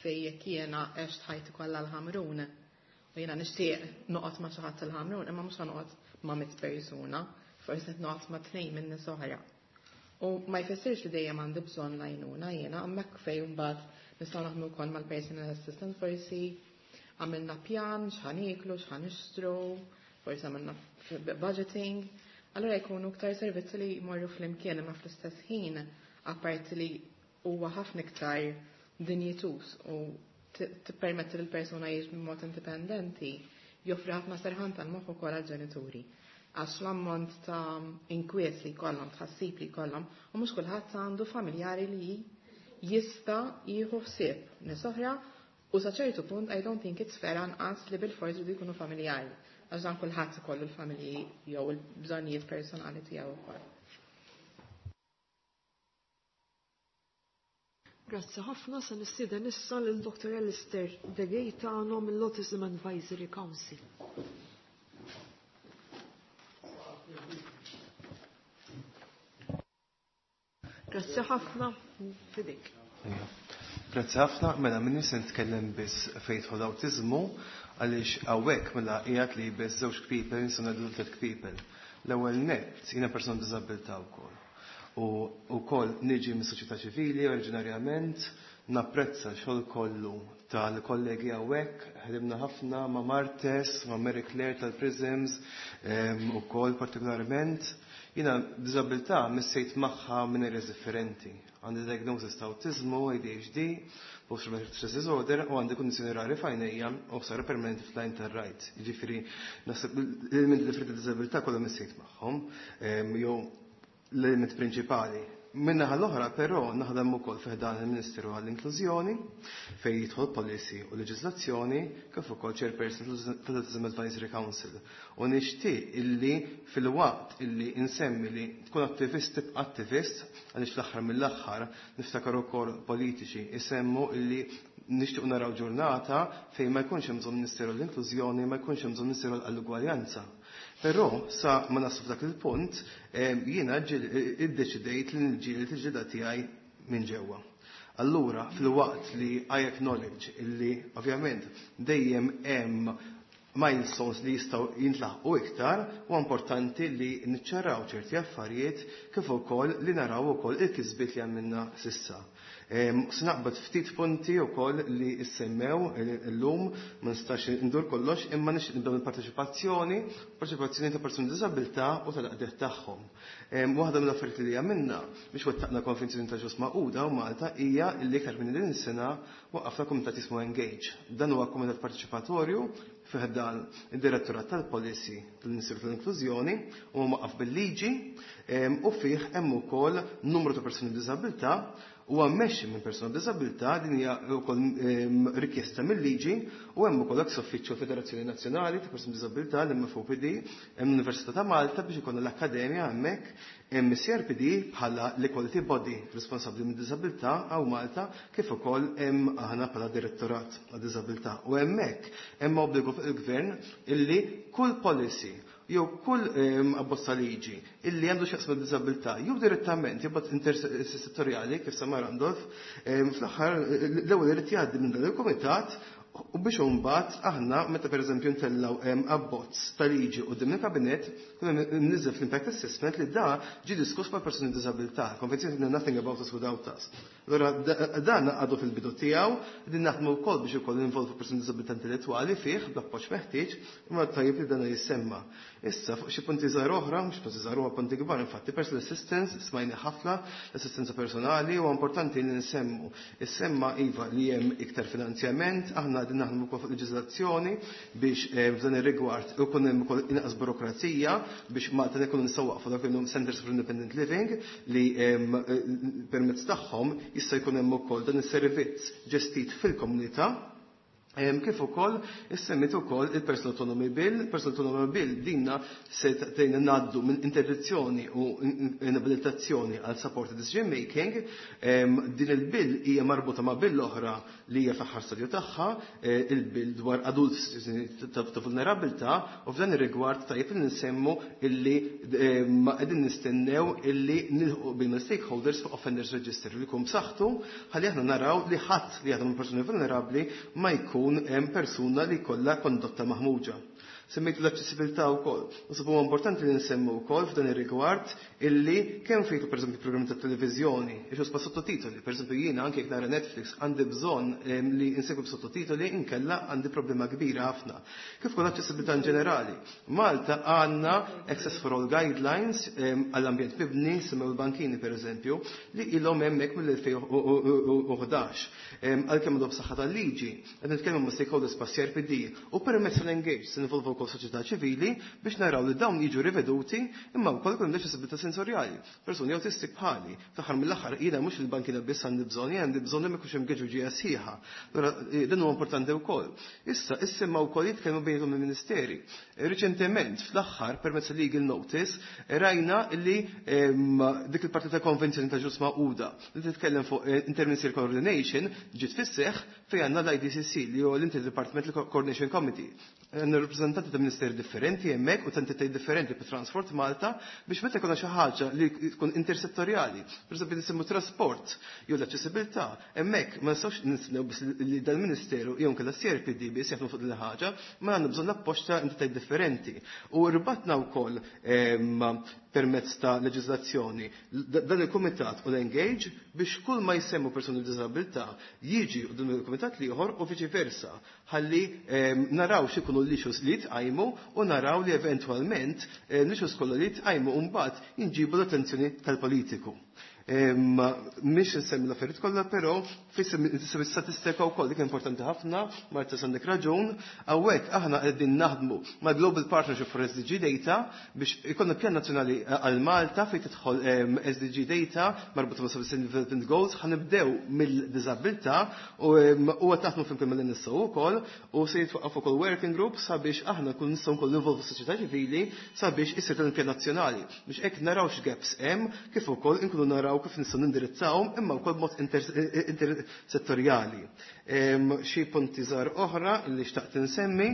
fejn jekk jiena għext ħajti kollha l-Ħamrun u jiena nixtieq noqgħod ma' xi ħadd il-Ħamrun, imma mhux noqgħod ma' 100 persuna, forsi qed noqgħod ma' tnejn minn nies oħra. U ma jfissirx li dejjem għandi bżonn l-għajnuna jiena, hemmhekk fejn mbagħad nistgħu naħdmu wkoll mal-personal assistant forsi għamilna pjan x'ħa nieklu, x'ħa nixtru, forsi għamilna budgeting. Allura jkunu iktar servizzi li jmorru flimkien imma fl-istess ħin apparti li huwa ħafna iktar dinjituż u tippermetti lil persuna jgħix b'mod indipendenti, joffri ħafna serħan tal-moħħ ukoll għall-ġenituri. Għax l-ammont ta' inkwiet li jkollhom, tħassib li jkollhom, u mhux kulħadd għandu familjari li jista' jieħu ħsieb nies oħra u sa ċertu punt I don't think it's fair anqas li bil-forsi jridu jkunu familjari. Għax dan kulħadd ikollu l-familji jew il-bżonnijiet personali tiegħu wkoll. Grazzi ħafna, se nistieden issa lil Dr. Alistair De Gaetano mill-Autism Advisory Council. Grazzi ħafna, f'idejk. Grazzi ħafna, mela minni se nitkellem biss fejn jidħol awtiżmu għaliex hawnhekk mela qiegħed li biss żewġ kpipel nistgħu ngħidu tliet kpipel. L-ewwel nett jiena persuna b'diżabilità wkoll. U wkoll niġi mis-soċjetà ċivili oriġinarjament, napprezza xogħol kollu tal-kollegi hawnhekk, ħdimna ħafna ma' Martes, ma' Mary Claire tal-Prisms, ukoll partikolarment. Jiena diżabilità missejt magħha minn areas differenti. Għandi diagnosis ta' autizmu, ADHD, post-traumatic stress disorder u għandi kondizjoni rari f'għajnejja u ħsara permanenti fl-għajn tar-right. Jiġifieri naħseb l-elementi differenti ta' diżabilità kollha missejt magħhom, jew l-element prinċipali. Min-naħa l-oħra però naħdem ukoll fi ħdan il-Ministeru għall-Inklużjoni fejn jidħol policy u leġiżlazzjoni kif ukoll chairperson tal-Autism Advisory Council. U nixtieq illi fil-waqt illi insemmi li tkun attivist tibqa' attivist għaliex fl-aħħar mill-aħħar niftakar ukoll politiċi isemmu illi nixtiequ naraw ġurnata fejn ma jkunx hemm bżonn Ministeru l-Inklużjoni, ma jkunx hemm bżonn Ministeru għall-Ugwaljanza. Però sa ma naslu f'dak il-punt, jiena iddeċidejt li nġieli il-ġida tiegħi minn ġewwa. Allura, fil-waqt li I acknowledge illi ovvjament dejjem hemm milestones li jistgħu jintlaħqu iktar u importanti li niċċaraw ċerti affarijiet kif ukoll li naraw ukoll il-kisbiet li għamilna sissa. Snaqbad ftit punti wkoll li issemmew illum ma nistax indur kollox imma nixtieq nibdew il-parteċipazzjoni, parteċipazzjoni ta' persuni b'diżabilità u tal-qdiet tagħhom. Waħda mill-affarijiet li għamilna biex wettaqna konvenzjoni ta' ġus Magħquda u Malta hija li iktar minn din is-sena waqqafna kumitat jismu Engage. Dan huwa kumitat parteċipatorju fih dan id-Direttorat tal-Policy tal-Ministeru tal-Inklużjoni u mwaqqaf bil-liġi u fih hemm ukoll numru ta' persuni b'diżabilità huwa mmexxi minn persuna b'diżabilità, din hija wkoll rikjesta mill-liġi u hemm ukoll ex uffiċċju Federazzjoni Nazzjonali ta' Persuni b'Diżabilità l-MFOPD, hemm l-Università ta' Malta biex ikollna l-Akkademja hemmhekk, hemm is-CRPD bħala l-Equality Body responsabbli mid-diżabilità hawn Malta kif ukoll hemm aħna bħala Direttorat għad-Diżabilità. U hemmhekk hemm obbligu fuq il-Gvern illi kull policy jew kull abbozz ta' liġi illi għandu x'jaqsam mad-diżabilità jew direttament jew b'mod intersettorjali kif semma Randolph, fl-aħħar l-ewwel irid jgħaddi minn dan il-kumitat u biex imbagħad aħna meta pereżempju ntellgħu abbozz ta' liġi quddiem il-kabinett kun hemm imniżżel fl-impact assessment li da ġie diskuss mal-persuni b'diżabilità. Il-konvenzjoni tgħidilna nothing about us without us. Allura dan għadu fil-bidu tiegħu, qegħdin naħdmu wkoll biex ukoll ninvolvu persuni b'diżabilità intellettwali fih bl-appoġġ meħtieġ, imma tajjeb li dan jissemma. Issa fuq xi punti żgħar oħra, mhux punti żgħar huma punti kbar, infatti personal assistance smajni ħafna, l-assistenza personali huwa importanti li nsemmu. Issemma iva li hemm iktar finanzjament, aħna qegħdin naħdmu wkoll fuq leġiżlazzjoni biex f'dan ir-rigward ikun hemm ukoll inqas burokrazija biex Malta nkunu nistgħu waqfu dak li Centers for Independent Living li permezz tagħhom jista' jkun hemm ukoll dan is-servizz ġestit fil-komunità. Kif ukoll issemmit ukoll il-Personal Autonomy Bill, Personal Autonomy Bill dinna se tgħinna ngħaddu minn interdizzjoni u inabilitazzjoni għal supported decision making. Din il-bill hija marbuta ma' bill oħra li hija fl-aħħar stadju tagħha, il-bill dwar adult ta' vulnerabilità, u f'dan ir-rigward tajjeb li nsemmu illi qegħdin nistennew illi nilħqu bil stakeholders fuq offenders register li jkun b'saħħtu ħalli aħna naraw li ħadd li jaħdem persuni vulnerabbli ma jkun hemm persuna li jkollha kondotta maħmuġa. Semmejtu l-aċċessibilità wkoll. Naħseb huwa importanti li nsemmu wkoll f'dan ir-rigward illi kemm fejtu pereżempju programmi ta' televiżjoni, ixu pa' sottotitoli, pereżempju jiena anke jekk nara Netflix għandi bżonn li insegwi b'sottotitoli inkella għandi problema kbira ħafna. Kif ukoll aċċessibilità in ġenerali. Malta għandna Access for All Guidelines għall-ambjent mibni, semmew il-bankini pereżempju, li ilhom hemmhekk mill-2011. Għalkemm għadhom b'saħħa tal-liġi, qed nitkellmu ma' stakeholders pa' CRPD u permezz tal-Engage se nivolvu wkoll soċjetà ċivili biex naraw li dawn jiġu riveduti imma wkoll ikun hemm aċċessibilità sensorjali. Persuni autistik bħali, fl-aħħar mill-aħħar jiena mhux il-bankina biss għandi bżonn, jien għandi bżonn li ma jkunx hemm geġuġija sħiħa. Allura dan huwa importanti wkoll. Issa issemma wkoll jitkellmu bejniethom il-ministeri. Riċentement fl-aħħar permezz legal notice rajna li dik il-parti ta' konvenzjoni ta' ġus Magħquda li titkellem fuq interministerial coordination ġiet fis-seħħ fejn għandna l-IDCC li huwa l-Interdepartmental Coordination Committee. Għandna rappreżentanti ta' ministeri differenti hemmhekk u ta' entitajiet differenti bi Transport Malta biex meta jkollna xi ħaġa li tkun intersettorjali, pereżempju nisimgħu trasport jew l-aċċessibilità, hemmhekk ma nistgħux nistennew biss li dal-Ministeru jew inkella CRPD biss jaħdmu fuq din il-ħaġa, ma għandna bżonn l-appoġġ ta' entitajiet differenti. U rbatna wkoll permezz ta' leġiżlazzjoni dan il-kumitat u l-Engage biex kull ma jsemmu persuni b'diżabilità jiġi u dan il-kumitat l-ieħor u viċi versa ħalli naraw x'ikunu l-issues li jitqajmu u naraw li eventwalment l-issues kollha li jitqajmu mbagħad jinġibu l-attenzjoni tal-politiku. Mhix insemmi l-affarijiet kollha, però fisem statistika wkoll dik importanti ħafna, Marta għandek raġun, hawnhekk aħna qegħdin naħdmu ma' Global Partnership for SDG Data biex ikollna pjan nazzjonali għal Malta fejn tidħol SDG Data marbuta ma' Sustainable Development Goals, ħanibdew mill-diżabilità u qed naħdmu flimkien mal-NSO wkoll u se jitwaqqaf ukoll working group sabiex aħna nkunu nistgħu nkoll involvu s-soċjetà ċivili sabiex isir dan il-pjan nazzjonali biex hekk naraw x'gaps hemm kif ukoll inkunu naraw kif nistgħu nindirizzawhom imma wkoll b'mod intersettorjali. Xi punti żgħar oħra li xtaqt insemmi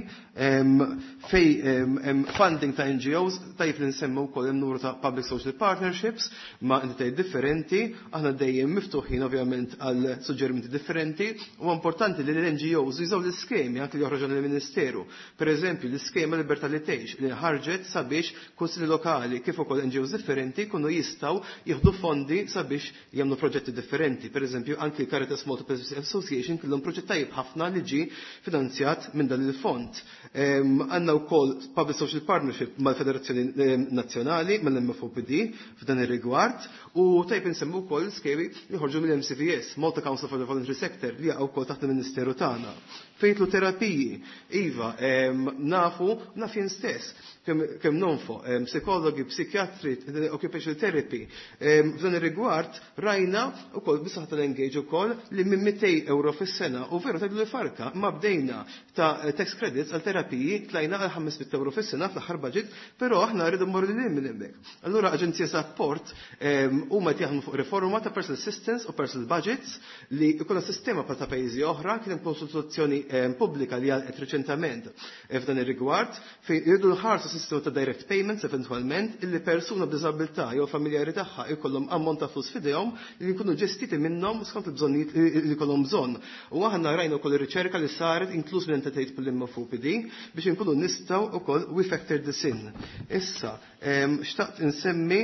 fej hemm funding ta' NGOs tajjeb li nsemmu wkoll hemm numru ta' public social partnerships ma' entitajiet differenti, aħna dejjem miftuħin ovvjament għal suġġerimenti differenti u importanti li l-NGOs jużaw l-iskemi anke li joħroġu mill-Ministeru. Per eżempju, l-iskema Libertà li tgħix li ħarġet sabiex kunsilli lokali kif ukoll NGOs differenti jkunu jistgħu jieħdu fondi sabiex jagħmlu proġetti differenti. Per eżempju, anki l-Caritas Malta Association kellhom proġett tajjeb ħafna li ġie finanzjat minn dan il-fond. Għandna wkoll Public Social Partnership mal-Federazzjoni Nazzjonali, mal-MFOPD f'dan ir-rigward, u tajjeb insemmu wkoll skemi li ħorġu mill-MCVS, Malta Council for the Voluntary Sector, li jaqgħu wkoll taħt il-Ministeru tagħna. Fejtlu terapiji, iva, nafu, naf jien stess, kemm nonfoq, psikologi, psikjatri, occupational therapy. F'dan ir-rigward rajna wkoll bisaħ tal-engage ukoll li minn 200 euro fis-sena u veru tgħidu li farka ma bdejna ta' tax credits għal terapiji tlajna għal 500 euro fis-sena fl-aħħar budget, però aħna rridu mmorru lil minn hemmhekk. Allura Aġenzija Sapport huma qed jaħdmu fuq riforma ta' personal assistance u personal budgets li jkollha sistema bħal ta' pajjiżi oħra, kien hemm konsultazzjoni pubblika li għalqet reċentament f'dan ir-rigward fejn irridu nħarsu sistema ta' direct payments eventwalment illi persuna b'diżabilità jew familjari tagħha jkollhom ammont ta' flus f'idejhom li jkunu ġestiti minnhom skont il-bżonnijiet li jkollhom bżonn. U aħna rajna wkoll ir-riċerka li saret inkluż minn entitajiet bħall-MFOPD biex inkunu nistgħu wkoll we factor this in. Issa, xtaqt insemmi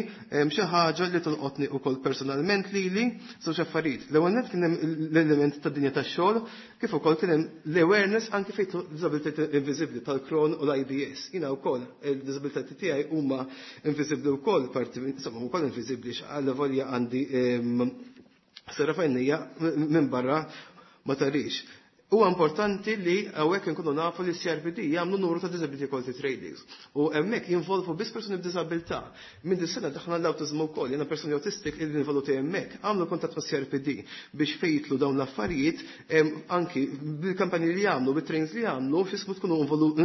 xi ħaġa li tolqotni wkoll personalment lili żewġ affarijiet. L-ewwel nett kien hemm l-element tad-dinja tax-xogħol kif ukoll kien hemm l-awareness anke fejn disabilità inviżibbli tal-Crohn u l-IBS. Jiena wkoll il-disabilità tiegħi huma inviżibbli wkoll parti insomma wkoll inviżibbli għal volja għandi sera fajnija minn barra ma tarix. Huwa importanti li hawnhekk inkunu nafu li CRPD jagħmlu numru ta' disability equality trainings. U hemmhekk jinvolvu biss persuni b'diżabilità. Minn din sena daħna l-awtiżmu wkoll, jiena persuni autistic li involuti hemmhekk, għamlu kuntatt ma' CRPD biex fejtlu dawn l-affarijiet anki bil-kampanji li jagħmlu, bit-trainings li jagħmlu, x'ismu tkunu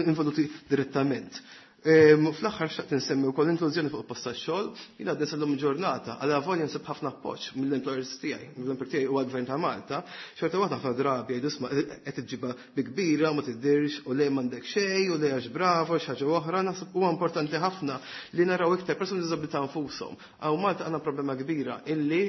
involuti direttament. Fl-aħħar xtaqt insemmi wkoll inklużjoni fuq il-post tax-xogħol, jiena għadni sal-lum ġurnata għal avolja nsib ħafna appoġġ mill-employers tiegħi, mill-employer tiegħi huwa l-Gvern ta' Malta, xorta waħda ħafna drabi jgħidu isma' qed iġġibha bi kbira ma tiddirx u le m'għandek xejn u le għax bravo xi ħaġa oħra, naħseb huwa importanti ħafna li naraw iktar persuni b'diżabilità nfushom. Hawn Malta għandna problema kbira illi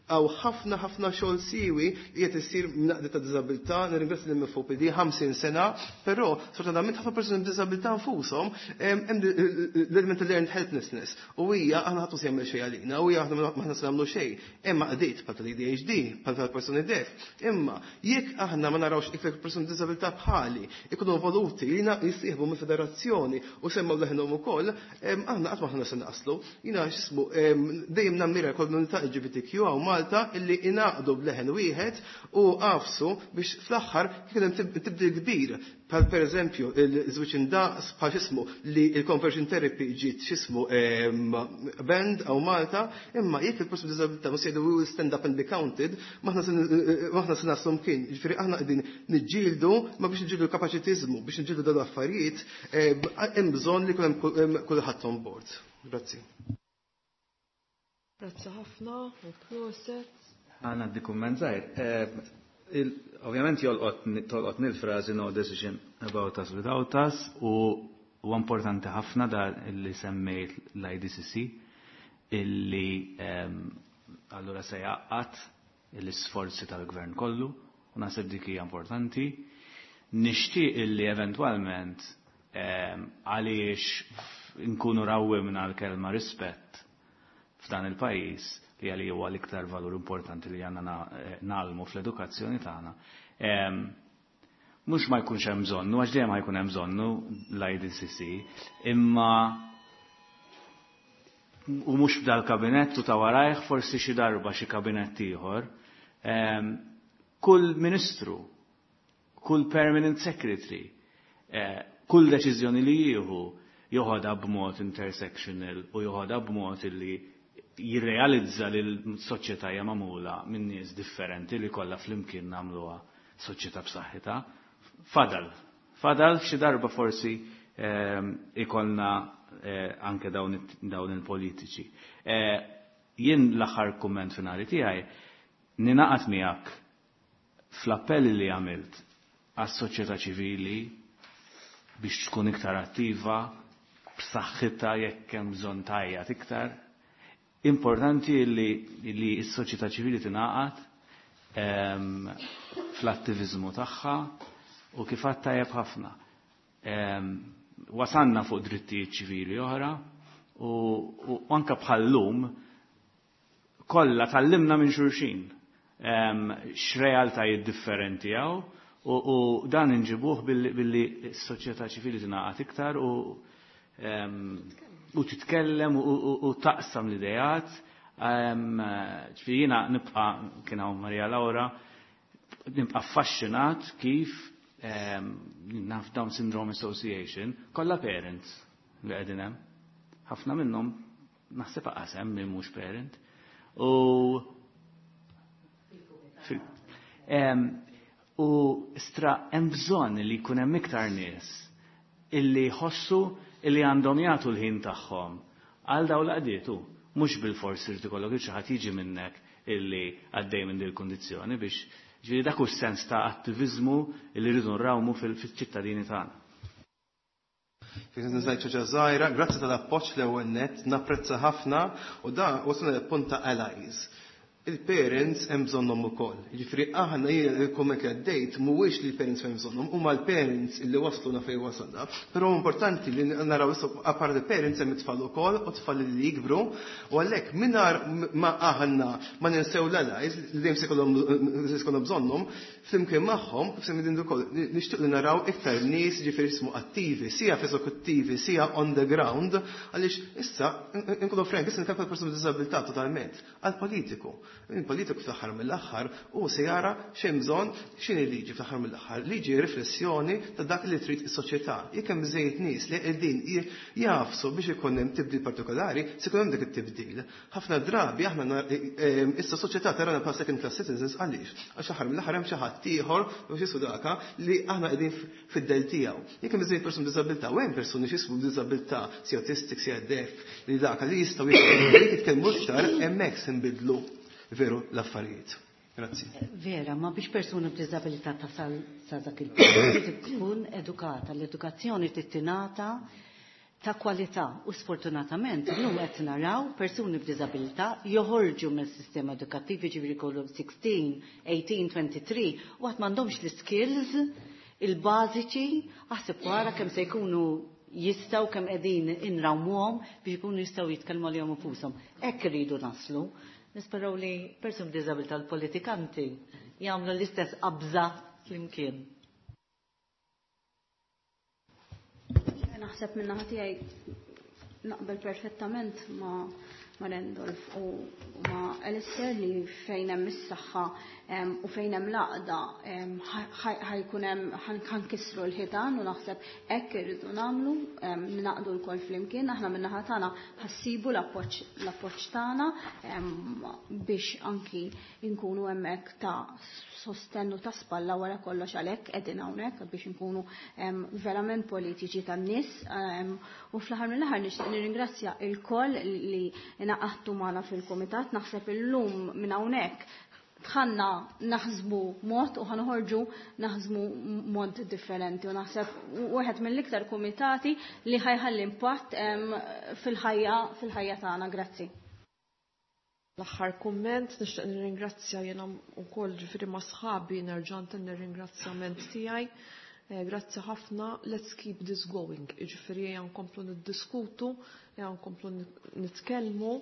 Hawn ħafna ħafna xogħol siwi li qed isir minn għaqdiet ta' diżabilità, nirringrazzja lill-MFOPD 50 sena, però sfortunatament ħafna persuni b'diżabilità nfushom hemm l-element ta' learned helplessness u hija aħna ħadd se jagħmel xejn għalina u hija aħna m'aħna se nagħmlu xejn. Hemm għaqdiet bħal tal-ADHD, bħal tal-persuni deaf. Imma jekk aħna ma narawx iktar persuni b'diżabilità bħali ikunu involuti li jissieħbu mill-federazzjoni u semmaw leħinhom ukoll, aħna qatt m'aħna se naslu. Jiena x'ismu dejjem nammira l-komunità LGBTQ hawn Malta illi ingħaqdu b'leħen wieħed u għafsu biex fl-aħħar kien hemm tibdil kbir bħal pereżempju il-żwieġ indaqs bħal x'ismu li l-conversion therapy ġiet x'ismu banned hawn Malta, imma jekk il-persuni b'diżabilità mhux jgħidu we will stand up and be counted, m'aħna se naslu mkien. Jiġifieri aħna qegħdin niġġieldu ma biex niġġieldu l-kapaċitiżmu, biex niġġieldu dawn l-affarijiet hemm bżonn li jkun hemm kulħadd on board. Grazzi. Grazzi ħafna u proset. Għana għaddi kumment żgħir. Ovvjament tolqotni l-frażi no decision about us without us u huwa importanti ħafna da li semmejt l-IDCC illi allura se jgħaqqad l-isforzi tal-gvern kollu u naħseb dik hija importanti. Nixtieq illi eventwalment għaliex nkunu rawwimna l-kelma rispett f'dan il-pajjiż li għalli huwa l-iktar valur importanti li għandna nagħlmu fl-edukazzjoni tagħna. Mhux ma jkunx hemm bżonnu, għax dejjem ħajkun hemm bżonnu l-IDCC, imma u mhux f'dal-kabinett u ta' warajh forsi xi darba xi kabinett ieħor, kull ministru, kull permanent secretary, kull deċiżjoni li jieħu joħodha b'mod intersectional u joħodha b'mod li jirrealizza li l-soċjetà hija magħmula minn nies differenti li kollha flimkien nagħmluha soċjetà b'saħħitha. Fadal, fadal xi darba forsi ikollna anke dawn il-politiċi. Jien l-aħħar kumment finali tiegħi ninaqat miegħek fl-appell li għamilt għas-soċjetà ċivili biex tkun iktar attiva, b'saħħitha jekk hemm bżonn tajjat iktar. Importanti li, li s-soċjetà ċivili tingħaqad fl-attiviżmu tagħha u kif għad tajjeb ħafna. Wasanna fuq drittijiet ċivili oħra u, u anke bħal-lum kollha tallimna minn xulxin x'realtajiet differenti hawn u, u dan inġibuh billi, billi s-soċjetà ċivili tingħaqad iktar u u titkellem u, u, u taqsam l-idejat. Ġifieri jiena nibqa' kien hawn Maria Laura, nibqa' affaxxinat kif naf Down Syndrome Association, kollha parents li qegħdin hemm. Ħafna minnhom naħseb aqas hemm min mhux parent. U u stra hemm bżonn li jkun hemm iktar nies illi jħossu illi għandhom jagħtu l-ħin tagħhom għal dawn l-għaqdiet hu. Mhux bilfors irid ikollok xi ħadd jiġi minnek illi għaddej minn din il-kundizzjoni biex ġifieri dak hu s-sens ta' attiviżmu illi rridu nrawmu fil-ċittadini tagħna. Jekk nżajt xi żgħira, grazzi tal-appoġġ l-ewwel nett, napprezza ħafna u da wasalna l-punt ta' allies. Il-parents hemm bżonnhom ukoll. Jiġifieri aħna il-kumment li għaddejt mhuwiex li l-parents hemm bżonnhom, huma l-parents illi wasluna fejn wasalna. Però importanti li naraw issa apart il-parents hemm it-tfal ukoll u tfal li jikbru u għalhekk mingħajr ma aħna ma ninsew l-allies li dejjem se jkollhom bżonnhom, flimkien magħhom, kif semmi din ukoll, nixtieq li naraw iktar nies ġifieri jismu attivi, sija f'eżekuttivi, sija on the ground, għaliex issa inkunu frank, issa nitkellmu persuni b'diżabilità totalment, għal politiku. Il-politiku fl-aħħar mill-aħħar u se jara x'hemm bżonn x'inhi liġi fl-aħħar mill-aħħar. Liġi riflessjoni ta' dak li trid is-soċjetà. Jekk hemm bżejjed nies li qegħdin jafsu biex ikun hemm tibdil partikolari, se jkun hemm dak it-tibdil. Ħafna drabi aħna issa soċjetà tarana bħala second class citizens għaliex? Għax aħħar mill-aħħar hemm xi ħadd ieħor u xi daka li aħna qegħdin fid-del tiegħu. Jekk hemm bżejjed persuni b'diżabilità u hemm persuni x'jismu b'diżabilità, si autistic, si deaf, li daka li jistgħu jitkellmu iktar hemmhekk se nbidlu veru l-affarijiet. Grazzi. Vera, ma biex persuna b'diżabilità tasal sa dak il-punt trid tkun edukata. L-edukazzjoni trid tingħata ta' kwalità u sfortunatament illum qed naraw persuni b'diżabilità joħorġu mill-sistema edukattiv jiġifieri jkollhom 16, 18, 23 u għad m'għandhomx l-skills il-bażiċi aħseb wara kemm se jkunu jistgħu kemm qegħdin inrawmuhom biex ikunu jistgħu jitkellmu għalihom infushom. Hekk irridu naslu. Nisperaw li persuni b'diżabilità l-politikanti jagħmlu l-istess qabża flimkien. Naħseb minn naħa tiegħi naqbel perfettament ma' Randolph u ma' Alistair li fejn hemm is-saħħa u fejn hemm l-għaqda ħajkun hemm ħankissru l-ħitan u naħseb hekk irridu nagħmlu naqdu lkoll flimkien aħna min-naħa tagħna ħassibu l-appoġġ tagħna biex anki nkunu hemmhekk ta' sostennu ta' spalla wara kollox għalhekk qegħdin hawnhekk biex inkunu verament politiċi tan-nies u fl-aħħar mill-aħħar nixtieq nirringrazzja il-koll li ingħaqadtu magħna fil-kumitat naħseb illum minn hawnhekk dħalna naħsbu mod u ħanħorġu naħsbu mod differenti u naħseb wieħed mill-iktar kumitati li ħajħalli impatt fil-ħajja fil-ħajja tagħna. Grazzi. L-aħħar kumment nixtieq nirringrazzja jiena wkoll ġifieri ma' sħabi nerġa' ntenni r-ringrazzjament tiegħi. Grazzi ħafna, let's keep this going. Jiġifieri ejja nkomplu niddiskutu, ejja nkomplu nitkellmu,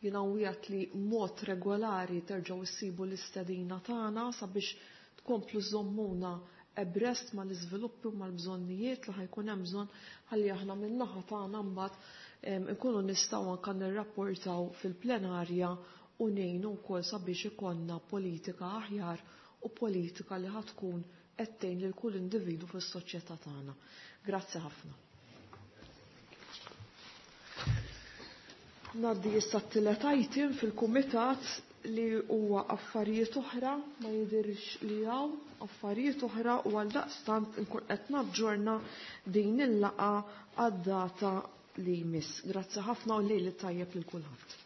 jiena nwiegħed li mod regolari terġgħu issibu l-istedina tagħna sabiex tkomplu żommuna abreast mal-iżviluppi u mal-bżonnijiet li ħajkun hemm bżonn ħalli aħna min-naħa tagħna mbagħad nkunu nistgħu anke nirrapportaw fil-plenarja u ngħinu wkoll sabiex ikollna politika aħjar u politika li ħatkun qed tgħin lil kull individwu fis-soċjetà tagħna. Grazzi ħafna. Ngħaddi issa t-tielet item fil-kumitat li huwa affarijiet oħra, ma jidhirx li hawn affarijiet oħra u għaldaqstant nkun qed naġġorna din il-laqgħa għad-data li jmiss. Grazzi ħafna u lejl tajjeb lil kulħadd.